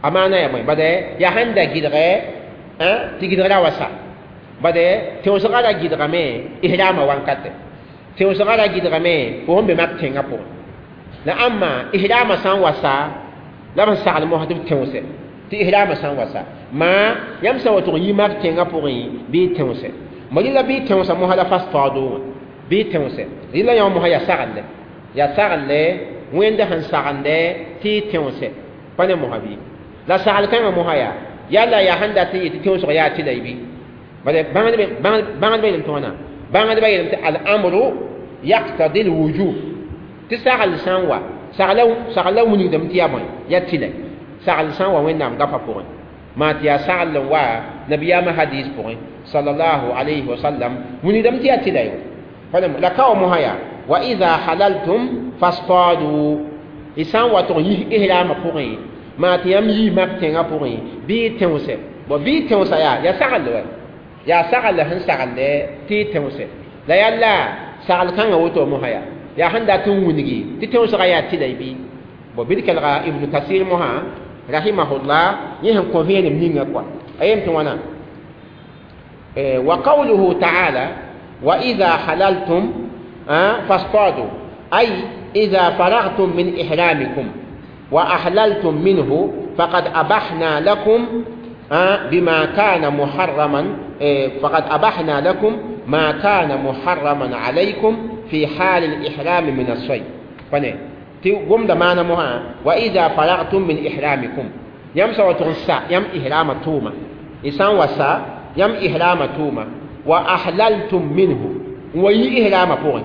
أمانة يا مي بدأ يا هندا جدغة أه تجدغة وسا بدأ تونسي غدا جدغة مي إهرام وانكته tẽosgã ra gɩdgame fo sẽn be mak tẽngã pʋgẽ la ãmma ihrama sã n wa sa la b sẽn sagl mosã tɩ b tẽose tɩ ihrama sã n wa sa maa yãmb sã n wa tʋg n yi mak tẽngã pʋgẽ bɩ tẽose mo rɩla bɩ tẽosa mosã la fastaado wã bɩ tẽose rɩla yã mosã yaa saglɛ wẽnd sẽn sagende tɩ y tẽose pa ne mosã bɩ la sagl kãngã mosã yaa yalla yaa sẽn dat n yetɩ tẽosg yaa tɩ la y bɩ bãngdbã yeelame tɩ wãna bãngdbã yeelame tɩ al-amru يقتضي الوجوب تساغل سان وا ساغلا وني دم تيا بون يا تيلا ساغل سان وا وين نام غفا بون ما تيا ساغل وا نبي ما حديث بون صلى الله عليه وسلم وني دم تيا تيلا فلم لكاو مهيا واذا حللتم فاصطادوا إسان وا تو إهرام بون ما تيام يي ماك تيغا بون بي تيوسه بو بي تيوسا يا ساغل وا يا ساغل هن ساغل تي تيوسه لا يلا sagl kãngã woto mosã yaa yaa sẽn dat n wilgi tɩ tẽosgã yaa tɩla y bɩ bo bɩ d kelga Ibnu Kasir mosã rahimahullah yẽ sẽn kõ vẽenem ninga kɔa a yem tɩ wãna wa qawluhu taala wa ida halaltum fastadu ay ida faragtum min ihramikum wa ahlaltum minhu faqad abahna lakum بما كان محرما فقد أبحنا لكم ما كان محرما عليكم في حال الإحرام من الصيد فني تقوم دمانا مها وإذا فرغتم من إحرامكم يم سوى يم إحرام توما إسان وسا يم إحرام توما وأحللتم منه وي إحرام فوق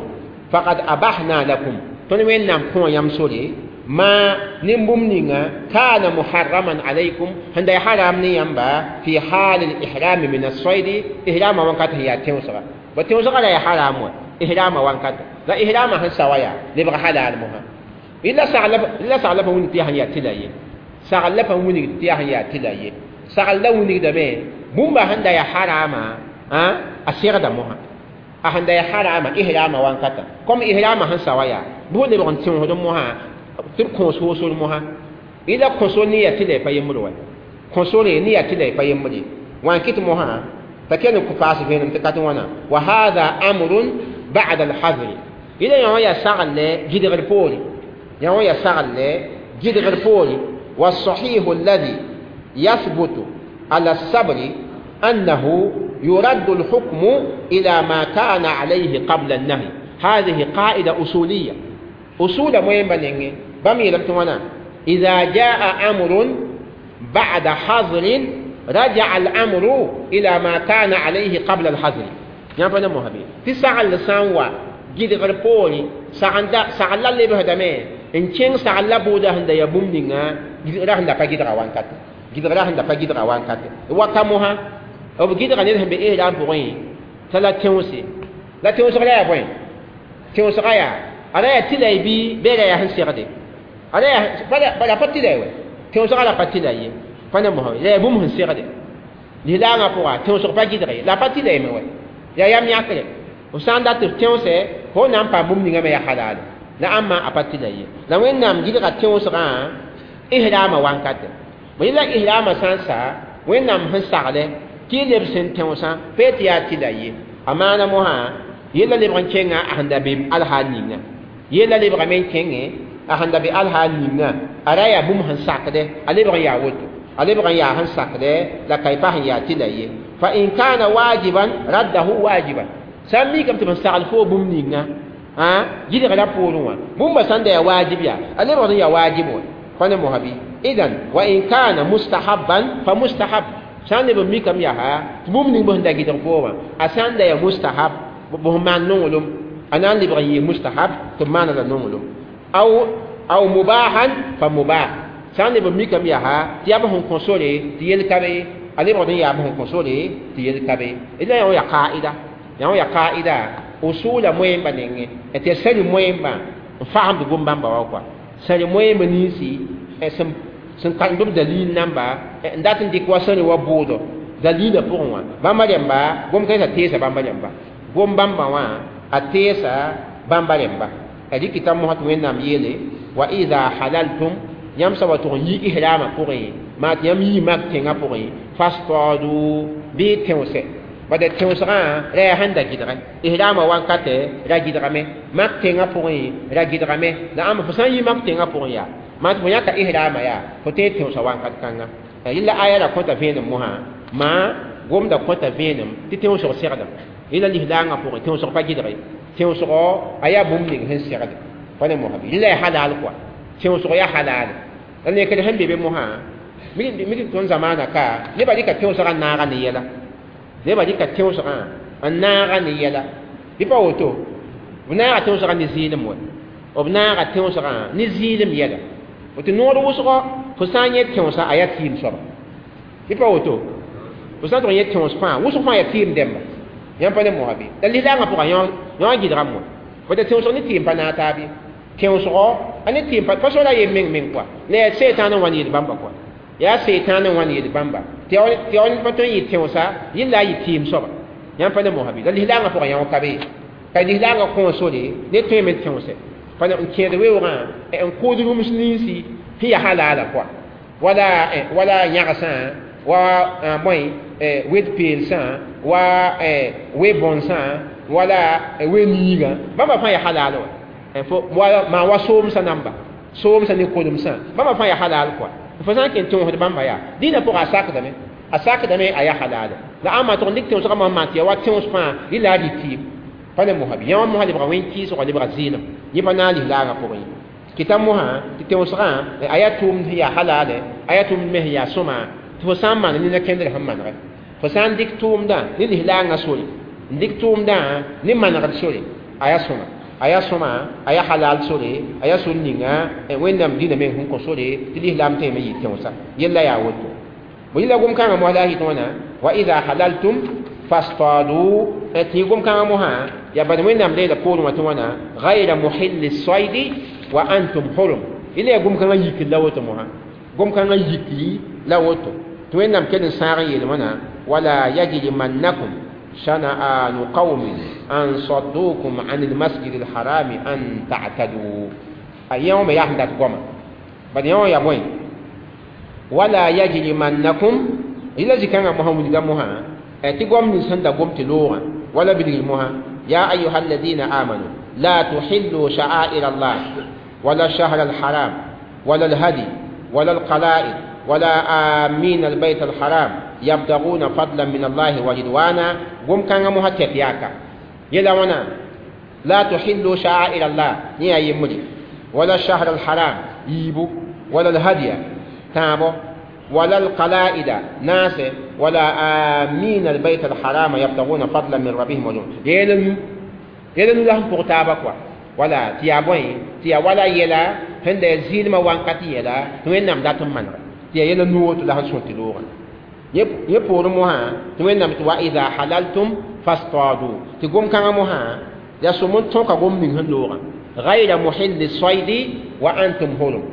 فقد أبحنا لكم تنوين نام كون يم سوري ما نمبم نينا كان محرما عليكم عند حرام نيامبا في حال الإحرام من الصيد إحرام وانكات هي تيوسغا وتيوسغا لا حرام إحرام وانكات لا إحرام هن سوايا لبغى حلال مها إلا سعلب وني تيهن يا تلاي سعلب وني تيهن يا تلاي سعلب وني دمي بومبا هندا يا حرام ها أسير دمها هندا يا حرام إحرام وانكات كم إحرام هن سوايا بو لبغى تيوسغا مها tɩ b kõos woosor mosã ila kõsor ne yaa tɩ la y pa yembr wa kõsore ne yaa tɩ la y pa yembre wã n kɩt mosã t'a kell n paas vẽenem tɩ ka tɩ wãna wa hada amrun ba'da alhadri ila yã wã yaa sagl gɩdgr poore yã wã yaa sagl gɩdgr poore والصحيح الذي يثبت على الصبر أنه يرد الحكم إلى ما كان عليه قبل النهي هذه قاعدة أصولية أصول مهم نينغي بام يلم توانا إذا جاء أمر بعد حظر رجع الأمر إلى ما كان عليه قبل الحظر يعني فانا مهبي تسعة لسان وا جد غربولي سعندا سعلا اللي بهدمه إن كان سعلا بودا هند يبوم نينغا جد راهن دا فجد روان كات جد راهن دا فجد روان كات وكمها أو جد غنيرهم بإيه لام بوين ثلاث تونسي لا تونسي ولا يبوين Tẽosga yaa ada yaa tɩla y bɩ beega yaa sẽn segde ada yaa bala pa tɩla ye tẽosga la pa tɩla ye pa ne mosã la yaa bũmb sẽn segde lislaangã pʋga tẽosg pa gɩdg ye la pa tɩla ye me wa yaa yam yãkre f sã n dat tɩ f tẽose fo na n paam bũmb ninga me yaa halaale la ãmba a pa tɩla ye la Wẽnnaam gɩdga tẽosgã ihrama wankate bõe la ihrama sã n sa Wẽnnaam sẽn sagle tɩ y leb sẽn tẽosã pa tɩ yaa tɩla ye a maana mosã yella lebg n kẽnga a sẽn da be alhaal ninga yella lebgame n kẽngẽ a sẽn da be alhaal ninga a ra yaa bũmb sẽn sakdɛ a lebg n yaa woto a lebg n yaa sẽn sakdɛ la ka y pa sẽn yaa tɩla ye fa in kana wajiban raddahu wajiban sã n mikame tɩ b sagl fo bũmb ninga gɩdgra poorẽ wã bũmba sãn da yaa wajib yaa a lebgd n yaa wajib wã pa ne mosã bɩ idan wa in kana mustahabban fa mustahab sã n leb n mikame yaa tɩ bũmb ning b sẽn da gɩdg fo wã a sã n da yaa mustahab b sẽn maan nonglem a na n lebg n yɩ mustahab tɩ b maana la nonglem aw mubahan fa mubah sã n leb n mikame yaa tɩ yaa b sẽn kõ sore tɩ yel ka be a lebgd n yaa b sẽn kõ sore tɩ yel ka be la yã yaa qaida yã yaa qaida usula moẽmba nengẽ tɩ ya sari moẽmbã n fagemd gom-bãmba wa kɔa sari moẽmb ninsi sẽn kãnd b dalil namba n dat n dɩk wa sari wa bʋʋdo dalila pʋgẽ wã bãmba rẽmba gom-kãensã teesa bãmba rẽmba gom-bãmbã wã a teesa bãmba rẽmba a rɩkɩta mosã tɩ Wẽnnaam yeele wa ida halaltum yãmb sã wa tʋg n yi ihrama pʋgẽ maa tɩ yãmb yii mak tẽngã pʋgẽ fastadu bɩ tẽose bada tẽosgã ra yaa sẽn da gɩdgẽ ihrama wankatɛ ra gɩdgame mak tẽngã pʋgẽ ra gɩdgame la ãmba fo sã n yi mak tẽngã pʋgẽ yaa maa tɩ fo yãka ihrama yaa fo tõe tẽosa wankat kãnga yella aya ra kõta vẽenem mosã maa gomda kõta vẽenem tɩ tẽosg segdame yella lislaangã pʋgẽ tẽosg pa gɩdge tẽosgɔ a yaa bũmb ning sẽn segde pa ne mosã yella yaa halal kɔa tẽosg yaa halal la nekd sẽn be be mosã mik tõnd zamaana ka nebã rɩka tẽosgã n naaga ne yɛla nebã rɩka tẽosgã n naaga ne yɛla bɩ pa woto b naaga tẽosgã ne zɩɩlem wa b naaga tẽosgã ne zɩɩlem yɛla tɩ noor wʋsgɔ fo sã n yẽ tẽosã a yaa tɩɩm soaba bɩ pa woto fo sã n tʋg n yẽ tẽos fãa wʋsg fãa yaa tɩɩm dɛmba yãmb pa ne mosã bɩ la lislaangã pʋgã yõ gɩdgame wã fo tɩ tẽosg ne tɩɩm pa naag taab ye tẽosgɔ a ne tɩɩm pa so la yem meng meng kɔa la yaa sɛɛtãan n wa n yeel bãmba kɔa yaa sɛɛtãan n wa n yeel bãmba tɩ ya pa tõe n yɩ tẽosa yella a yɩ tɩɩm soaba yãmb pa ne mosã bɩ la lislaangã pʋgã yõ ka be ka lislaangã kõ sore ne tõeme n tẽose pa n kẽed weoogã n kʋʋd rũms ninsi sẽn yaa halaala kɔa wala yãgsã wa bõe wed peelsã wa we-bõnsã wala we-niigã bãmba fãa yaa halaal wa maa wa soomsã namba soomsã ne kolemsã bãmba fãa yaa halaal kɔa fo sã n ken tẽosd bãmba yaa dĩnã pʋgã a sakdame a yaa halaale la ãmba tʋg n dɩk tẽosgã mosã maan tɩ ya wa tẽos fãa rɩla a rɩ tɩɩm pa ne mosã bɩ yã wã mosã lebga wẽn-kɩɩsgã lebga zɩɩlem yẽ pa naag lislaangã pʋgẽ ye kɩta mosã tɩ tẽosgã a yaa tʋʋmd sẽn yaa halaale a yaa tʋʋmd me sẽn yaa sõma tɩ fo sã n maan nina kẽndr sẽn manegɛ fo sã n dɩk tʋʋmdã ne lislaangã sore n dɩk tʋʋmdã ne manegd sore a yaa sõma a yaa sõma a yaa halal sore a yaa sor ninga Wẽnnaam dĩnã meng sẽn kõ sore tɩ lislaam tẽeme yɩ tẽosa yella yaa woto bõe yella gom-kãngã mosã la a yɩt wãna wa ida halaltum fastadu tɩ yɩ gom-kãngã mosã yaa bad Wẽnnaam leela poorẽ wã tɩ wãna gayra muhilli soidi wa antum hurum yella yaa gom-kãngã yikr la woto mosã gom-kãngã yikri la woto tɩ Wẽnnaam kell n sãag n yeel wãna wala yajrimannakum shana'anu qawmin an saddukum an almasjid alharami an ta'tadu a yã me yaa sẽn dat goama bad yã wã yaa bõe wala yajrimannakum yella zĩ-kãngã mosã wilga mosã tɩ gom nins sẽn da gom tɩ loogã wala bilgr mosã ya ayuha alladina amanu la tuhillu sha'air allah wala الشهر الحرام ولا الهدي ولا القلائد ولا آمين البيت الحرام يبتغون فضلا من الله ورضوانا قم كان مهتك ياكا يلا ونا لا تحلوا شعائر الله نيا يمري ولا الشهر الحرام يبو ولا الهدي تابو ولا القلائد ناس ولا آمين البيت الحرام يبتغون فضلا من ربهم ورضوانا يلن يلن لهم بغتابك ولا تيابوين تيا ولا يلا هند زيل ما وانكاتي يلا وين نام داتم من تيا يلا نوت لهم سنتلوغا yẽ poorẽ mosã tɩ Wẽnnaam tɩ wa ida halaltum fastadu tɩ gom-kãngã mosã Ya sõm n tõka gom ning sẽn loogã غير محل الصيد وأنتم حرم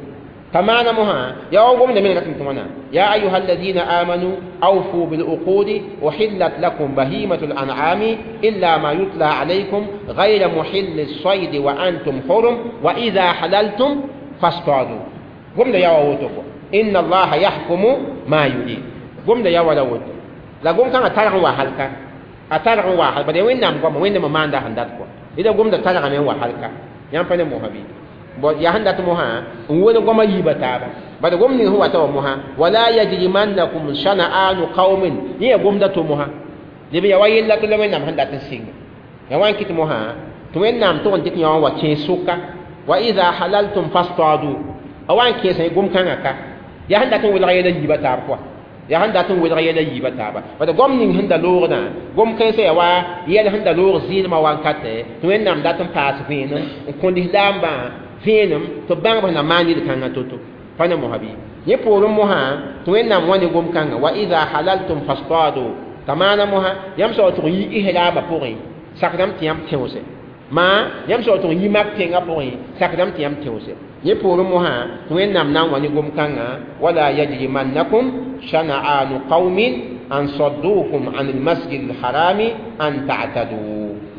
كما نمها يا قوم من رتم يا أيها الذين آمنوا أوفوا بالعقود أحلت لكم بهيمة الأنعام إلا ما يتلى عليكم غير محل الصيد وأنتم حرم وإذا حللتم فاصطادوا قم يا ووتوكو إن الله يحكم ما يريد قم يا ولا ووتو لا قم كان ترغ وحلك أترغ وحل بدي وين نام قم وين ما عنده هنداتكو إذا قم ترغ من وحلك يام موهبي ya sẽn dat mosã n wẽn goama yiibã taaba bad gom ning sẽn wata wa mosã wala yajrimannakum shana'anu qaumin yẽ ya gomda to mosã leb ya wa yella tɩ la Wẽnnaam sẽn dat n sɩnga ya wa n kɩt mosã tɩ Wẽnnaam tʋg n dɩk yã wã wa kẽes sʋka wa idha halaltum fastadu a wa n kẽesã gom-kãngã ka ya sẽn dat n welg yɛla yiibã taab pʋga ya sẽn dat n welg yɛla yiibã taaba bad gom ning sẽn da loogdã gom kãensã ya wa yɛl sẽn da loog zɩɩlmã wankatɛ tɩ Wẽnnaam dat n paas vẽenem n kõ lislaambã vẽenem tɩ bãng b na maan yel-kãngã to-to pa ne mosã bɩ yẽ poorẽ mosã tɩ Wẽnnaam wã ne gom-kãngã wa idha halaltum fastadu t'a maana mosã yãmb sao tʋg yi islaamã pʋgẽ sakdame tɩ yãmb tẽose maa yãmb sao tʋg yi mak tẽngã pʋgẽ sakdame tɩ yãmb tẽose yẽ poorẽ mosã tɩ Wẽnnaam na n wa ne gom-kãngã wala yajrimannakum shana'anu qaumin an saddukum an almasjid alharami an ta'tadu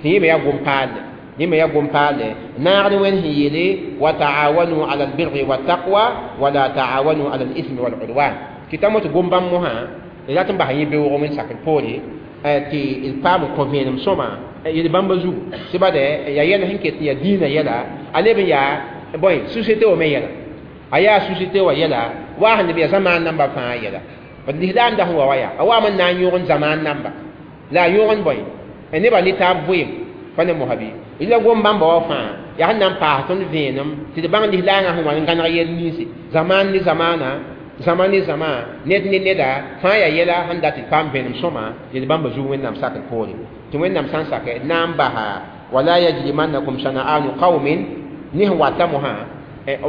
tɩ yẽ me yaa gom-paalle لما يقوم قال ناغن وين هي لي وتعاونوا على البر والتقوى ولا تعاونوا على الإثم والعدوان كتامو تقوم باموها لا تنبه يبيو من ساكن بولي تي البام كونفينم سوما يلبام بزو سبادة يا يلا هنك يا دينا يلا على بيا بوي سوسيتي وما يلا أيا سوسيتي ويلا واحد بيا زمان نمبر فا يلا فالإسلام ده هو ويا أو من نان زمان نمبر لا يورن بوي النبى لتاب بوي فانا مهبي ila gom bãmba wa fãa yaa sẽn na n paas tõnd vẽenem tɩ d bãng lislaangã sẽn wa n gãneg yɛl ninsi zaman ne zamana zaman ne zama ned ne neda fãa yaa yɛla sẽn dat tɩ d paam vẽenem sõma yel bãmba zug Wẽnnaam sakr poore tɩ Wẽnnaam sã n sake d na n basa wala yajrimannakum shana'anu qaumin ne sẽn wata mosã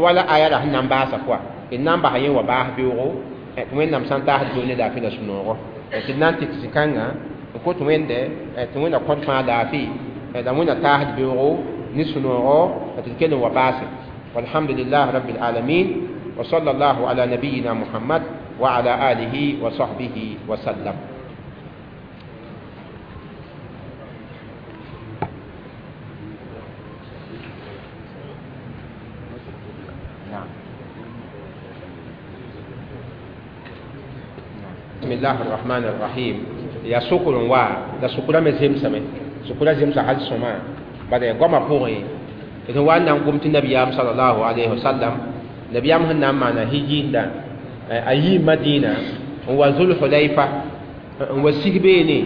wala aya la sẽn na n baasa pʋa d na n basa yẽ wa baas beoogo tɩ Wẽnnaam sã n taasd beoog ne laafɩ la sũ-noogo tɩ d na n tɩk zĩ-kãngã n kot Wẽnde tɩ Wẽnna kõt fãa laafɩ la wẽnna taasd beoogo ne sũ-noogo tɩ d kell n wa baase walhamdulillah rabbil alamin wa sallallahu ala nabiyina muhammad wa ala alihi wa sahbihi wa sallam. بسم الله الرحمن الرحيم يا سكر وا لا سكر me zemsame sukura zemsa hal sõma bala goama pʋgẽ d wa n na n gom tɩ nabiyaam sallallahu alayhi wa sallam nabiyaam sẽn na n maana hijinda a yii Madina n wa Zulhulayfa n wa sig beene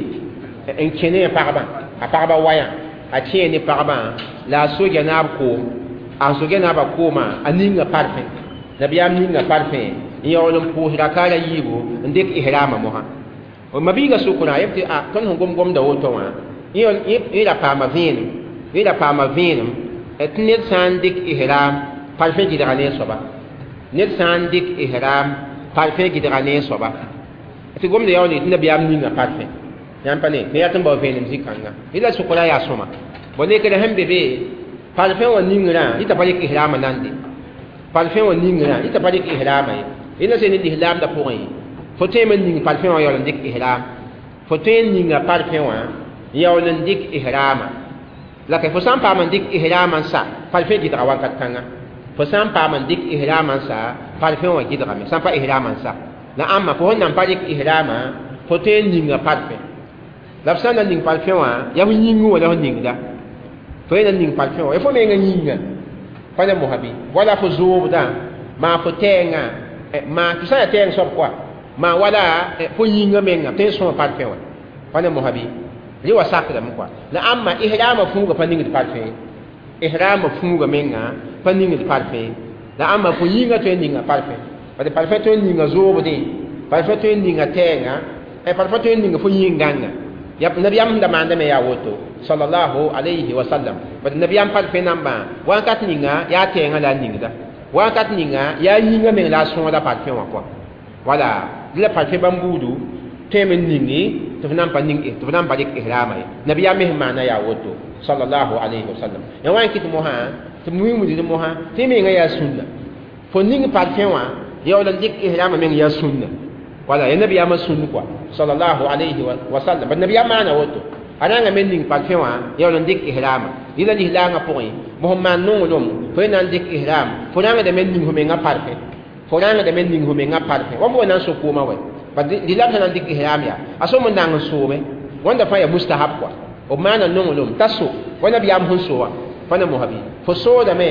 n kẽ ne a pagba a pagba wayã a kẽe ne pagba la a soja naab koom a soja naabã koomã a ninga parfẽ nabiyaam ninga parfẽ n yaool n pʋʋs rakaara yiibu n dɩk ihrama mosã mabiiga sʋkra yeb tɩ a tõnd sẽn gom-gomda woto wã yẽ ra paama vẽenem yẽ ra paama vẽenem tɩ ned sã n dɩk ihram parfẽ gɩdga ne a soaba ned sã n dɩk ihram parfẽ gɩdga ne a soaba tɩ gomda yaool tɩ nabiyaam ninga parfẽ yãmb pa ne tɩ yaa tɩ n bao vẽenem zĩ-kãnga yẽ la sʋkra yaa sõma bõ lekr sẽn be be parfẽ wã ningrã yẽ t'a pa dɩk ihrama nande parfẽ wã ningrã yẽ t'a pa dɩk ihrama ye yẽ la sẽn ne lislaamdã pʋgẽ fo tõe n ning parfẽ wã yaool n dɩk ihram fo tõe n ninga parfẽ wã yaool n dɩk ihrama la ka fo sã n paam n dɩk ihrama n sa parfẽ gɩdga wakat kãnga fo sã n paam n dɩk ihrama n sa parfẽ wã gɩdgame sã n pa ihrama n sa la ãmba fo sẽn na n pa dɩk ihrama fo tõe n ninga parfẽ la f sã n na ning parfẽ wã yaa fo yĩngẽ wã la fo ningda fo yẽ na ning parfẽ wã ya fo menga yĩnga pa ne mosã bɩ wala fo zoobdã maa fo tɛɛngã maa tɩ sã n yaa tɛɛng soab koa maa wala fo yĩngã menga tõe n sõa parfẽ wã pa ne mosã bɩ rẽ wa sakdame koa la ãmba ihrama fuuga pa ningd parfẽ ihrama fuuga menga pa ningd parfẽ la ãmba fo yĩngã tõe n ninga parfẽ parce parfẽ tõe n ninga zoobdẽ parfẽ tõe n ninga tɛɛngã parfẽ tõe n ninga fo yĩng-gãnga nabiyaam sẽn da maandame yaa woto sallallahu alayhi wa sallam parce nabiyaam parfẽ nambã wakat ninga yaa tɛɛngã la a ningda wakat ninga yaa yĩngã meng la a sõoda parfẽ wã koa wala la parfẽ bãmb buudu tõeme n ningi tɩ f na n pa ning tɩ f na n pa dɩk ihrama ye nabiyaam me sẽn maana yaa woto sallallahu alayhi wa sallam ya wa n kɩt mosã tɩ b wilgd mosã tɩ menga yaa sũnna fo ning parfẽ wã yaool n dɩk ihrama meng yaa sũnna wala ya nabiyaamã sũnn kɔa sallallahu alayhi wa sallam bad nabiyaam maana woto a rãnga me ning parfẽ wã yaool n dɩk ihrama yɩla lislaangã pʋgẽ bõ sẽn maan nonglem fo ye na n dɩk ihram fo rãngdame n ning fo mengã parfẽ fo rãngdame n ning fo mengã parfẽ wa fo wa na n so koomã wɛ bad lislaam sã na n dɩk ihram yaa a som n nang n soome wãnda fãa yaa mustahab kɔa b maana nonglem t'a so wa nabiyaam sẽn so wã fa na mosã bɩ fo soodame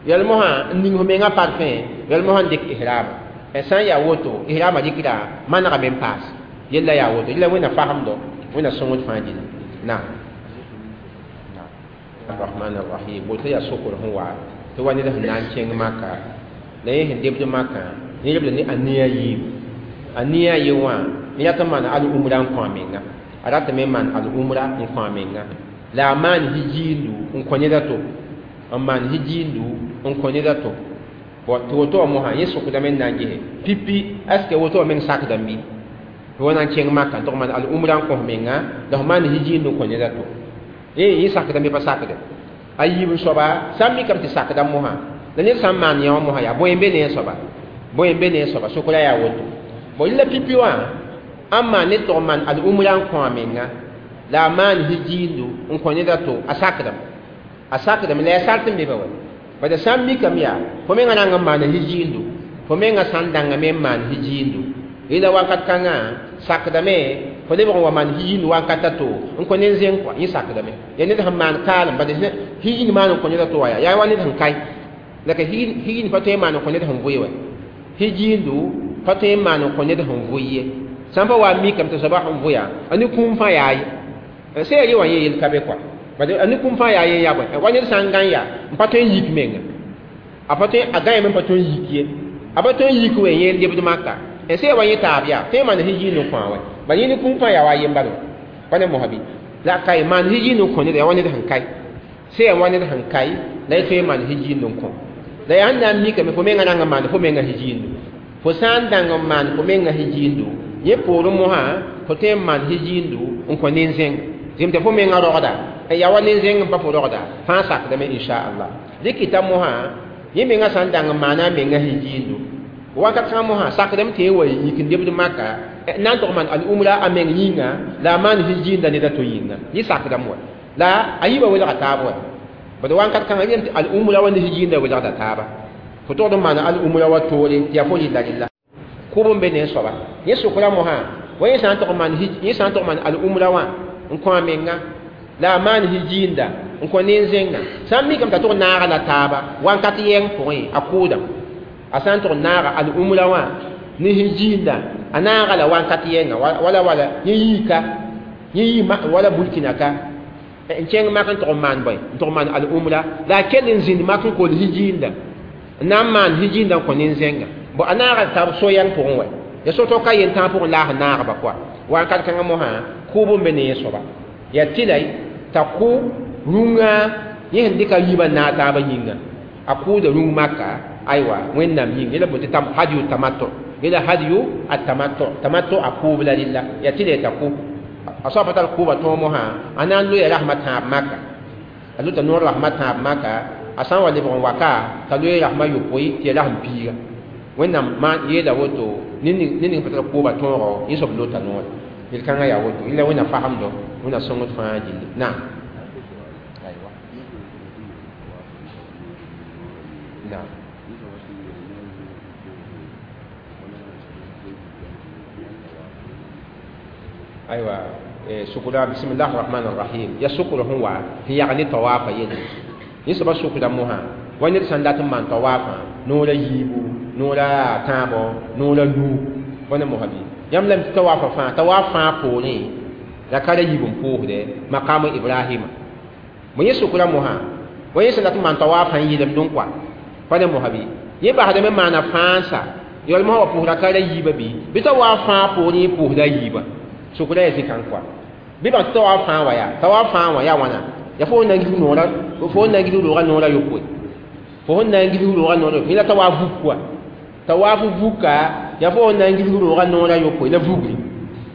yɛl mosã n ning fo mengã parfẽ yɛl mosã n dɩk ihrama sã n yaa woto ihrama dɩkda manegame n paas yella yaa woto yella wẽnna fasemdo wẽnna sõngd fãa dĩnã naam الرحمن الرحيم woto yaa sokr sẽn wa tɩ wa ned sẽn na n kẽng maka la yẽ sẽn debd makã yẽ lebda ne a nia yiib a nia ye wã yẽ rat n maan al-umra n kõ a menga a ratame n maan al-umra n kõ a menga la a maan hijiindu n kõ ned a to n maan hijiindu n kõ ned a to tɩ woto wã mosã yẽ sokdame n na n gese pipi est ce que woto wã meng sakdame bɩ tɩ wa na n kẽng maka n tʋg maan al-umra n kõs menga la f maan hijiindu n kõ ned a to yẽ sakdame pa sakde a yiib n soaba sã n mikame tɩ sakda mosã la ned sã n maan yã wã mosã yaa bõe n be ne a soaba bõe n be ne a soaba sokra yaa woto bon yẽla pipi wã ãn maan ned tʋg n maan al-umra n kõ a menga la a maan hijiindu n kõ ned a to a sakdame a sakdame la yaa sart n be ba wa bala sã n mikame yaa fo menga rãng n maana hijiindu fo menga sã n dãngame n maan hijiindu yẽla wakat kãngã sakdame fo lebg n wa maan hijiindu wakat a to n kõ ned zẽng kɔa yẽ sakdame yaa ned sẽn maan kaalem bala hijind maan n kõ ned a to wã yaa wa ned sẽn kae la ka hijind pa tõe n maan n kõ ned sẽn vʋɩ wa hijiindu pa tõe n maan n kõ ned sẽn vʋɩ ye sã n pa wa n mikame tɩ soaba sẽn vʋɩa a ne kũum fãa yaa ye sẽn yaa ye wã yẽ yel ka be kɔa bala a ne kũum fãa yaa ye yaa bõe wa ned sã n gã yaa n pa tõe n yik menga a pa tõe a gãyame n pa tõe n yik ye a pa tõe n yik wɛ yẽ lebd maka sẽn yaa wa yẽ taab yaa tõe n maan hijind n kõ a wɛ bala yẽ ne kũum fãa yaa wa yembal pa ne mosã bɩ la a kae maan hijind n kõ ned yaa wa ned sẽn kae sẽn yaa wa ned sẽn kae la y tõe n maan hijind n kõ la yaa sẽn na n mikame fo menga rãng n maan fo menga hijiindu fo sã n dãng n maan fo menga hijiindu yẽ poorẽ mosã fo tõe n maan hijiindu n kõ nin-zẽng zem tɩ fo menga rogda yaa wa nin-zẽng n pa fo rogda fãa sakdame inchallah dɩkɩta mosã yẽ menga sã n dãng n maana a menga hijiindu wakat kãngã mosã sakdame tɩ yẽ wa yik n lebd maka na n tʋg maan al-umra a meng yĩnga la a maan hijiinda ned a to yĩnga yẽ sakdame wa la a yiibã welga taab wa bad wakat kãngã yẽm tɩ al-umra wa ne hijiinda welgda taaba fo togd n maana al-umra wa toore tɩ yaa fo rɩlla rɩlla kʋb n be ne soaba yẽ sokra mosã wa yẽ sã n tʋg maan al-umra wã n kõ a menga la a maan hijiinda n kõ nin-zẽnga sã n mikame t'a tʋg naaga la taaba wakat yɛng pʋgẽ a kʋʋdame a sã n tʋg naaga al-umra wã ne hijiinda a naaga la wakat yɛnga wala wala yẽ yiika yẽ yii wala burkina ka n kẽng mak n tʋg n maan bõe n tʋg maan al-umra la a kell n zĩnd mak n kol hijiinda n na n maan hijiinda n kõ nin-zẽnga bo a naaga tab so-yɛng pʋgẽ wɛ ya so-to ka yen tãag pʋgẽ la a sẽn naagba kɔa wakat kãngã mosã kʋʋb n be ne yẽ soaba yaa tɩla t'a kʋ rũngã yẽ sẽn dɩka yiibã naag taabã yĩnga a kʋʋda rũng maka aywa wẽnnaam yĩnga yẽla bote tɩ hadiyu tamattu yẽla hadiyu atamattu tamattu a kʋʋb la rɩlla yaa tɩla t'a kʋ a soaba tar kʋʋba tõog mosã a na n loeya rasmã tãab maka a lota noor rasmã tãab maka a sã n wa lebg n waka t'a loe rasmã yopoe tɩ ya rasm piiga wẽnnaam maan yeela woto ned ning pa tar kʋʋba tõogo yẽ soab lota noore yel-kãngã yaa woto yẽla wẽnna fasemdo wẽnna sõngd fãa gilli naam naam aywa sukura bismillah rahman rahim ya sukura sẽn wa sẽn yag ne tawaafa yelle yẽ soaba sukda mosã wa ned sã n dat n maan tawaafa noora yiibu noora tãabo noora nuu bõe ne mosã bɩ yãmb lame tɩ tawaafa fãa tawaaf fãa poorẽ la ka ra yiib n pʋʋsdɛ maqamu ibrahima bõ yẽ sukra mosã wa yẽ sẽn dat n maan tawaafã n yɩlemdẽ kɔa pa ne mosã bɩ yẽ basdame maana fãansa yɔl mosã wa pʋʋsda ka ra yiibã bɩ bɩ tawaaf fãa poorẽ yẽ pʋʋsda yiibã sukra yaa zikãng kɔa bɩ bãng tɩ tawaaf fãa wa yaa tawaaf fãa wã yaa wãna yaa fo na n gilg noora fo na n gilg roogã noora yopoe fo sẽn na n gilg roogã noora yopoe yẽ la tawaaf vuk kɔa tawaaf vuka yaa fo na n gilg roogã noora yopoe la vugri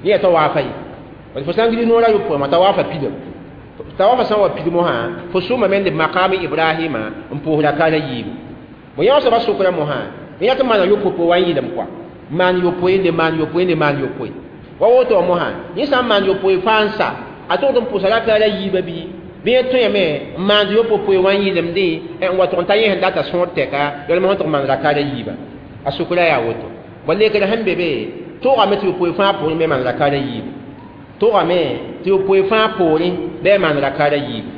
Yẽ yaa tawaafa ye. Fo sã n gilg noorã yopoe wã, tawaafa pidem. Tawaafa sã n wa pidem wã, fo sʋmame n leb maqaami Ibrahima n pʋʋs rakaat a yiibu. Bõ yã soaba sʋkrã mosã, yẽ rat n maana yopoe wa n yɩlem kɔa, maan yopoe, le maan yopoe, le maan yopoe. Wa woto wã mosã, yẽ sã n maan yopoe fãa n sa, a togd n pʋsa rakaat a yiibã bɩ bɩ yẽ tõeme n maand yopoe wã n yɩlemdẽ n wa tʋg n ta yẽ sẽn data sõor tɛka yalm sẽn tʋg n maan rakaat a yiibã. A sʋkrã yaa woto. Bõ lekrã sẽn be be toogame tɩ yopoe fãa poorẽ me maan rakaat a yiibu. Toogame tɩ yopoe fãa poorẽ bɩ a maan rakaat a yiibu.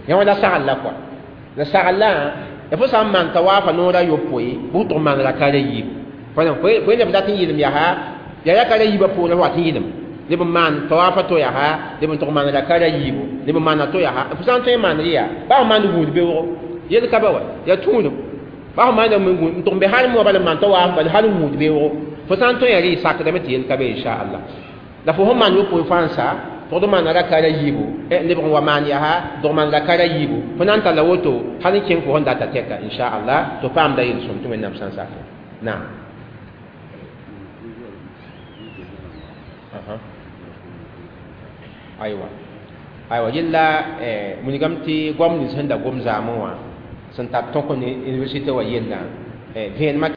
Yã wã la sagl la kɔa. La sagl-la ya fo sã n maan tawaafa noorã yopoe, bʋ tʋg n maan rakaat a yiibu. Fo leb dat n yɩlem yaa yaa rakaat a yiibã poorẽ fo wat n yɩlem. Leb n maan tawaafa to yaa, leb n tʋg maan rakaat a yiibu, leb n maana to yaa. Fo sã n tõe n maand yaa, baa fo maand gũud beoogo, yel ka ba wa, yaa tũudum. Baa fo maanda n tʋg n be hal moa bala n maan tawaaf bala hal n gũud beoogo. Fo sã n tõe yaa rɩ sakdame tɩ yel ka be, inchallah. La fo sẽn maan yopoe fãa n sa, tʋgd n maana rakaat a yiibu, lebg n wa maan yaa, dog maan rakaat a yiibu. Fo na n talla woto hal n kẽng fo sẽn data tɛka, inchallah, tɩ paamda yel-sõm tɩ Wẽnnaam sã n sake. Naam. Aywa. Aywa, yella wilgame tɩ goam nins sẽn da gom zaamẽ wã sẽn tar tõk ne université wã yellã vẽenemã.